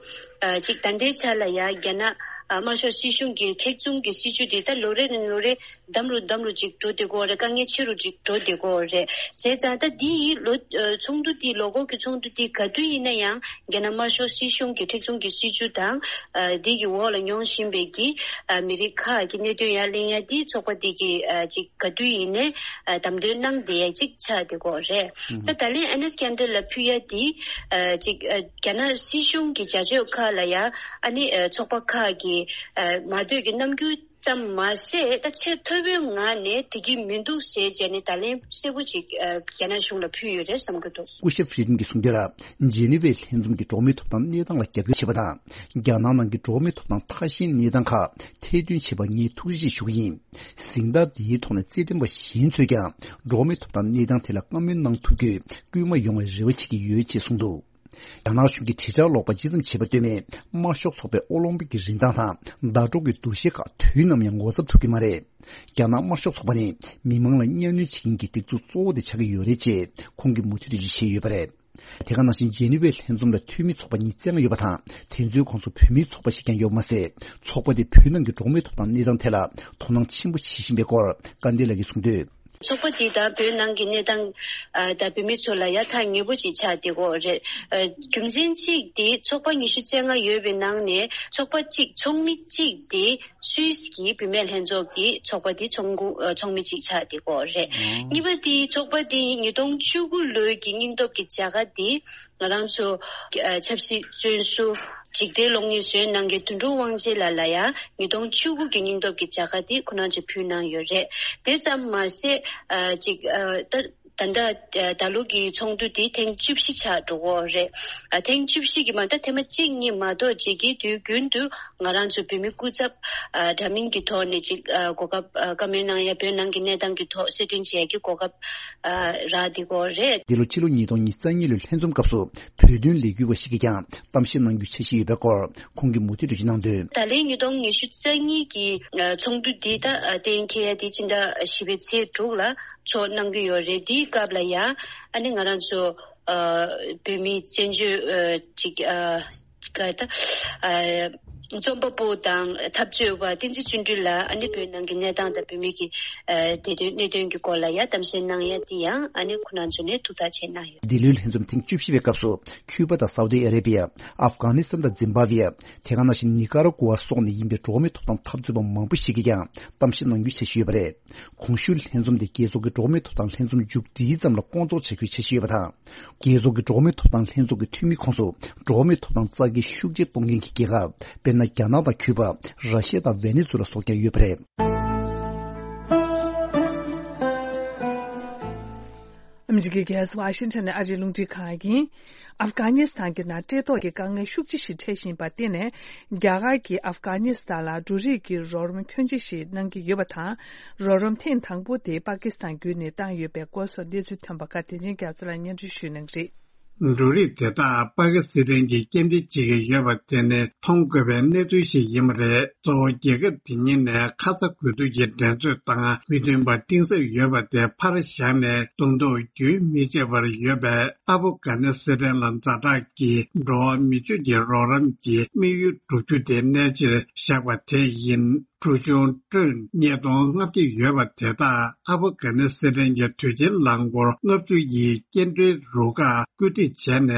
ཨ་ཅིག་ད་ལྟའི་ཆ་ལ་ཡ་རྒྱ་ནག་ཨ་དམར་ཤོག་སྲིད་གཞུང་གི་མཁྲེགས་བཟུང་གི་སྲིད་བྱུས་དེ་ད་ལོ་རེ་ནས་ལོ་རེ་འདམ་རུ་འདམ་རུ་ཅིག་འགྲོ་བསྡད་ཀྱི་ཡོད་རེད། དཀའ་ངལ་ཆེ་རུ་ཅིག་འགྲོ་བསྡད་ཀྱི་ཡོད་རེད། བྱས་ཙང་ད་འདི་ཡི་ལོ་ཨ་ཚོགས་འདུ་འདི་ལོ་འཁོར་གྱི་ཚོགས་འདུ་འདི་ག་དུས་ཡིན་ན་ཡང་རྒྱ་ནག་དམར་ཤོག་སྲིད་གཞུང་གི་མཁྲེགས་བཟུང་གི་སྲིད་བྱུས་དང་ཨ་འདི་གི་འོག་ལ་མྱོང་བཞིན་པའི་གི་ཨ་མི་རིགས་ཁག་གི་གནད་དོན་ཡར་གླེང་ཡ་འདི་ཚོགས་པ་འདི་གི་ཨ་ཅིག་ག་དུས་ཡིན་ནའི་ཨ་བདམས་ཐོན་གནང་བསྡད་ཡ་ཅིག་ཆགས་བསྡད་ཀྱི་ཡོད་རེད། ད་ད་ལན་ཨེ་ནེས་ཀན་ཌར་ལ་ཕུལ་ཡ་འདི་ཨ་ཅིག་ཨ་རྒྱ་ནག་སྲིད་གཞུང་གི་བྱ་སྤྱོད་ཁག་ལ་ཡ་ཨ་ནི་ཨ་ཚོགས་པ་ཁག་གི་ཨ་མ་འདོད་ཀྱི་རྣམ་འགྱུར་ཙམ་མ་ཟད་ད་ཆེས་མཐོ་པོའི་ངང་ནས་འགྲིག་གི་མི་འདུག་ཟེར་བྱས་ནས་ད་ལན་གསལ་པོ་ཅིག་ཨ་རྒྱ་ནག་གཞུང་ལ་ཕུལ་ཡོད་རེད་བསམ་གྱི་འདུག། སྐུ་ཞབས་ཧྥི་རི་ཌམ་གྱིས་གསུངས་དོན་ལ། ཇེ་ནི་ཝའི་ལྷན་འཛོམས་ཀྱི་འགྲོ་བ་མིའི་ཐོབ་ཐང་གནས་སྟངས་ལ་རྒྱབ་སྐྱོར་བྱེད་པ་དང་། རྒྱ་ནག་ནང་གི་འགྲོ་བ་མིའི་ཐོབ་ཐང་ཐ་ཤལ་གནས་སྟངས་ཁག་ཐེར་འདོན་བྱས་པར་ངས་ཐུགས་རྗེ་ཆེ་ཞུ་གི་ཡིན། གཟེངས་རྟགས་འདིའི་ཐོག་ནས་རྩེད་འགྲན་པ་གཞན་ཚོས་ཀྱང་འགྲོ་བ་མིའི་ཐོབ་ཐང་གནས་སྟངས་ཐད་ལ་བཀའ་མོལ་གནང་ཐུབ་རྒྱུའི་སྐུལ་མ་ཡོང་བའི་རེ་བ་བྱེད་ཀྱི་ཡོད་ཅེས་གསུངས་འདུག། རྒྱ་ནག་གཞུང་གིས་དྲིལ་བསྒྲགས་ཀློག་པ་ཇི་ཙམ་བྱས་པར་ལྟོས་མེད། དམར་ཤོག་ཚོགས་པའི་ཨོ་ལིམ་པིག་གི་རིན་ཐང་དང་ཟླ་གྲོགས་ཀྱི་འདུ་ཤེས་ཁག་དུས་ནམ་ཡང་ངོ་ཚ་ཐུབ་ཀྱི་མ་རེད། རྒྱ་ནག་དམར་ཤོག་ཚོགས་པ་ནི་མི་མང་ལ་གཉའ་གནོན་བྱེད་མཁན་གྱི་སྒྲིག་འཛུགས་གཙོ་བོ་དེ་ཆགས་ཀྱི་ཡོད་རེད་ཅེས་ཁོང་གིས་མུ་མཐུད་དུ་འགྲེལ་བརྗོད་བྱས་ཡོད་པ་རེད། དེ་ག་ནང་བཞིན་ཇེ་ནི་ཝའི་ལྷན་འཛོམས་ལ་འཐུས་མི་ཚོགས་པ་ཉི་ཤུ་རྩ་ལྔ་ཡོད་པ་དང་། དེ་ཚོའི་ཁོངས་སུ་བོད་མིའི་ཚོགས་པ་ཞིག་ཀྱང་ཡོད་པ་མ་ཟད། ཚོགས་པ་དེ་བོད་ནང་གི་འགྲོ་བ་མིའི་ཐོབ་ཐང་གནས་སྟངས་ཐད་ལ་དོ་སྣང་ཆེན་པོ་བྱེད་བཞིན་པའི་སྐོར་སྐལ་ལྡན་ལགས་ཀྱིས་གསུངས་དོན། ཚོགས་པ་འདི་དང་བོད་ནང་གི་གནས་སྟངས་ཨ་དང་བོད་མི་ཚོ་ལ་ཡ་ཐག་ཉེ་པོ་ཅིག་ཆགས་བསྡད་ཀྱི་ཡོད་རེད། ཨ་རྒྱུ་མཚན་གཅིག་དེ་ཚོགས་པ་ཉི་ཤུ་རྩ་ལྔ་ཡོད་པའི་ནང་ནས་ཚོགས་པ་གཅིག་ཚོགས་མི་གཅིག་དེ་སུད་སི་གི་བུད་མེད་ལྷན་ཚོགས་ཀྱི་ཚོགས་པ་དེ་ཚོགས་འགོ་ཨ་ཚོགས་མི་གཅིག་ཆགས་བསྡད་ཀྱི་ཡོད་རེད། གཉིས་པ་དེ་ཚོགས་པ་དེ་ཉིས་སྟོང་བཅུ་དགུ་ལོའི་གི་སྙིང་སྟོབས་ཀྱི་བྱ་དགའ་དེ། ང་རང་ཚོ་ཨ་ཆབ་སྲིད་བཙོན་ཟུར་འཇིགས་བྲལ་གློག་བརྙན་བཟོས་གནང་མཁན་དོན་གྲུབ་དབང་ཆེན་ལགས་ལ་ཡང་ཉིས་སྟོང་བཅུ་དགུ་གི་སྙིང་སྟོབས་ཀྱི་བྱ་དགའ་དེ་ཁོ་རང་ཚོས་ཕུལ་གནང་ཡོད་རེད། དེ་ཙམ་མ་ཟད་ཨ་ཅིག་ཨ་ད་ད་ལྟ་ཨ་ད་ལོ་གི་ཚོགས་འདུ་དེ་ཐེངས་བཅུ་བཞི་ཆགས་འགྲོ་གི་ཡོད་རེད། ཨ་ཐེངས་བཅུ་བཞི་གི་མ་ད་ཐེངས་མ་གཅིག་གཉིས་མ་གཏོགས་རྗེས་ཀྱི་དུས་རྒྱུན་དུ་ང་རང་ཚོ་བོད་མི་སྐུ་ཚབ་ཨ་འདྲ་མིན་གྱི་ཐོག་ནས་ཅིག་ཨ་གོ་སྐབས་ཨ་བཀའ་མོལ་གནང་ཡ་བོད་ནང་གི་གནས་སྟངས་ཀྱི་ཐོག་གསལ་སྟོན་བྱེད་ཡ་གི་གོ་སྐབས་ཨ་རག་བསྡད་ཀྱི་ཡོད་རེད། འདི་ལོ་ཕྱི་ལོ་ཉིས་སྟོང་ཉི་ཤུ་རྩ་གཉིས་ལོའི་ལྷན་འཛོམས་སྐབས་སུ་བོད་དོན་ལས་འགུལ་བ་ཞིག་གིས་ཀྱང་གཏམ་བཤད་གནང་རྒྱུའི་འཆར་གཞི་ཡོད་པའི་སྐོར་ཁོང་གིས་མུ་མཐུད་འགྲེལ་བརྗོད་གནང་དོན། ད་ལན་ཉིས་སྟོང་ཉི་ཤུ་རྩ་གཉིས་ཀྱི་ཨ་ཚོགས་འདུ་འདི་ད་ཨ་གཏན་འཁེལ་ཡ་དེ་ཕྱི་ཟླ་བཞི་པའི་ཚེས་དྲུག་ལ་ཚོགས་གནང་གི་ཡོད་རེད། དེའི་སྐབས་ལ་ཡ་ཨ་ནི་ང་རང་ཚོ་ཨ་བོད་མིའི་བཙན་བྱོལ་ཨ་ཅིག་ཨ་ག་ད་ཨ་ རྩོམ་པ་པོ་དང་འཐབ་རྩོད་པ་བསྟན་འཛིན་བརྩོན་འགྲུས་ལགས་ཨ་ནི་བོད་ནང་གི་གནས་སྟངས་དང་བོད་མི་གི་ཨ་བདེ་དོན་གནད་དོན་གྱི་སྐོར་ལ་ཡང་གཏམ་བཤད་གནང་ཡ་དེ་ཡང་ཨ་ནི་ཁོ་རང་ཚོ་ནས་ཐུགས་ཐག་བཅད་གནང་ཡོད། འདི་ལོའི་ལྷན་འཛོམས་ཐེངས་བཅུ་བཞི་པའི་སྐབས་སུ་ཁྱུ་པ་དང་སའུ་དི་ཨ་རེ་བི་ཡ། ཨབ་གྷ་ནི་སི་ཐན་དང་ཛིམ་བྷ་ཝེ། དེ་ག་ནང་བཞིན་ནི་ཀ་ར་གུ་ཝ་སོགས་ནས་ཡིན་པའི་འགྲོ་བ་མིའི་ཐོབ་ཐང་འཐབ་རྩོད་པ་མང་པོ་ཞིག་གིས་ཀྱང་གཏམ་བཤད་གནང་རྒྱུ་འཆར་གཞི་ཡོད་པ་རེད། གོང་ཞུས་ལྷན་འཛོམས་དེ་རྒྱལ་ཚོགས་ཀྱི་འགྲོ་བ་མིའི་ཐོབ་ཐང་ལྷན་འཛོམས་མཇུག་སྒྲིལ་ཙམ་ལ་སྐོང་ཚོགས་བྱ་རྒྱུའི་འཆར་གཞི་ཡོད་པ་དང་། རྒྱལ་ཚོགས་ཀྱི་འགྲོ་བ་མིའི་ཐོབ་ཐང་ལྷན་ཚོགས་ཀྱི་འཐུས་མི་ཁོངས་སུ་འགྲོ་བ་མིའི་ཐོབ་ཐང་རྩ་འགེངས་ཤུགས་ཆེ་གཏོང་མཁན་གྱི་རྒྱལ་ཁབ་དཔེར་ན་རྒྱ་ནག་དང་ཁྱུ་པ། ར་ཤི་ཡ་དང་ཝེ་ནེ་ཛུ་ལ་སོགས་ཀྱང་ཡོད་པ་རེད། ཨ་མི་རི་ཀའི་རྒྱལ་ས་ཝ་ཤིང་ཊོན་ནས་ཨ་རིའི་རླུང་འཕྲིན་ཁང་ཡིན། ཨབ་གྷ་ནི་སི་ཐན་གྱི་ནང་བཀྲེས་ལྟོགས་ཀྱི་དཀའ་ངལ་ཤུགས་ཆེ་ཞིག་འཕྲད་བཞིན་པར་བརྟེན་ནས། རྒྱ་གར་གྱིས་ཨབ་གྷ་ནི་སི་ཐན་ལ་འབྲུ་རིགས་ཀྱི་རོགས་རམ་ཁྱོན་ཆེ་ཞིག་གནང་གི་ཡོད་པ་དང་། རོགས་རམ་ཐེངས་དང་པོ་དེ་པ་ཀི་སི་ཐན་བརྒྱུད་ནས་བཏང་ཡོད་པའི་སྐོར་སོགས་གནས་ཚུལ་ཐོན་པ་ཁག་དེ་རིང་རྒྱ་མཚོ་ལགས་སྙན་སྒྲོན་ཞུ་གནང་གི་རེད། འབྲུ་རིགས་དེ་དག་པ་ཀི་སི་ཐན་གྱིས་སྐྱེལ་འདྲེན་བྱེད་ཀྱི་ཡོད་པ་དེ་ནི་མཐོང་དགོས་པའི་གནས་ཚུལ་ཞིག་ཡིན་པ་རེད། གཙོ་བོ་རྒྱལ་ཁབ་དེ་གཉིས་ནས་ཁ་ཚ་དགོས་གཏུག་གི་འགྲན་རྩོད་དང་མི་མཐུན་པ་གཏིང་ཟབ་ཡོད་པ་དེ་ཕར་བཞག་ནས་གདོང་ཐུག་རྒྱུན་མི་ཆད་པར་ཡོད་པའི་ཨ་ཕུ་གྷ་ནི་སི་ཐན་ལ་ཛ་དྲག་གི་འགྲོ་བ་མི་སྤྱོད་ཀྱི་རོགས་རམ་གྱི་དམིགས་ཡུལ་བསྒྲུབ་རྒྱུ་དེ་གནད་ཆེར་བཞག་པ་དེ་ཡིན། གྲུ་ཆུང་ཀྲོན་ཉིས་སྟོང་ལྔ་བརྒྱ་ཡོད་པ་དེ་དག་ཨ་ཕུ་གྷ་ནི་སི་ཐན་གྱི་དུས་ཆེན་རླངས་འཁོར་ལྔ་བཅུ་ཡི་སྐྱེལ་འདྲེན་རུ་ཁག་བཀོད་སྒྲིག་བྱས་ནས།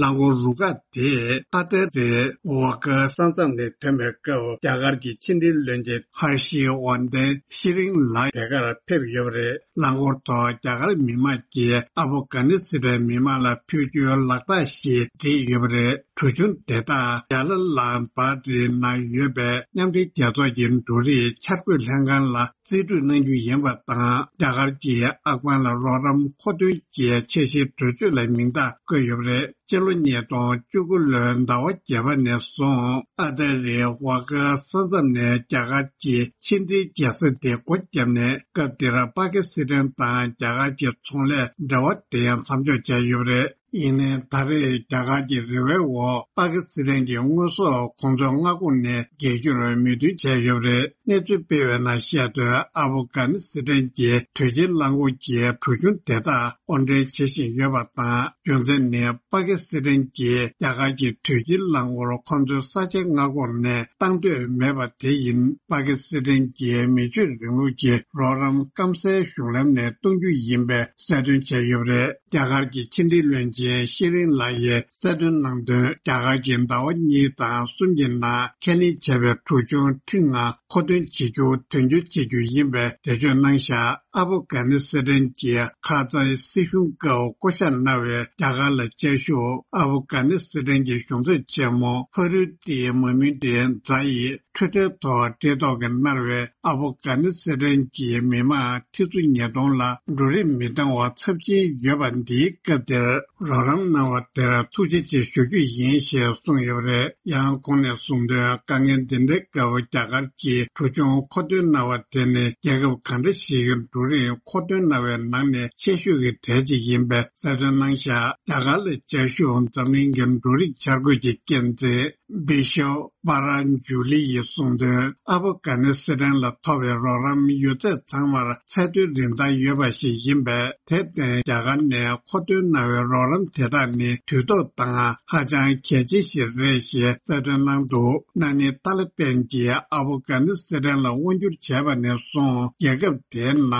རླངས་འཁོར་རུ་ཁག་དེས་ཨ་ཏི་རི་ཝ་ཀ་ས་མཚམས་ནས་ཐོན་པའི་སྐབས། རྒྱ་གར་གྱི་ཕྱི་འབྲེལ་བློན་ཆེན་ཧར་ཤི་ཝར་དན་ཤི་རིང་ལགས་དེ་གར་ཕེབས་ཡོད་པ་རེད། རླངས་འཁོར་ཐོག་རྒྱ་གར་མི་མང་གིས་ཨ་ཕུ་གྷ་ནི་སི་ཐན་མི་མང་ལ་ཕུལ་རྒྱུའི་ལག་རྟགས་ཤིག་བསྒྲིགས་ཡོད་པ་རེད། གྲུ་ཆུང་དེ་དག་ཇཱ་ལ་ལ་བཱ་ཏི་ནང་ཡོད་པའི་མཉམ་འབྲེལ་རྒྱལ་ཚོགས་ཀྱི་འབྲུ་རིགས་འཆར་འགོད་ལྷན་ཁང་ལ་རྩིས་སྤྲོད་གནང་རྒྱུ་ཡིན་པ་དང་། རྒྱ་གར་གྱིས་ཨབ་གྷན་ལ་རོགས་རམ་མཁོ་འདོན་གྱི་འཆར་གཞིའི་གྲོས་ཆོད་ལ་མིང་རྟགས་བཀོད་ཡོད་པ་རེད། སྤྱི་ལོ་ཉིས་སྟོང་བཅུ་དགུ་ལོའི་ཟླ་བ་བརྒྱད་པ་ནས་བཟུང་ཨ་ཏི་རི་ཝ་ཀ་ས་མཚམས་ནས་རྒྱ་གར་གྱི་ཕྱི་འབྲེལ་རྒྱལ་ས་དེ་སྒོ་བརྒྱབ་ནས། སྐབས་དེར་པ་ཀི་སི་ཐན་དང་རྒྱ་གར་གྱི་ཚོང་ལས་འབྲེལ་བ་དེ་ཡང་མཚམས་འཇོག་བྱས་ཡོད་པ་རེད། ཡིན་ནའི་ད་རེས་རྒྱ་གར་གྱི་རེ་བའི་འོག་པ་ཀི་སི་ཐན་གྱི་དངོས་ཟོག་གོང་མཚོན་མངའ་ཁོངས་ནས་རྒྱལ་རྒྱུར་མོས་མཐུན་བྱས་ཡོད་པ་རེད། གནས་ཚུལ་སྤེལ་བའི་ནང་བཤད་དོན། ཨ་ཕུ་གྷ་ནི་སི་ཐན་གྱི་དུས་ཆེན་རླངས་འཁོར་གྱི་གྲུ་ཆུང་དེ་དག་དབོར་འདྲེན་བྱེད་བཞིན་ཡོད་པ་དང་། རྒྱུ་མཚན་ནི་པ་ཀི་སི་ཐན་གྱིས་རྒྱ་གར་གྱི་དུས་ཆེན་རླངས་འཁོར་ཁོ་ཚོའི་ས་ཆའི་མངའ་ཁོངས་ནས་བཏང་འདོད་མེད་པ་དེ་ཡིན། པ་ཀི་སི་ཐན་གྱིས་མི་ཆོས་རིང་ལུགས་ཀྱི་རོགས་རམ་སྐམ་སའི་གཞུང་ལམ་ནས་གཏོང་རྒྱུ་ཡིན་པའི་གསལ་སྟོན་བྱས་ཡོད་པ་རེད། རྒྱ་གར་གྱི་ཕྱི་འབྲེལ་བློན་ཆེན་ཤེ་རིན་ལགས་ཡིས་གསལ་སྟོན་གནང་དོན། རྒྱ་གར་གྱིས་ཟླ་བ་གཉིས་དང་གསུམ་གྱི་ནང་ཁས་ལེན་བྱས་པའི་གྲུ་ཆུང་ཁྲི་ལྔ་མཁོ་འདོན་བྱེད་རྒྱུ་དོན་འཁྱོལ་བྱེད་རྒྱུ་ཡིན་པའི་འགྲེལ་བརྗོད་གནང་བཞག་ཨ་ཕུ་གྷ་ནི་སི་ཐན་གྱི་ཁ་ཛའི་སྲིད་གཞུང་སྐབས་བསྐོ་བཞག་གནང་བའི་རྒྱ་གར་ལ་བཅའ་བཞུགས་ཨ་ཕུ་གྷ་ནི་སི་ཐན་གྱི་གཞུང་ཚབ་ཆེན་མོ་ཕ་རུ་ཏི་མོ་མིན་ཏི་ཛ་ཡིས། འཕྲོད་བསྟེན་ཐོག་བཀྲེས་ལྟོགས་ཀྱིས་མནར་བའི་ཨ་ཕུ་གྷ་ནི་སི་ཐན་གྱི་མི་མང་ཁྲི་ཚོ་ཉིས་སྟོང་ལ་འབྲུ་རིགས་མི་འདང་བ་ཚབས་ཆེན་ཡོད་པ་འདིའི་སྐབས་དེར། རོགས་རམ་གནང་བ་དེར་ཐུགས་རྗེ་ཆེ་ཞུ་རྒྱུ་ཡིན་ཞེས་གསུངས་ཡོད་པ་རེད། ཡང་ཁོང་ནས་གསུངས་དོན། དཀའ་ངལ་འདི་འདྲའི་སྐབས་རྒྱ་གར་གྱིས་གྲུ་ཆུང་མཁོ་འདོན་གནང་བ་དེ་ནི་རྒྱལ་ཁབ་གང་འདྲ་ཞིག་གི་འབྲུ་རིགས་མཁོ་འདོན་གནང་བའི་ནང་ནས་ཆེ་ཤོས་ཀྱི་གྲས་གཅིག་ཡིན་པའི་གསལ་སྟོན་གནང་བཞག་རྒྱ་གར་ལ་བཅའ་བཞུགས་འཛམ་གླིང་གི་འབྲུ་རིགས་འཆར་འགོད་ཀྱི་འགན་འཛིན། བི་ཤོ་པ་ར་ཇུ་ལི་ཡིས་གསུངས་དོན། ཨ་ཕོ་གྷ་ནི་སི་ཐན་ལ་ཐོབ་པའི་རོགས་རམ་ཡོད་ཚད་ཚང་མར་ཚད་མཐོའི་རིན་ཐང་ཡོད་པ་ཞིག་ཡིན་པས། དེར་བརྟེན་རྒྱ་གར་ནས་མཁོ་འདོན་གནང་བའི་རོགས་རམ་དེ་དག་ནི་དུས་ཐོག་དང་ཧ་ཅང་གལ་ཆེ་ཞིག་རེད་ཞེས་གསལ་སྟོན་གནང་འདུག་ན་ནིང་ཏཱ་ལི་པན་གྱིས་ཨ་ཕོ་གྷ་ནི་སི་ཐན་ལ་དབང་བསྒྱུར་བྱས་པ་ནས་བཟུང་རྒྱལ་ཁབ་དེའི་ནང་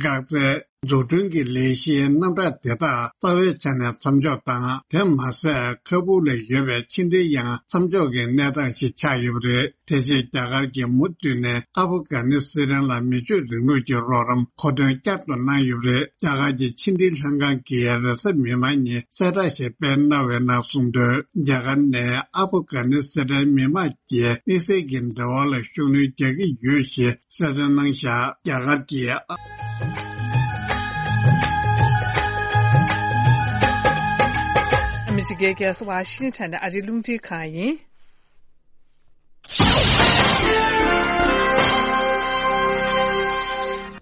འགག་རྩའི་འཛུགས་སྐྲུན་གྱི་ལས་གཞིའི་རྣམ་གྲངས་དེ་དག་རྩ་བའི་ཆ་ནས་མཚམས་འཇོག་དང་། དེ་མ་ཟད་ཁ་སྦུག་ལ་ཡོད་པའི་ཕྱི་འབྲེལ་ཡང་མཚམས་འཇོག་གི་གནས་སྟངས་ཤིག་ཆགས་ཡོད་པ་རེད། དེ་རྗེས་རྒྱ་གར་གྱིས་མུ་མཐུད་ནས་ཨ་ཕོ་གྷ་ནི་སི་ཐན་ལ་མི་ཆོས་རིང་ལུགས་ཀྱི་རོགས་རམ་མཁོ་འདོན་བསྐྱར་དུ་གནང་ཡོད་པ་རེད། རྒྱ་གར་གྱི་ཕྱི་འབྲེལ་ལྷན་ཁང་གིས་རེས་གཟའ་མིག་དམར་ཉིན་གསལ་བསྒྲགས་ཤིག་སྤེལ་གནང་བའི་ནང་གསུངས་དོན། རྒྱ་གར་ནས་ཨ་ཕོ་གྷ་ནི་སི་ཐན་མི་མང་གི་དམིགས་བསལ་གྱི་འབྲེལ་བ་ལ་ཤུགས་སྣོན་རྒྱག་གི་ཡོད་ཞེས་གསལ་སྟོན་གནང་བཞག་རྒྱ་གར་གྱིས། ཨ་མི་རི་ཀའི་རྒྱལ་ས་ཝ་ཤིང་ཊོན་ནས་ཨ་རིའི་རླུང་འཕྲིན་ཁང་ཡིན།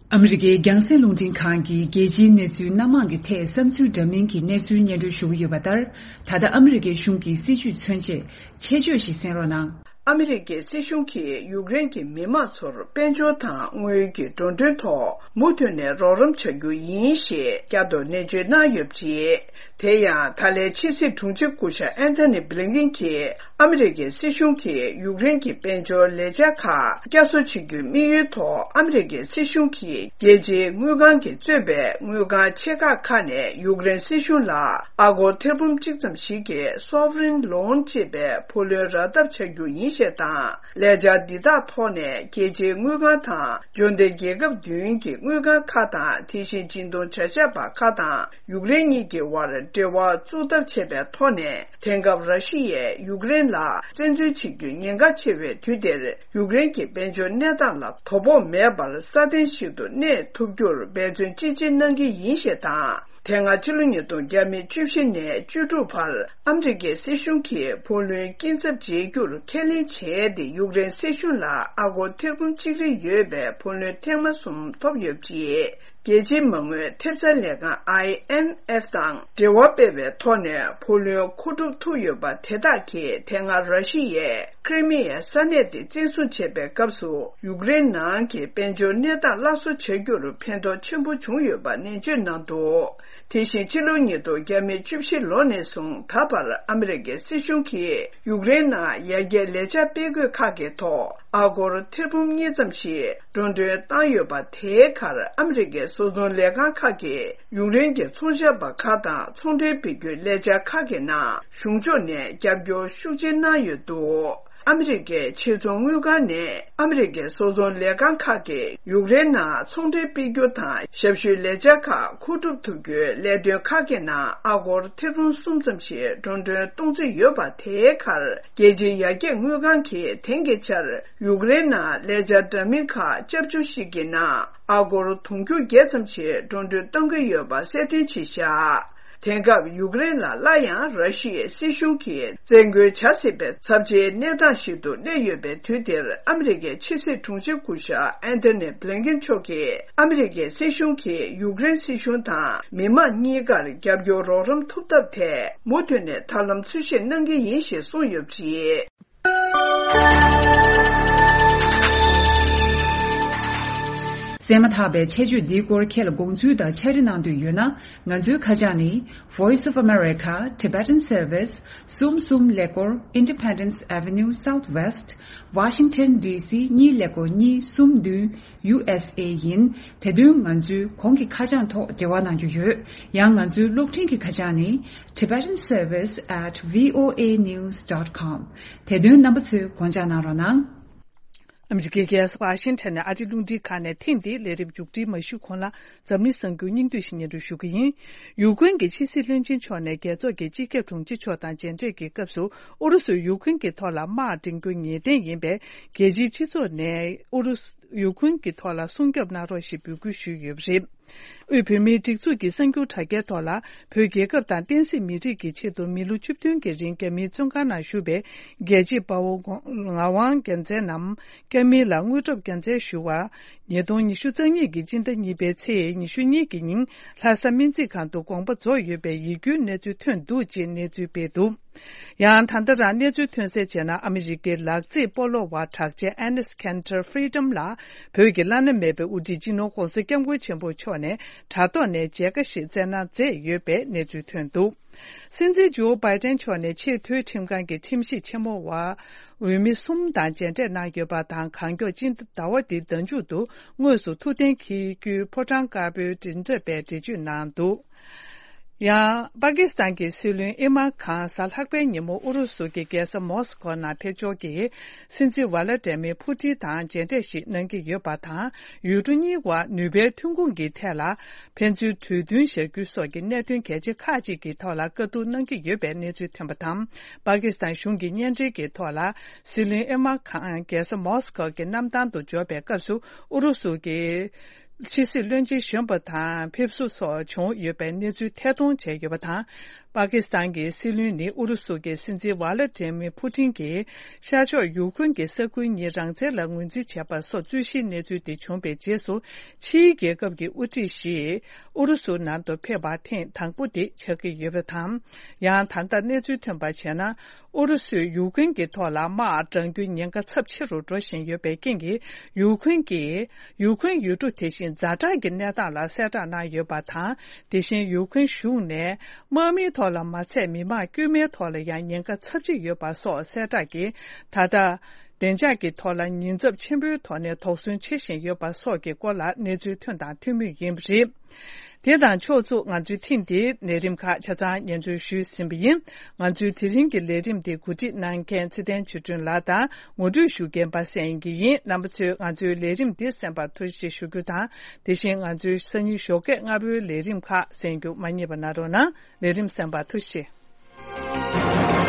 ཨ་མི་རི་ཀའི་རྒྱང་སྲིང་རླུང་འཕྲིན་ཁང་གིས་རྒྱལ་སྤྱིའི་གནས་ཚུལ་སྣ་མང་གི་ཐད་བསམ་ཚུལ་འདྲ་མིན་གྱི་གནས་ཚུལ་སྙན་སྒྲོན་ཞུ་གི་ཡོད་པ་ལྟར། ད་ལྟ་ཨ་མི་རི་ཀའི་གཞུང་གི་སྲིད་བྱུས་མཚོན་ཆེད་ཆེད་བརྗོད་ཞིག་གསན་རོགས་གནང་། ཨ་མི་རི་ཀའི་སྲིད་གཞུང་གིས་ཡུཀ་རེན་གྱི་མི་དམངས་ཚོར་དཔལ་འབྱོར་དང་དངུལ་གྱི་འགྲོ་གྲོན་ཐོག་མུ་མཐུད་ནས་རོགས་རམ་བྱ་རྒྱུ་ཡིན་ཞེས་བསྐྱར་དུ་ནན་བརྗོད་གནང་ཡོད་པ་རེད། དེ་ཡང་ད་ལན་ཕྱི་སྲིད་དྲུང་ཆེ་སྐུ་ཞབས་ཨན་ཐོ་ནི་བྷི་ལིན་ཀིན་གྱིས་ཨ་མི་རི་ཀའི་སྲིད་གཞུང་གིས་ཡུཀ་རེན་གྱི་དཔལ་འབྱོར་ལས་འཆར་ཁག་བསྐྱར་གསོ་བྱེད་རྒྱུའི་དམིགས་ཡུལ་ཐོག་ཨ་མི་རི་ཀའི་སྲིད་གཞུང་གིས་རྒྱལ་སྤྱིའི་དངུལ་ཁང་གིས་གཙོས་པའི་དངུལ་ཁང་ཆེ་ཁག་ཁག་ནས་ཡུཀ་རེན་སྲིད་གཞུང་ལ་ཨ་སྒོར་ཐེར་འབུམ་གཅིག་ཙམ་ཞིག་གི་sovereign loan ཅེས་པའི་བུ་ལོན་རག་ཐབས་བྱ་རྒྱུ་ཡིན་ཞེས་དང་། ལས་འཆར་འདི་དག་ཐོག་ནས་རྒྱལ་སྤྱིའི་དངུལ་ཁང་དང་འབྱོར་ལྡན་རྒྱལ་ཁབ་བདུན་གྱི་དངུལ་ཁང་ཁག་དང་། དེ་བཞིན་སྦྱིན་གཏོང་བྱ་བཞག་པ་ཁག་དང་ཡུཀ་རེན་གཉིས་ཀྱི་དབར་འབྲེལ་བ་བཙུགས་ཐབས་བྱས་པའི་ཐོག་ནས། དེང་སྐབས་ར་ཤི་ཡས་ཡུཀ་རེན་ལ་བཙན་འཛུལ་བྱེད་རྒྱུ་ཉེན་ཁ་ཆེ་བའི་དུས་འདིར། ཡུཀ་རེན་གྱི་དཔལ་འབྱོར་གནས་སྟངས་ལ་དོ་ཕོག་མེད་པར་སྲ་བརྟན་ཞིག་ཏུ་གནས་ཐུབ་རྒྱུར་འབད་བརྩོན་ཅི་ཆེ་གནང་གི་ཡིན་ཞེས་དང་། དེ་སྔ་ཕྱི་ལོ་ཉིས་སྟོང་བརྒྱ་མེད་བཅུ་བཞི་ནས་བཅུ་དྲུག་བར་ཨ་མི་རི་ཀའི་སྲིད་གཞུང་གིས་བུ་ལོན་སྐྱིན་ཚབ་འཇལ་རྒྱུར་ཁས་ལེན་བྱས་ཏེ། ཡུཀ་རེན་སྲིད་གཞུང་ལ་ཨ་སྒོར་ཐེར་འབུམ་གཅིག་རེ་ཡོད་པའི་བུ་ལོན་ཐེངས་མ་གསུམ་ཐོབ་ཡོད་པ་རེད། རྒྱལ་སྤྱིའི་མ་དངུལ་ཐེབས་རྩ་ལས་ཁང་ཨའི་ཨེམ་ཨེཕ་དང་འབྲེལ་བ་སྤེལ་བའི་ཐོག་ནས་བུ་ལོན་མཁོ་སྒྲུབ་ཐུབ་ཡོད་པ་དེ་དག་གིས། དེ་སྔ་ར་ཤི་ཡས་ཁི་རི་མི་ཡའི་ས་གནས་དེ་བཙན་བཟུང་བྱས་པའི་སྐབས་སུ། ཡུཀ་རེན་ནང་གི་དཔལ་འབྱོར་གནས་སྟངས་སླར་གསོ་བྱ་རྒྱུར་ཕན་ཐོགས་ཆེན་པོ་བྱུང་ཡོད་པ་ནན་བརྗོད་གནང་འདུག་དེ་བཞིན་ཕྱི་ལོ་ཉིས་སྟོང་བརྒྱ་མེད་བཅུ་བཞི་ལོ་ནས་བཟུང་ད་བར་ཨ་མི་རི་ཀའི་སྲིད་གཞུང་གིས་ཡུཀ་རེན་ནང་ཡར་རྒྱས་ལས་འཆར་སྤེལ་དགོས་ཁག་གི་ཐོག་ཨ་སྒོར་ཐེར་འབུམ་གཉིས་ཙམ་ཞིག་འགྲོ་གྲོན་བཏང་ཡོད་པ། དེའི་ཁར་ཨ་མི་རི་ཀའི་བཟོ་ཚོང་ལས་ཁང་ཁག་གིས་ཡུཀ་རེན་གྱི་ཚོང་བྱ་བ་ཁག་དང་ཚོང་འབྲེལ་སྤེལ་རྒྱུའི་ལས་འཆར་ཁག་གི་ནང་གཞུང་ཕྱོགས་ནས་རྒྱབ་སྐྱོར་ཤུགས་ཆེ་གནང་ཡོད་འདུག་ཨ་མི་རི་ཀའི་ཕྱིར་ཚོང་དངུལ་ཁང་ནས་ཨ་མི་རི་ཀའི་བཟོ་ཚོང་ལས་ཁང་ཁག་གིས་ཡུཀ་རེན་ནང་ཚོང་འབྲེལ་སྤེལ་རྒྱུ་དང་ཞབས་ཞུའི་ལས་འཆར་ཁག་མཁོ་སྒྲུབ་ཐུབ་རྒྱུའི་ལས་དོན་ཁག་གི་ནང་ཨ་སྒོར་ཐེར་འབུམ་གསུམ་ཙམ་ཞིག་འགྲོ་གྲོན་གཏོང་རྩིས་ཡོད་པ། དེའི་ཁར་རྒྱལ་སྤྱིའི་ཡར་རྒྱས་དངུལ་ཁང་གིས་དེང་གི་ཆར་ཡུཀ་རེན་ནང་ལས་འཆར་འདྲ་མིན་ཁག་བཅའ་བཅུ་ཞིག་གི་ནང་ཨ་སྒོར་དུང་ཕྱུར་བརྒྱད་ཙམ་ཞིག་འགྲོ་གྲོན་གཏོང་གི་ཡོད་པ་གསལ་སྟོན་བྱས་བཞག་དེང་སྐབས་ཡུཀ་རེན་ལ་སླར་ཡང་ར་ཤི་ཡའི་སྲིད་གཞུང་གིས་བཙན་རྒོལ་བྱ་སྲིད་པའི་ཚབས་ཆེའི་གནས་སྟངས་ཤིག་ཏུ་སླེབས་ཡོད་པའི་དུས་འདིར། ཨ་མི་རི་ཀའི་ཕྱི་སྲིད་དྲུང་ཆེ་སྐུ་ཞབས་ཨན་ཐོ་ནི་བྷི་ལིན་ཀིན་མཆོག་གིས་ཨ་མི་རི་ཀའི་སྲིད་གཞུང་གིས་ཡུཀ་རེན་སྲིད་གཞུང་དང་མི་མང་གཉིས་ཀར་རྒྱབ་སྐྱོར་རོགས་རམ་ཐུབ་ཐབས་ཐད་མུ་མཐུད་ནས་ཐབས་ལམ་འཚོལ་ཞིབ་གནང་གི་ཡིན་ཞེས་གསུངས་ཡོད་པ་རེད། གསན་མ་ཐག་པའི་ཆེད་བརྗོད་འདིའི་སྐོར་ཁྱེད་ལ་དགོངས་ཚུལ་དང་ཕྱག་བྲིས་གནང་འདོད་ཡོད་ན། ང་ཚོའི་ཁ་བྱང་ནི། Voice of America, Tibetan Service, གསུམ་གསུམ་ཀླད་ཀོར། Independence Avenue Southwest, Washington D C གཉིས་ཀླད་ཀོར་གཉིས་གསུམ་བདུན། ཡུ་ཨེས་ཨེ་ཡིན། དེ་དོན་ང་ཚོའི་གོང་གི་ཁ་བྱང་ཐོག་འབྲེལ་བ་གནང་རྒྱུ་ཡོད། ཡང་ང་ཚོའི་གློག་འཕྲིན་གྱི་ཁ་བྱང་ནི། Tibetan Service at V O A news dot com། དེ་དོན་རྣམ་པ་ཚོས་དགོངས་འཇགས་གནང་རོགས་གནང་། ཨ་མི་རི་ཀའི་རྒྱལ་ས་ཝ་ཤིང་ཊོན་ནས་ཨ་རིའི་རླུང་འཕྲིན་ཁང་ནས་ཐེངས་འདིའི་ལས་རིམ་མཇུག་སྒྲིལ་མ་ཞུས་གོང་ལ། འཛམ་གླིང་གསར་འགྱུར་སྙིང་བསྡུས་ཤིག་སྙན་སྒྲོན་ཞུ་གི་ཡིན། ཡུཀ་རེན་གྱི་ཕྱི་སྲིད་བློན་ཆེན་མཆོག་ནས་རྒྱལ་ཚོགས་ཀྱི་སྤྱི་ཁྱབ་དྲུང་ཆེ་མཆོག་དང་མཇལ་འཕྲད་ཀྱི་སྐབས་སུ། ཨུ་རུ་སུས་ཡུཀ་རེན་གྱི་ཐོག་ལ་དམག་འདྲེན་རྒྱུ་ངེས་གཏན་ཡིན་པས། རྒྱལ་སྤྱིའི་སྤྱི་ཚོགས་ནས་ཨུ་རུ་སུ། ཡུཀ་རེན་གྱི་ཐོག་ལ་སྲུང་སྐྱོབ་གནང་རོགས་ཞེས་འབོད་སྐུལ་ཞུས་ཡོད་པ་རེད། དབུས་བོད་མིའི་སྒྲིག་འཛུགས་ཀྱི་གསར་འགྱུར་དྲ་རྒྱའི་ཐོག་ལ། བོད་རྒྱལ་ཁབ་དང་བསྟན་སྲིད་མི་རིགས་ཀྱི་ཆེད་དུ་མི་ལོ་བཅུ་བདུན་གྱི་རིང་རྒྱ་མིའི་བཙོན་ཁང་ནང་བཞུགས་པའི་རྒྱལ་གཅེས་དཔའ་བོ་ངག་དབང་རྒྱལ་མཚན་ནམ། རྒྱ་མིའི་ལ་དངོས་གྲུབ་རྒྱལ་མཚན་ཞུ་བ། ཉིས་སྟོང་ཉི་ཤུ་རྩ་གཉིས་ཀྱི་སྤྱི་ཟླ་གཉིས་པའི་ཚེས་ཉི་ཤུ་གཉིས་ཀྱི་ཉིན་ལྷ་ས་སྨན་རྩིས་ཁང་དུ་དགོངས་པ་རྫོགས་ཡོད་པའི་ཡིད་སྐྱོའི་གནས་ཚུལ་ཐོན་འདུག་ཅེས་གནས་ཚུལ་སྤེལ་འདུག་ཡང་ད་ལྟ་རང་གནས་ཚུལ་ཐོན་གསལ་བྱས་ན། ཨ་མི་རི་ཀའི་ལག་རྩེད་སྤོ་ལོ་བ་གྲགས་ཅན་Enes Kanter Freedom ལགས་བོད་ཀྱི་བླ་ན་མེད་པའི་དབུ་ཁྲིད་སྤྱི་ནོར་༸གོང་ས་༸སྐྱབས་མགོན་ཆེན་པོ་མཆོག་ནས་དྲ་ཐོག་ནས་མཇལ་ཁ་ཞིག་བསྩལ་གནང་མཛད་ཡོད་པའི་གནས་ཚུལ་ཐོན་འདུག་སྲིད་འཛིན་ཇོ་བྷའི་ཏན་མཆོག་ནས་ཆེས་མཐོའི་ཁྲིམས་ཁང་གི་ཁྲིམས་ཞིབ་ཆེན་མོ་བ་འོས་མི་གསུམ་དང་མཇལ་འཕྲད་གནང་ཡོད་པ་དང་། གང་མགྱོགས་སྤྱི་ཟླ་བ་འདིའི་ཟླ་མཇུག་ཏུ་དངོས་སུ་ཐུགས་གཏན་འཁེལ་རྒྱུའི་ཕོ་བྲང་དཀར་པོའི་མགྲིན་ཚབ་པས་འགྲེལ་བརྗོད་གནང་འདུག་ཡང་། པ་ཀི་སི་ཐན་གྱི་སྲིད་བློན་ཨི་མར་ཁཱན་གཟའ་ལྷག་པའི་ཉིན་མོ་ཨུ་རུ་སུ་གྱི་རྒྱལ་ས་མོ་སི་ཀོ་ནང་ཕེབས་འབྱོར་གྱིས། སྲིད་འཛིན་ཝ་ལ་ཏྲེ་མིར་ཕུ་ཏིན་དང་མཇལ་འཕྲད་ཞིག་གནང་གི་ཡོད་པ་དང་། ཡུལ་གྲུ་གཉིས་དབར་ནུས་པའི་ཐོན་ཁུངས་ཀྱི་ཐད་ལ་ཕན་ཚུན་གྲོས་མཐུན་བཞག་རྒྱུ་སོགས་ཀྱི་གནད་དོན་གལ་ཆེ་ཁག་ཅིག་གི་ཐོག་ལ་བཀའ་བསྡུར་གནང་གི་ཡོད་པའི་གནས་ཚུལ་ཐོན་པ་དང་། པ་ཀི་སི་ཐན་གཞུང་གི་བརྙན་འཕྲིན་གྱི་ཐོག་ལ། སྲིད་བློན་ཨི་མར་ཁཱན་རྒྱལ་ས་མོ་སི་ཀོ་གི་གནམ་ཐང་དུ་འབྱོར་བའི་སྐབས་སུ། ཨུ་རུ་སུ་གྱི་ཕྱི་སྲིད་བློན་ཆེན་གཞོན་པ་དང་ཕེབས་བསུ་སོགས་བྱུང་ཡོད་པའི་གནས་ཚུལ་ཐད་གཏོང་བྱས་ཡོད་པ་དང་། པ་ཀི་སི་ཐན་གྱི་སྲིད་བློན་ནི་ཨུ་རུ་སུ་གྱི་སྲིད་འཛིན་ཝ་ལ་ཏྲེ་མི་ཕུ་ཏིན་གྱིས་ཤར་ཕྱོགས་ཡུ་ཁུན་གྱི་ས་ཁུལ་གཉིས་རང་བཙན་ལ་ངོས་འཛིན་བྱས་པ་སོགས་རྩོད་གཞིའི་གནས་ཚུལ་དེ་བྱུང་བའི་རྗེས་སུ། ཕྱིའི་རྒྱལ་ཁབ་ཀྱི་དབུ་ཁྲིད་ཞིག་ཨུ་རུ་སུ་ནང་དུ་ཕེབས་པ་ཐེངས་དང་པོ་དེ་ཆགས་ཀྱི་ཡོད་པ་དང་། ཡང་ད་ལྟ་གནས་ཚུལ་ཐོན་པར་བྱས་ན། ཨུ་རུ་སུས་ཡུ་ཁུན་གྱི་ཐོག་ལ་དམག་དྲང་རྒྱུའི་ཉེན་ཁ་ཚབས་ཆེ་རུ་འགྲོ་བཞིན་ཡོད་པའི་རྐྱེན་གྱིས། ཡུ་ཁུན་གྱིས་ཡུ་ཁུན་ཡུལ་གྲུ་དེ་བཞིན་ཛ་དྲག་གི་གནས་སྟངས་ལ་གསལ་བསྒྲགས་གནང་ཡོད་པ་དང་། དེ་བཞིན་ཡུ་ཁུན་གཞུང་ནས་དམག་མིའི་ཐོག་ལ་མ་ཚད་མི་དམངས་དཀྱུས་མའི་ཐོག་ལ་ཡང་ཉེན་ཁ་ཚབས་ཆེ་ཡོད་པ་སོགས་གསལ་བསྒྲགས་ཀྱིས། ད་ལྟ་བདེ་འཇགས་ཀྱི་ཐོག་ལ་ཉེན་ཚབས་ཆེན་པོའི་ཐོག་ནས་དོགས་ཟོན་བྱེད་བཞིན་ཡོད་པ་སོགས་ཀྱི་སྐོར་ལ་གནས་ཚུལ་ཐོན་དང་ཐོན་མུས་ཡིན་པ་རེད། དེ་དང་ཕྱོགས་མཚུངས། ང་ཚོའི་ཐེངས་འདིའི་ལས་རིམ་ཁག་ཆ་ཚང་སྙན་སྒྲོན་ཞུས་ཟིན་པ་ཡིན། ང་ཚོའི་དེ་རིང་གི་ལས་རིམ་འདི་གོ་སྒྲིག་གནང་མཁན་ཚེ་བརྟན་ཆོས་སྒྲོན་ལགས་དང་ངོ་སྤྲོད་ཞུ་མཁན་པ་སངས་དབྱངས་སྐྱིད་ཡིན། རྣམ་པ་ཚོས་ང་ཚོའི་ལས་རིམ་འདི་གསན་པར་ཐུགས་རྗེ་ཆེ་ཞུ་རྒྱུ་དང་། དེ་བཞིན་ང་ཚོའི་སང་ཉིན་ཞོགས་ཀས་སྔ་པོའི་ལས་རིམ་ཁག་གསན་རྒྱུ་མ་བསྙེལ་བ་གནང་རོགས་གནང་། ལས་རིམ་གསན་པར་ཐུགས་རྗེ་ཆེ།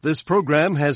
This program has